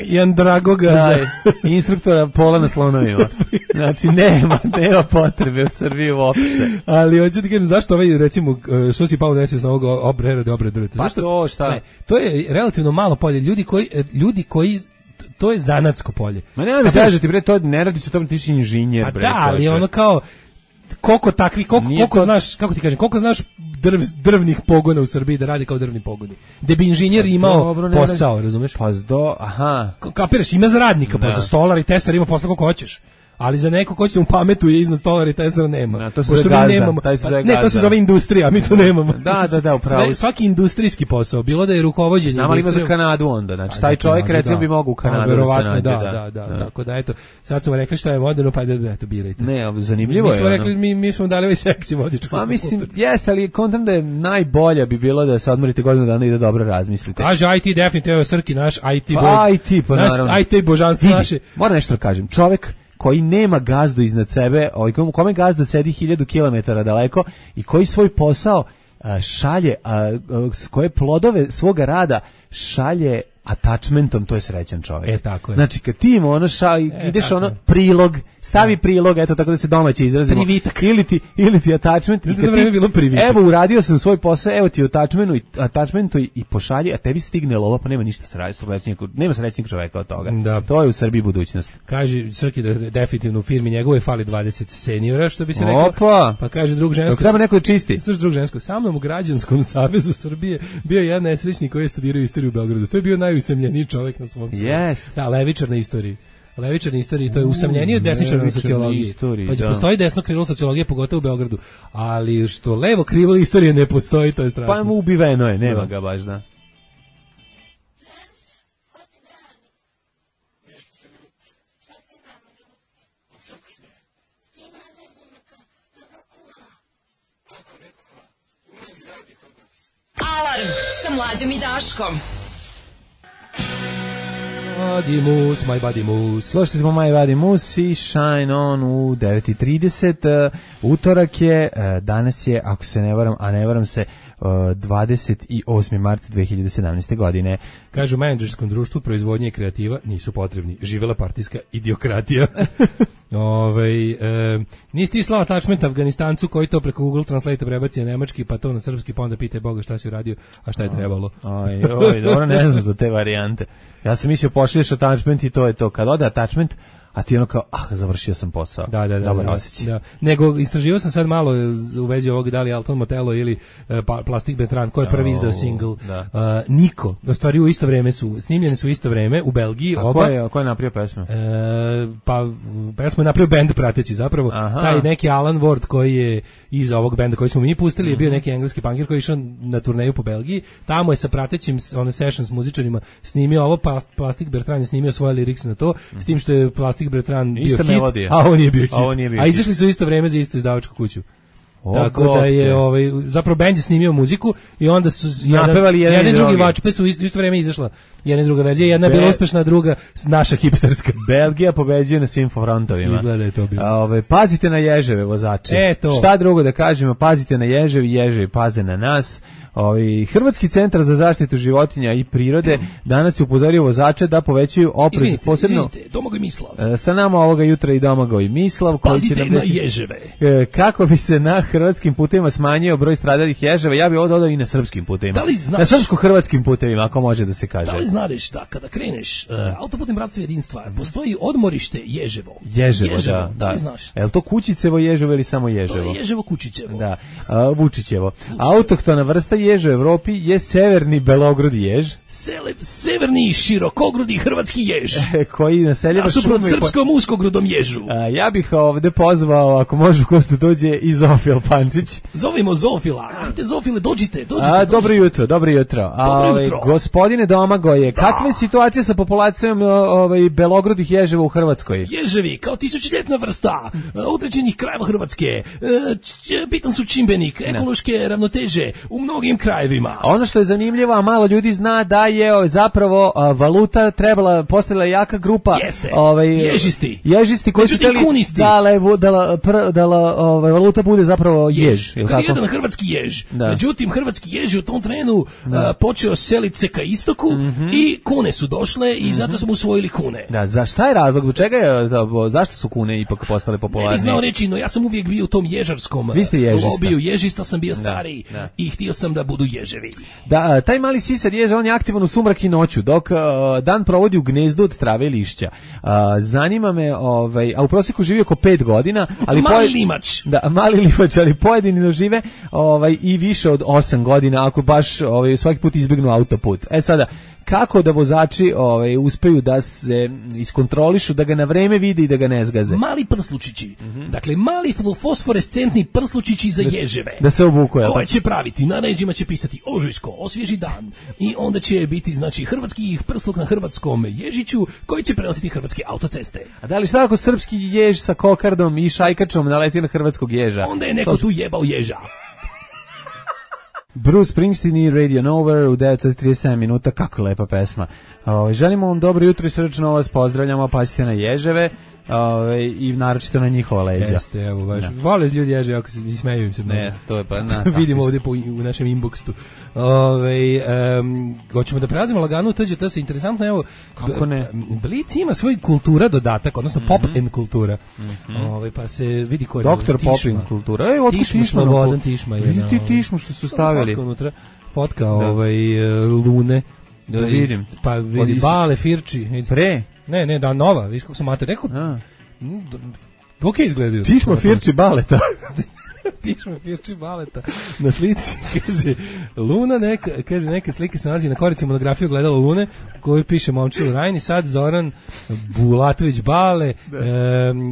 I Andragoga instruktora pola na slonovima. Znači, nema potrebe u Srbiji uopšte. Ali hoću ti kažem, zašto recimo, što si pao desio sa ovog obrade drveta? Pa to šta? To je relativno malo polje. Ljudi koji to je zanatsko polje. Ma nema mi kažete, bre, to ne radi se o tome, ti si inženjer, bre. Da, ali ono kao koliko znaš, kako ti kažem, koliko znaš drvnih pogona u Srbiji da radi kao drvni pogoni. Da bi inženjer imao posao, razumeš? Kapiraš, ima za radnika, pa za stolar i tesar ima posla koliko hoćeš. Ali za neko ko će se mu pametuje iznad stolara i tesara nema. To se gazda. To se zove industrija, mi to nemamo. Da, upravo. Svaki industrijski posao, bilo da je rukovođenje. Znam, ali ima za Kanadu onda, znači taj čovjek recimo bi mogao u Kanadu da se nađe. Da, tako da eto, sad smo rekli što je moderno, pa eto birajte. Ne, zanimljivo je. Mi smo rekli, mi smo dali ovaj seksi vodič. Pa mislim, jeste, ali kontam da je najbolje bi bilo da se odmorite godinu dana i da dobro razmislite. Kaže IT definitivno Srki, naš IT boj. IT, pa naravno. Naš IT božanstvo naše. Moram nešto da kažem, čovjek koji nema gazdu iznad sebe, kome gazda sedi 1000 km daleko i koji svoj posao šalje, koje plodove svoga rada šalje attachmentom, to je srećan čovjek. Tako je. Znači, kad ti im ideš prilog, stavi prilog, eto tako da se domaće izrazimo. Privitak. Ili ti attachment. I kad bilo privitak. Evo, uradio sam svoj posao, evo ti attachmentu i pošalji, a tebi stigne lova, pa nema ništa nema srećnik čovjeka od toga. Da. To je u Srbiji budućnost. Kaže Srki da definitivno u firmi njegove fali 20 seniora, što bi se rekao. Opa! Pa kaže drug žensko. Treba neko čisti. Slušaj, drug žensko, sa mnom u Građanskom savezu Srbije bio je jedan nesrećnik koji je studirao istoriju u Beogradu. To je bio najusamljeniji čovjek na svom svijetu. Yes. Da, levičar na istoriji. Levičar na istoriji, to je usamljenije od desničara na sociologiji. Pa postoji desno krilo sociologije, pogotovo u Beogradu. Ali što levo krilo istorije ne postoji, to je strašno. Pa mu ubiveno je, nema ga baš, da. Alarm sa Mlađom i Daškom. Body My Body Moose. Slušali smo My Body Moose i Shine On u 9:30. Utorak je, danas je, ako se ne varam, a ne varam se, 28. mart 2017. godine. Kažu, menadžerskom društvu proizvodnje i kreativa nisu potrebni. Živela partijska idiokratija. Nisi ti slao attachment Afganistancu koji to preko Google Translate prebaci na nemački, pa to na srpski, pa onda pitaj Boga šta si uradio, a šta je trebalo. Dobro, ne znam za te varijante. Ja sam mislio pošalješ attachment i to je to. Kad ode attachment, a ti ono kao, završio sam posao. Dobar osjećaj. Da. Nego, istraživao sam sad malo u vezi ovog da li Alton Motello ili Plastic Bertrand, ko je prvi izdao single. Niko. U stvari u isto vreme snimljene su u isto vreme u Belgiji. Ko je napravio pesmu? Pesmu je napravio bend prateći zapravo. Taj neki Alan Ward koji je iza ovog benda koji smo mi pustili je bio neki engleski punkir koji je išao na turneju po Belgiji. Tamo je sa pratećim sessions muzičarima snimio ovo, Plastic Bertrand je snimio svoje liriks na to, s tim što je Plastic Bertrand bio hit, a on nije bio hit. A izašli su u isto vreme za istu izdavačku kuću. Tako da je zapravo bend je snimio muziku i onda su jedan i drugi vačpe su u isto vreme izašla jedna i druga verzija, jedna je bila uspešna, druga naša hipsterska. Belgija pobeđuje na svim frontovima. Izgleda je to bilo. Pazite na ježeve, vozači. Šta drugo da kažemo, pazite na ježevi, ježevi paze na nas. Hrvatski centar za zaštitu životinja i prirode danas je upozorio vozače da povećaju oprez, posebno Domagoj Mislav. Sa nama ovoga jutra i Domagoj Mislav koji će nam reći na ježeve. Kako bi se na hrvatskim putevima smanjio broj stradalih ježeva, ja bih ovo dodao i na srpskim putevima. Na srpsko-hrvatskim putevima, ako može da se kaže. Da li znaš da kada kreneš autoputem Bratstva i jedinstva postoji odmorište Ježevo? Ježevo, da li znaš? Je li to Kučićevo ježevo ili samo Ježevo? To je Ježevo Kučićevo. Da, Vučićevo. Autohtona vrsta ježa u Evropi je severni belogrudi jež. Severni širokogrudi hrvatski jež. Koji naseljava šume. Suprot srpskom uskogrudom ježu. Ja bih ovde pozvao, ako može ko dođe, i Zofil Pančić. Zovimo Zofila. Ajde Zofile, dođite. Dobro jutro. Dobro jutro. Gospodine Domagoje, kakva je situacija sa populacijom belogrudih ježeva u Hrvatskoj? Ježevi, kao tisućljetna vrsta određenih krajeva Hrvatske, bitan su čimbenik ekološke ravnoteže u mnogim krajevima. Ono što je zanimljivo, a malo ljudi zna da je zapravo valuta postala jaka grupa. Jeste, ježisti koji su hteli da valuta bude zapravo jež. Kad je jedan hrvatski jež. Međutim, hrvatski jež je u tom trenu počeo seliti se ka istoku i kune su došle i zato smo usvojili kune. Za šta je razlog? Do čega je, zašto su kune ipak postale popularne? Ne bih znao reći, no ja sam uvijek bio u tom ježarskom lobiju. Ježista sam bio stariji i htio sam da budu ježevi. Da, taj mali sisar ježa, on je aktivan u sumrak i noću, dok dan provodi u gnezdu od trave i lišća. Zanima me, a u prosjeku živi oko 5 godina, ali mali limač. Da, mali limač, ali pojedini dožive i više od 8 godina, ako baš svaki put izbjegnu autoput. Sada, kako da vozači uspeju da se iskontrolišu, da ga na vreme vide i da ga ne zgaze? Mali prslučići. Dakle, mali fosforescentni prslučići za ježeve. Da se obuku, koje će praviti, na ređima će pisati Ožujsko, osvježi dan. I onda će biti, hrvatski prsluk na hrvatskom ježiću koji će prenositi hrvatske autoceste. A da li šta ako srpski jež sa kokardom i šajkačom naleti na hrvatskog ježa? Onda je neko tu jebao ježa. Bruce Springsteen i Radio Nowhere u 9:37 minuta, kako lepa pesma. Želimo vam dobro jutro i srdačno vas pozdravljamo, pazite na ježeve i naročito na njihova leđa. Jeste, evo baš. Vole ljudi ježe, ako se smeju im se. Ne, to je pa vidimo ovdje u našem inboxu. Hoćemo da prelazimo lagano u TGT, se interesantno, evo. Kako ne? Blic ima svoj kultura dodatak, odnosno pop and kultura. Pa se vidi ko je. Doktor pop and kultura. Tišma, Slobodan Tišma je. Vidi ti Tišmu što su stavili. Fotka Lune. Da vidim. Pa vidi Bale Firči. Pre? Ne, da nova, viš kako sam mater rekao. Ok izgledaju. Tišma Firči Baleta. Tišma Firči Baleta. Na slici kaže Luna neka slike se nalazi na korici monografije Ogledalo Lune, koju piše Momčilo Rajni, sad Zoran Bulatović Bale,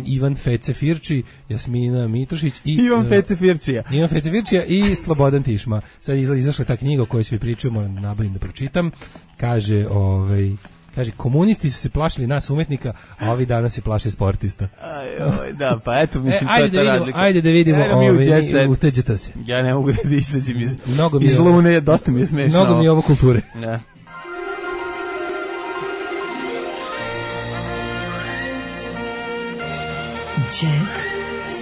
Ivan Fece Firči, Jasmina Mitrošić i Ivan Fece Firčija i Slobodan Tišma. Sad izašla ta knjiga o kojoj svi pričamo, nabavim da pročitam. Kaže, komunisti su se plašili nas umetnika, a ovi danas se plaše sportista. Da, pa eto, mislim, to je ta razlika. Ajde da vidimo u TGT se. Ja ne mogu da izađem iz Lune, dosta mi je smešno. Mnogo mi je ovo kulture. Da. Jet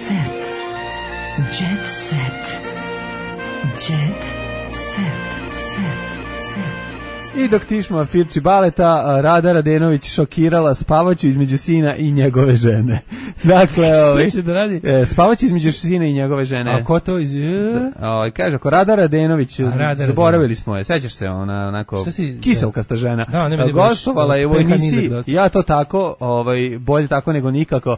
set. Jet set. Jet set. I dok Tišma Firči Baleta, Rada Radenović šokirala spavaću između sina i njegove žene. Dakle, šta će da radi? Spavaće između sina i njegove žene. A ko to kaže, ako Rada Radenović, zaboravili smo je, sećaš se, ona onako kiselkasta žena. Gostovala je u emisiji, ja to tako, bolje tako nego nikako,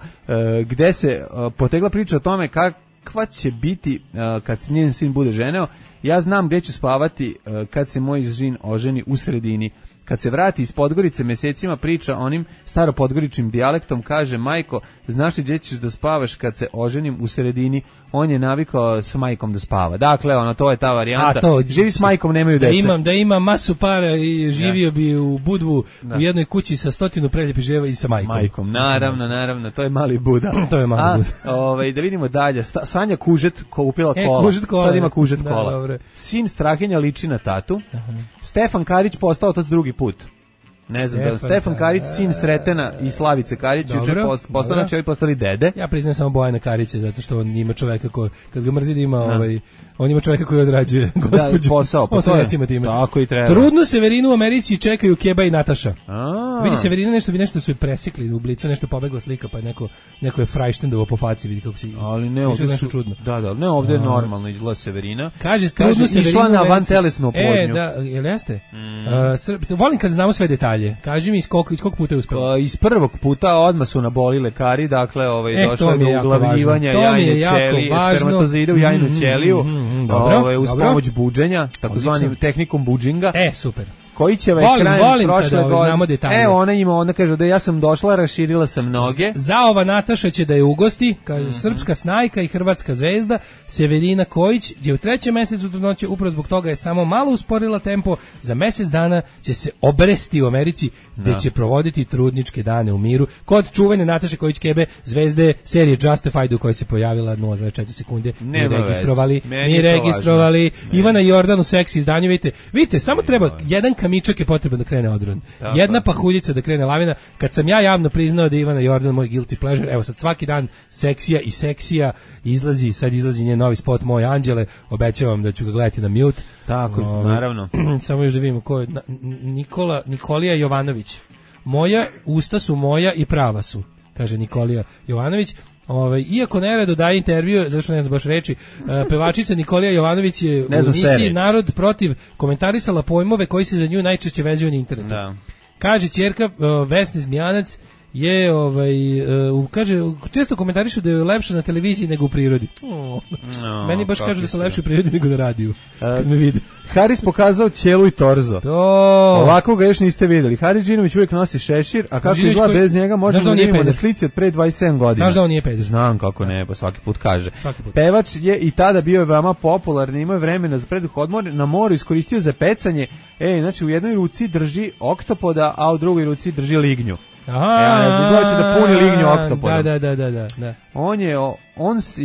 gde se potegla priča o tome kakva će biti kad njen sin bude ženeo. Ja znam gde ću spavati kad se moj sin oženi u sredini. Kad se vrati iz Podgorice, mesecima priča onim staropodgoričnim dijalektom, kaže, majko, znaš li gdje ćeš da spavaš kad se oženim u sredini? On je navikao s majkom da spava. Dakle, to je ta varijanta. Živi s majkom, nemaju dece. Da imam masu para i živio bi u Budvu u jednoj kući sa 100 preljepih žena i sa majkom. Naravno, to je mali Buda. To je mali Buda. Da vidimo dalje. Sanja Kužet kupila kola. Sad ima Kužet kola. Dobro. Sin Strahinja liči na tatu. Stefan Karić postao otac drugi put. Ne znam, da Stefan Karić, sin Sretena i Slavice Karić, juče postali dede. Ja priznam samo Bojana Karića, zato što on ima čoveka kad ga mrzi da ima on ima čoveka koji odrađuje gospođu. Posao, tako i treba. Trudnu Severinu u Americi čekaju Keba i Nataša. Vidi Severina nešto su je presekli u Blicu, nešto pobegla slika, pa neko je frajštendovo po faci, vidi kako se. Ali ne, ovdje su čudno. Da, ne, ovdje je normalno izgleda Severina. Kaže trudnu Severinu išla na vantelesnu oplodnju. Jel jeste? Volim kad znamo sve detalje. Kaži mi iz koliko puta je uspela? Iz prvog puta odmah su naboli lekari, dakle došlo je do uglavljivanja jajne ćelije, spermatozoide u jajnu ćeliju, uz pomoć buđenja, takozvanim tehnikom buđinga. Super. Koji će krajem prošle godine. Ona kaže da ja sam došla, raširila sam noge. Zaova Nataša će da je ugosti, kaže srpska snajka i hrvatska zvezda. Severina Kojić je u 3. mesecu trudnoće, upravo zbog toga je samo malo usporila tempo. Za mesec dana će se obresti u Americi, gde će provoditi trudničke dane u miru. Kod čuvene Nataše Kojić Kebe, zvezde serije Justified u kojoj se pojavila 0,4 sekunde. Mi registrovali. Ivana Jordan u seksi izdanju, vidite, samo treba jedan kamičak je potreban da krene odron. Jedna pahuljica da krene lavina. Kad sam ja javno priznao da je Ivana Jordan moj guilty pleasure, evo sad svaki dan seksija izlazi, sad izlazi njen novi spot Moje anđele, obećavam da ću ga gledati na mute. Tako, naravno. Samo još da vidimo ko je Nikolija Jovanović. Moja usta su moja i prava su, kaže Nikolija Jovanović. Iako nerado daje intervju, zašto ne znam baš reći, pevačica Nikolija Jovanović je u emisiji Narod protiv komentarisala pojmove koji se za nju najčešće vezuju na internetu. Da. Kaže ćerka Vesne Zmijanac je kaže često komentarišu da je lepše na televiziji nego u prirodi. Meni baš kažu da se lepše u prirodi nego na radiju. Kad me vide. Haris pokazao ćelu i torzo. Ovako ga još niste vidjeli. Haris Đinović uvijek nosi šešir, a kako izgleda bez njega možemo da vidimo na slici od pre 27 godina. Znaš da on nije peder? Znam kako ne, pa svaki put kaže. Pevač je i tada bio veoma popularni, imao je vremena za preduh odmor, na moru iskoristio za pecanje. Znači u jednoj ruci drži oktopoda, a u drugoj ruci drži lignju. Izgleda da puni lignju oktopodom. Da. On je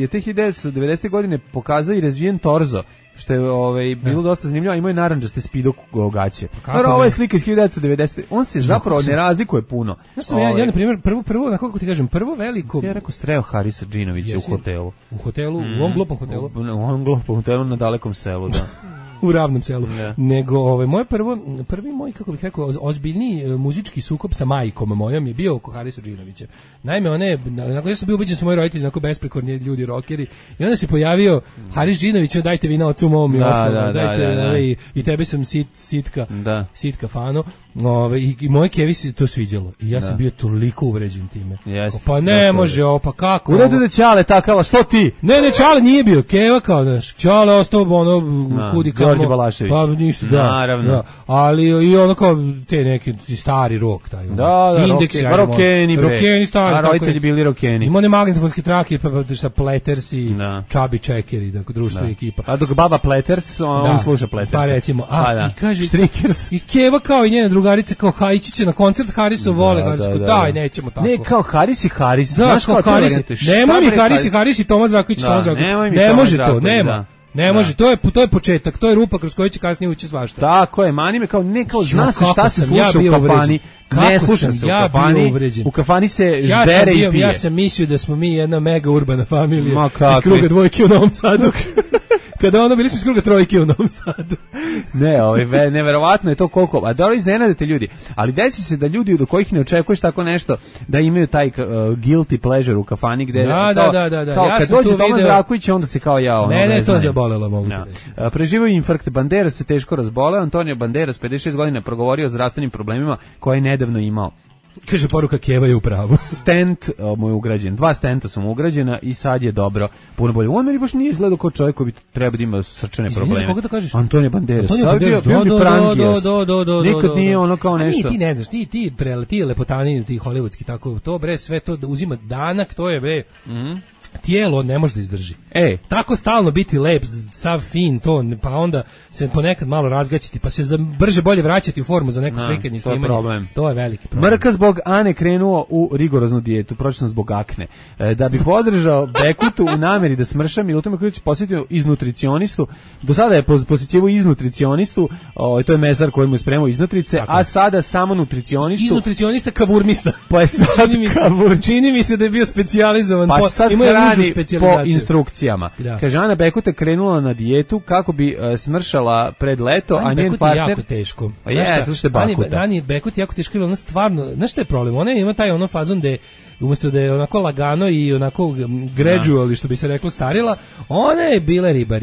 te 1990. godine pokazao i razvijen torzo, što je bilo dosta zanimljivo, a imao je narandžaste spido gaće. Ovo je slika iz 1990. On se zapravo ne razlikuje puno. Znaš sam ja na primjer, prvo, na kako ti kažem, prvo veliko... Ja rekao streo Harisa Džinovića u hotelu. U hotelu? U ovom glupom hotelu? U ovom glupom hotelu na dalekom selu, da. U ravnom selu. Nego moje prvi moj, kako bih rekao, ozbiljniji muzički sukob sa majkom mojom je bio oko Harisa Džinovića. Naime, nakon ja sam bio ubeđen su moji roditelji onako besprekorni ljudi rockeri i onda se pojavio Haris Džinović, dajte vi na ocu mom i ostalo, dajte i tebe sam sitka fano. I moje kevi se to sviđalo i ja sam bio toliko uvređen time. Pa ne može ovo, pa kako? U redu da Ćale takava, što ti? Ne, Ćale nije bio, keva kao, znaš, Ćale ostao kudi kao Đorđe Balašević. Pa ništa, naravno. Da. Ali i ono kao te neki stari rok taj. Rokeni stari. A roditelji bili rokeni. Ima one magnetofonske trake sa Platters i Chubby Checker i društvo i ekipa. A dok baba Platters, on sluša Platters. Pa recimo, i kaže Strikers. I keva kao i njena drugarica kao Hajići će na koncert Harisov vole, daj, nećemo tako. Ne, kao Haris i Haris. Znaš kao Haris. Nemoj mi Haris i Tomas Raković, ne može to, nema. Ne može, to je početak, to je rupa kroz koju će kasnije ući svašta. Tako je, mani me kao zna se šta se sluša u kafani. Ne slušam se u kafani. U kafani se ždere i pije. Ja sam mislio da smo mi jedna mega urbana familija iz kruga dvojke u Novom Sadu. kada ono bili smo iz kruga trojke u Novom Sadu. Ne, neverovatno je to koliko, a da li iznenadite ljudi, ali desi se da ljudi do kojih ne očekuješ tako nešto, da imaju taj guilty pleasure u kafani gde da. Kao kad dođe Toman Draković, onda se kao ja ono. Ne, to zabolelo mogu reći. Preživio infarkt, Banderas se teško razboleo, Antonio Banderas 56 godina progovorio o zdravstvenim problemima koje je nedavno imao. Kaže poruka Keva je u pravu. Stent mu je ugrađen, 2 stenta su mu ugrađena i sad je dobro, puno bolje. On meni baš nije izgledao kao čovjek koji bi treba da ima srčane probleme. Koga to kažeš? Antonio Banderas. Bio mi prangijas. Nikad nije ono kao nešto. Ti ne znaš, ti lepotani, ti hollywoodski, tako, to bre, sve to uzima danak, to je bre... Tijelo ne može da izdrži. Tako stalno biti lep, sav fin, to, pa onda se ponekad malo razgaćiti, pa se brže bolje vraćati u formu za neko slikanje i snimanje. To je veliki problem. Mrka zbog Ane krenuo u rigoroznu dijetu, pročitano zbog akne. Da bi podržao Bekutu u nameri da smrša, Milutin Mrković posjetio iz nutricionistu. Do sada je posjećivao iz nutricionistu, to je mesar koji mu je spremao iz nutrice, a sada samo nutricionistu. Iz nutricionista kavurmista. Pa je sad čini mi se da je bio specijalizovan. Pa sad hrani po instrukcijama. Kaže, Ana Bekuta krenula na dijetu kako bi smršala pred leto, a njen partner... Jako teško. Ani Bekuta jako teško, ona stvarno, znaš što je problem? Ona ima taj ono fazon da umjesto da je onako lagano i onako gradually, što bi se reklo, starila, ona je bila riba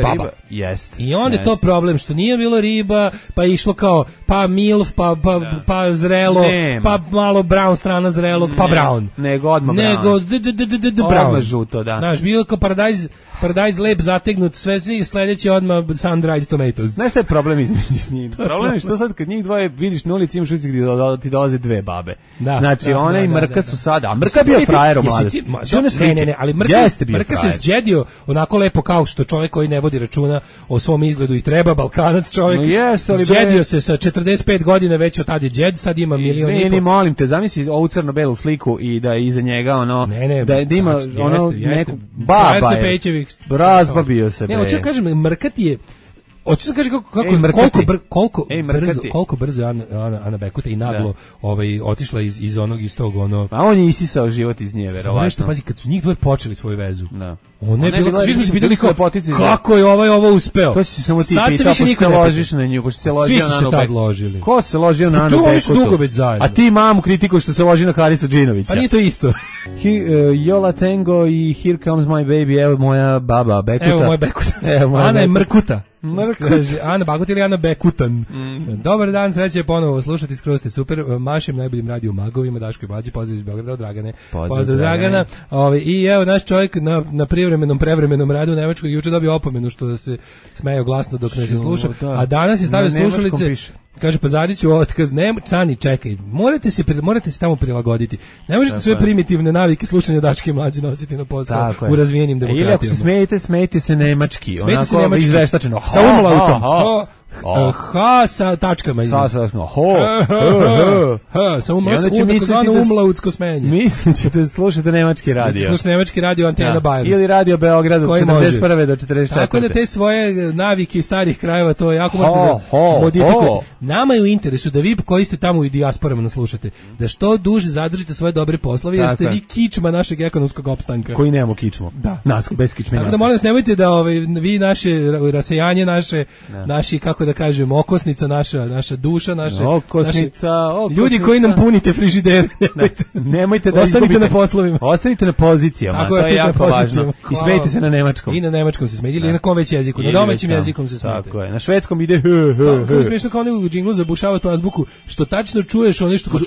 baba. Jest. I onda je to problem, što nije bilo riba, pa je išlo kao, pa milf, pa zrelo, pa malo brown strana zrelog, pa brown. Nego odmah brown. Odmah žuto, da. Znaš, bilo kao paradajz lep zategnut, sve sljedeće odmah sun-dried tomatoes. Znaš šta je problem između njih? Problem je što sad kad njih dvoje vidiš na ulici imaš ulici gdje ti dolaze 2 babe. Znači, ona i Mrka su sada, a Mrka bio frajer u mladosti. Ne, ali Mrka se zđedio onako lepo kao što čovjek koji ne vodi računa o svom izgledu i treba, Balkanac čovjek. Zđedio se sa 45 godina, već od tada je džed, sad ima milion i pol. Molim te, zamisli ovu crno-belu sliku i da je iza njega ono, da ima ono neku baba je. Razbabio se. Ne, hoću da kažem, Mrka ti je... Hoću da kažem koliko brzo je Ana Bekuta i naglo otišla iz tog ono... A on je isisao život iz nje, verovatno. Nešto, pazi, kad su njih dvoje počeli svoju vezu. Da. Ona je bila, svi smo se pitali kako je ovo uspeo. To si samo ti pitao, pošto se ložiš na nju, pošto se ložio na Anu Bekutu. Ko se ložio na Anu Bekutu? Oni su dugo već zajedno. A ti mamu kritikuš što se loži na Harisu Džinovića. Pa nije to isto. Yola Tango i Here Comes My Baby, evo moja baba Bekuta. Evo moja Bekuta. Ana je Mrkuta. Kaže, Ana Bagut ili Ana Bekutan. Dobar dan, sreće ponovo slušati, skroz ste super. Mašim najboljim radio magovima, Daško i Mlađi, pozdrav iz Beograda od Dragane. Pozdrav Dragana. I evo naš čovjek na prevremenom radu u Nemačkoj juče dobio opomenu što se smejao glasno dok ne se sluša, a danas je stavio slušalice. Kaže, pozadit ću otkaz, Cani, čekaj, morate se tamo prilagoditi. Ne možete sve primitivne navike slušanja Daške i Mlađe nositi na posao u razvijenim demokratijama. Ili ako se smejete se nemački, onako izveštačeno. Sa umlautom. Ha, sa tačkama. Sa umlautsko smenje. Mislite slušate nemački radio. Slušate nemački radio Antena Bayer. Ili radio Beograd od 41. do 44. Tako da te svoje navike starih krajeva, to jako morate da modifikujete. Nama je u interesu da vi koji ste tamo u dijasporama nas slušate, da što duže zadržite svoje dobre poslove, jer ste vi kičma našeg ekonomskog opstanka. Koji nemamo kičmu. Nas, bez kičmenja. Tako da molim vas, nemojte da vi naše rasejanje, naši, kako da kažem, okosnica naša duša, ljudi koji nam punite frižidere, nemojte da ostanite na poslovima. Ostanite na pozicijama, to je jako važno. I smejte se na nemačkom. I na nemačkom se smejte, ili na kom već jeziku, na domaćim jezikom se smejte. Tako je, na švedskom ide kako smiješno kao u džinglu zabušava tu azbuku, što tačno čuješ ono što kaže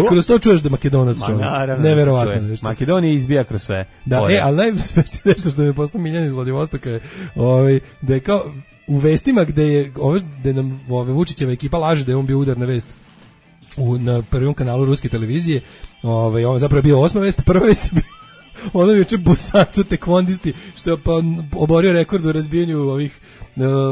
i kroz to čuješ da Makedonac čovjek. Neverovatno. Makedonija izbija kroz sve. Da, ali najspešnije nešto što mi je poslao Miljan iz Vladivostoka je da je kao u vestima gde nam Vučićeva ekipa laže da je on bio udarna vest na prvom kanalu ruske televizije, ovo zapravo je bio 8. vest, prva vest je bio ono juče Busacu tekvondisti što je oborio rekord u razbijanju ovih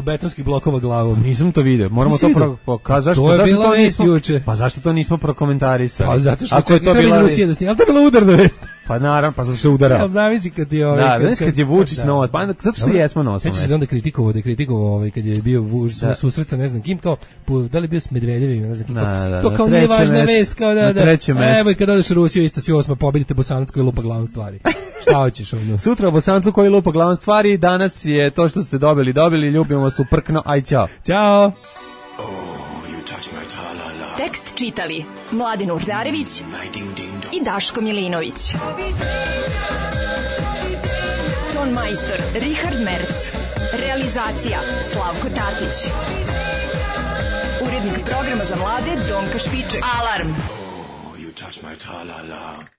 betonskih blokova glavom. Nisam to video. Moramo to pokazati. To je bila vest juče. Pa zašto to nismo prokomentarisali? Pa zato što je to bila Rusija da snima. Ali to je bila udarna vest. Pa naravno, pa zato što je udara. Ali zavisi kad je kad je Vučić na ovo, pa zato što jesmo na osnovu. Sećaš se onda kritikovao kad je bio Vučić susret sa ne znam kim, kao da li bio s Medvedevim, ne znam kim. To kao nije važna vest, kao da. Evo i kad odeš u Rusiju isto si 8. pobedite Bosanac koji lupa glavom stvari. Šta hoćeš ono? Sutra o Bosancu koji lupa glavom stvari, danas je to što ste dobili, ljubimo vas uprkno, aj ćao. Ćao. Tekst čitali Mladen Urdarević i Daško Milinović. Ton majstor Richard Merc. Realizacija Slavko Tatić. Urednik programa za mlade Donka Špiček. Alarm! Oh, you touch my tra-la-la.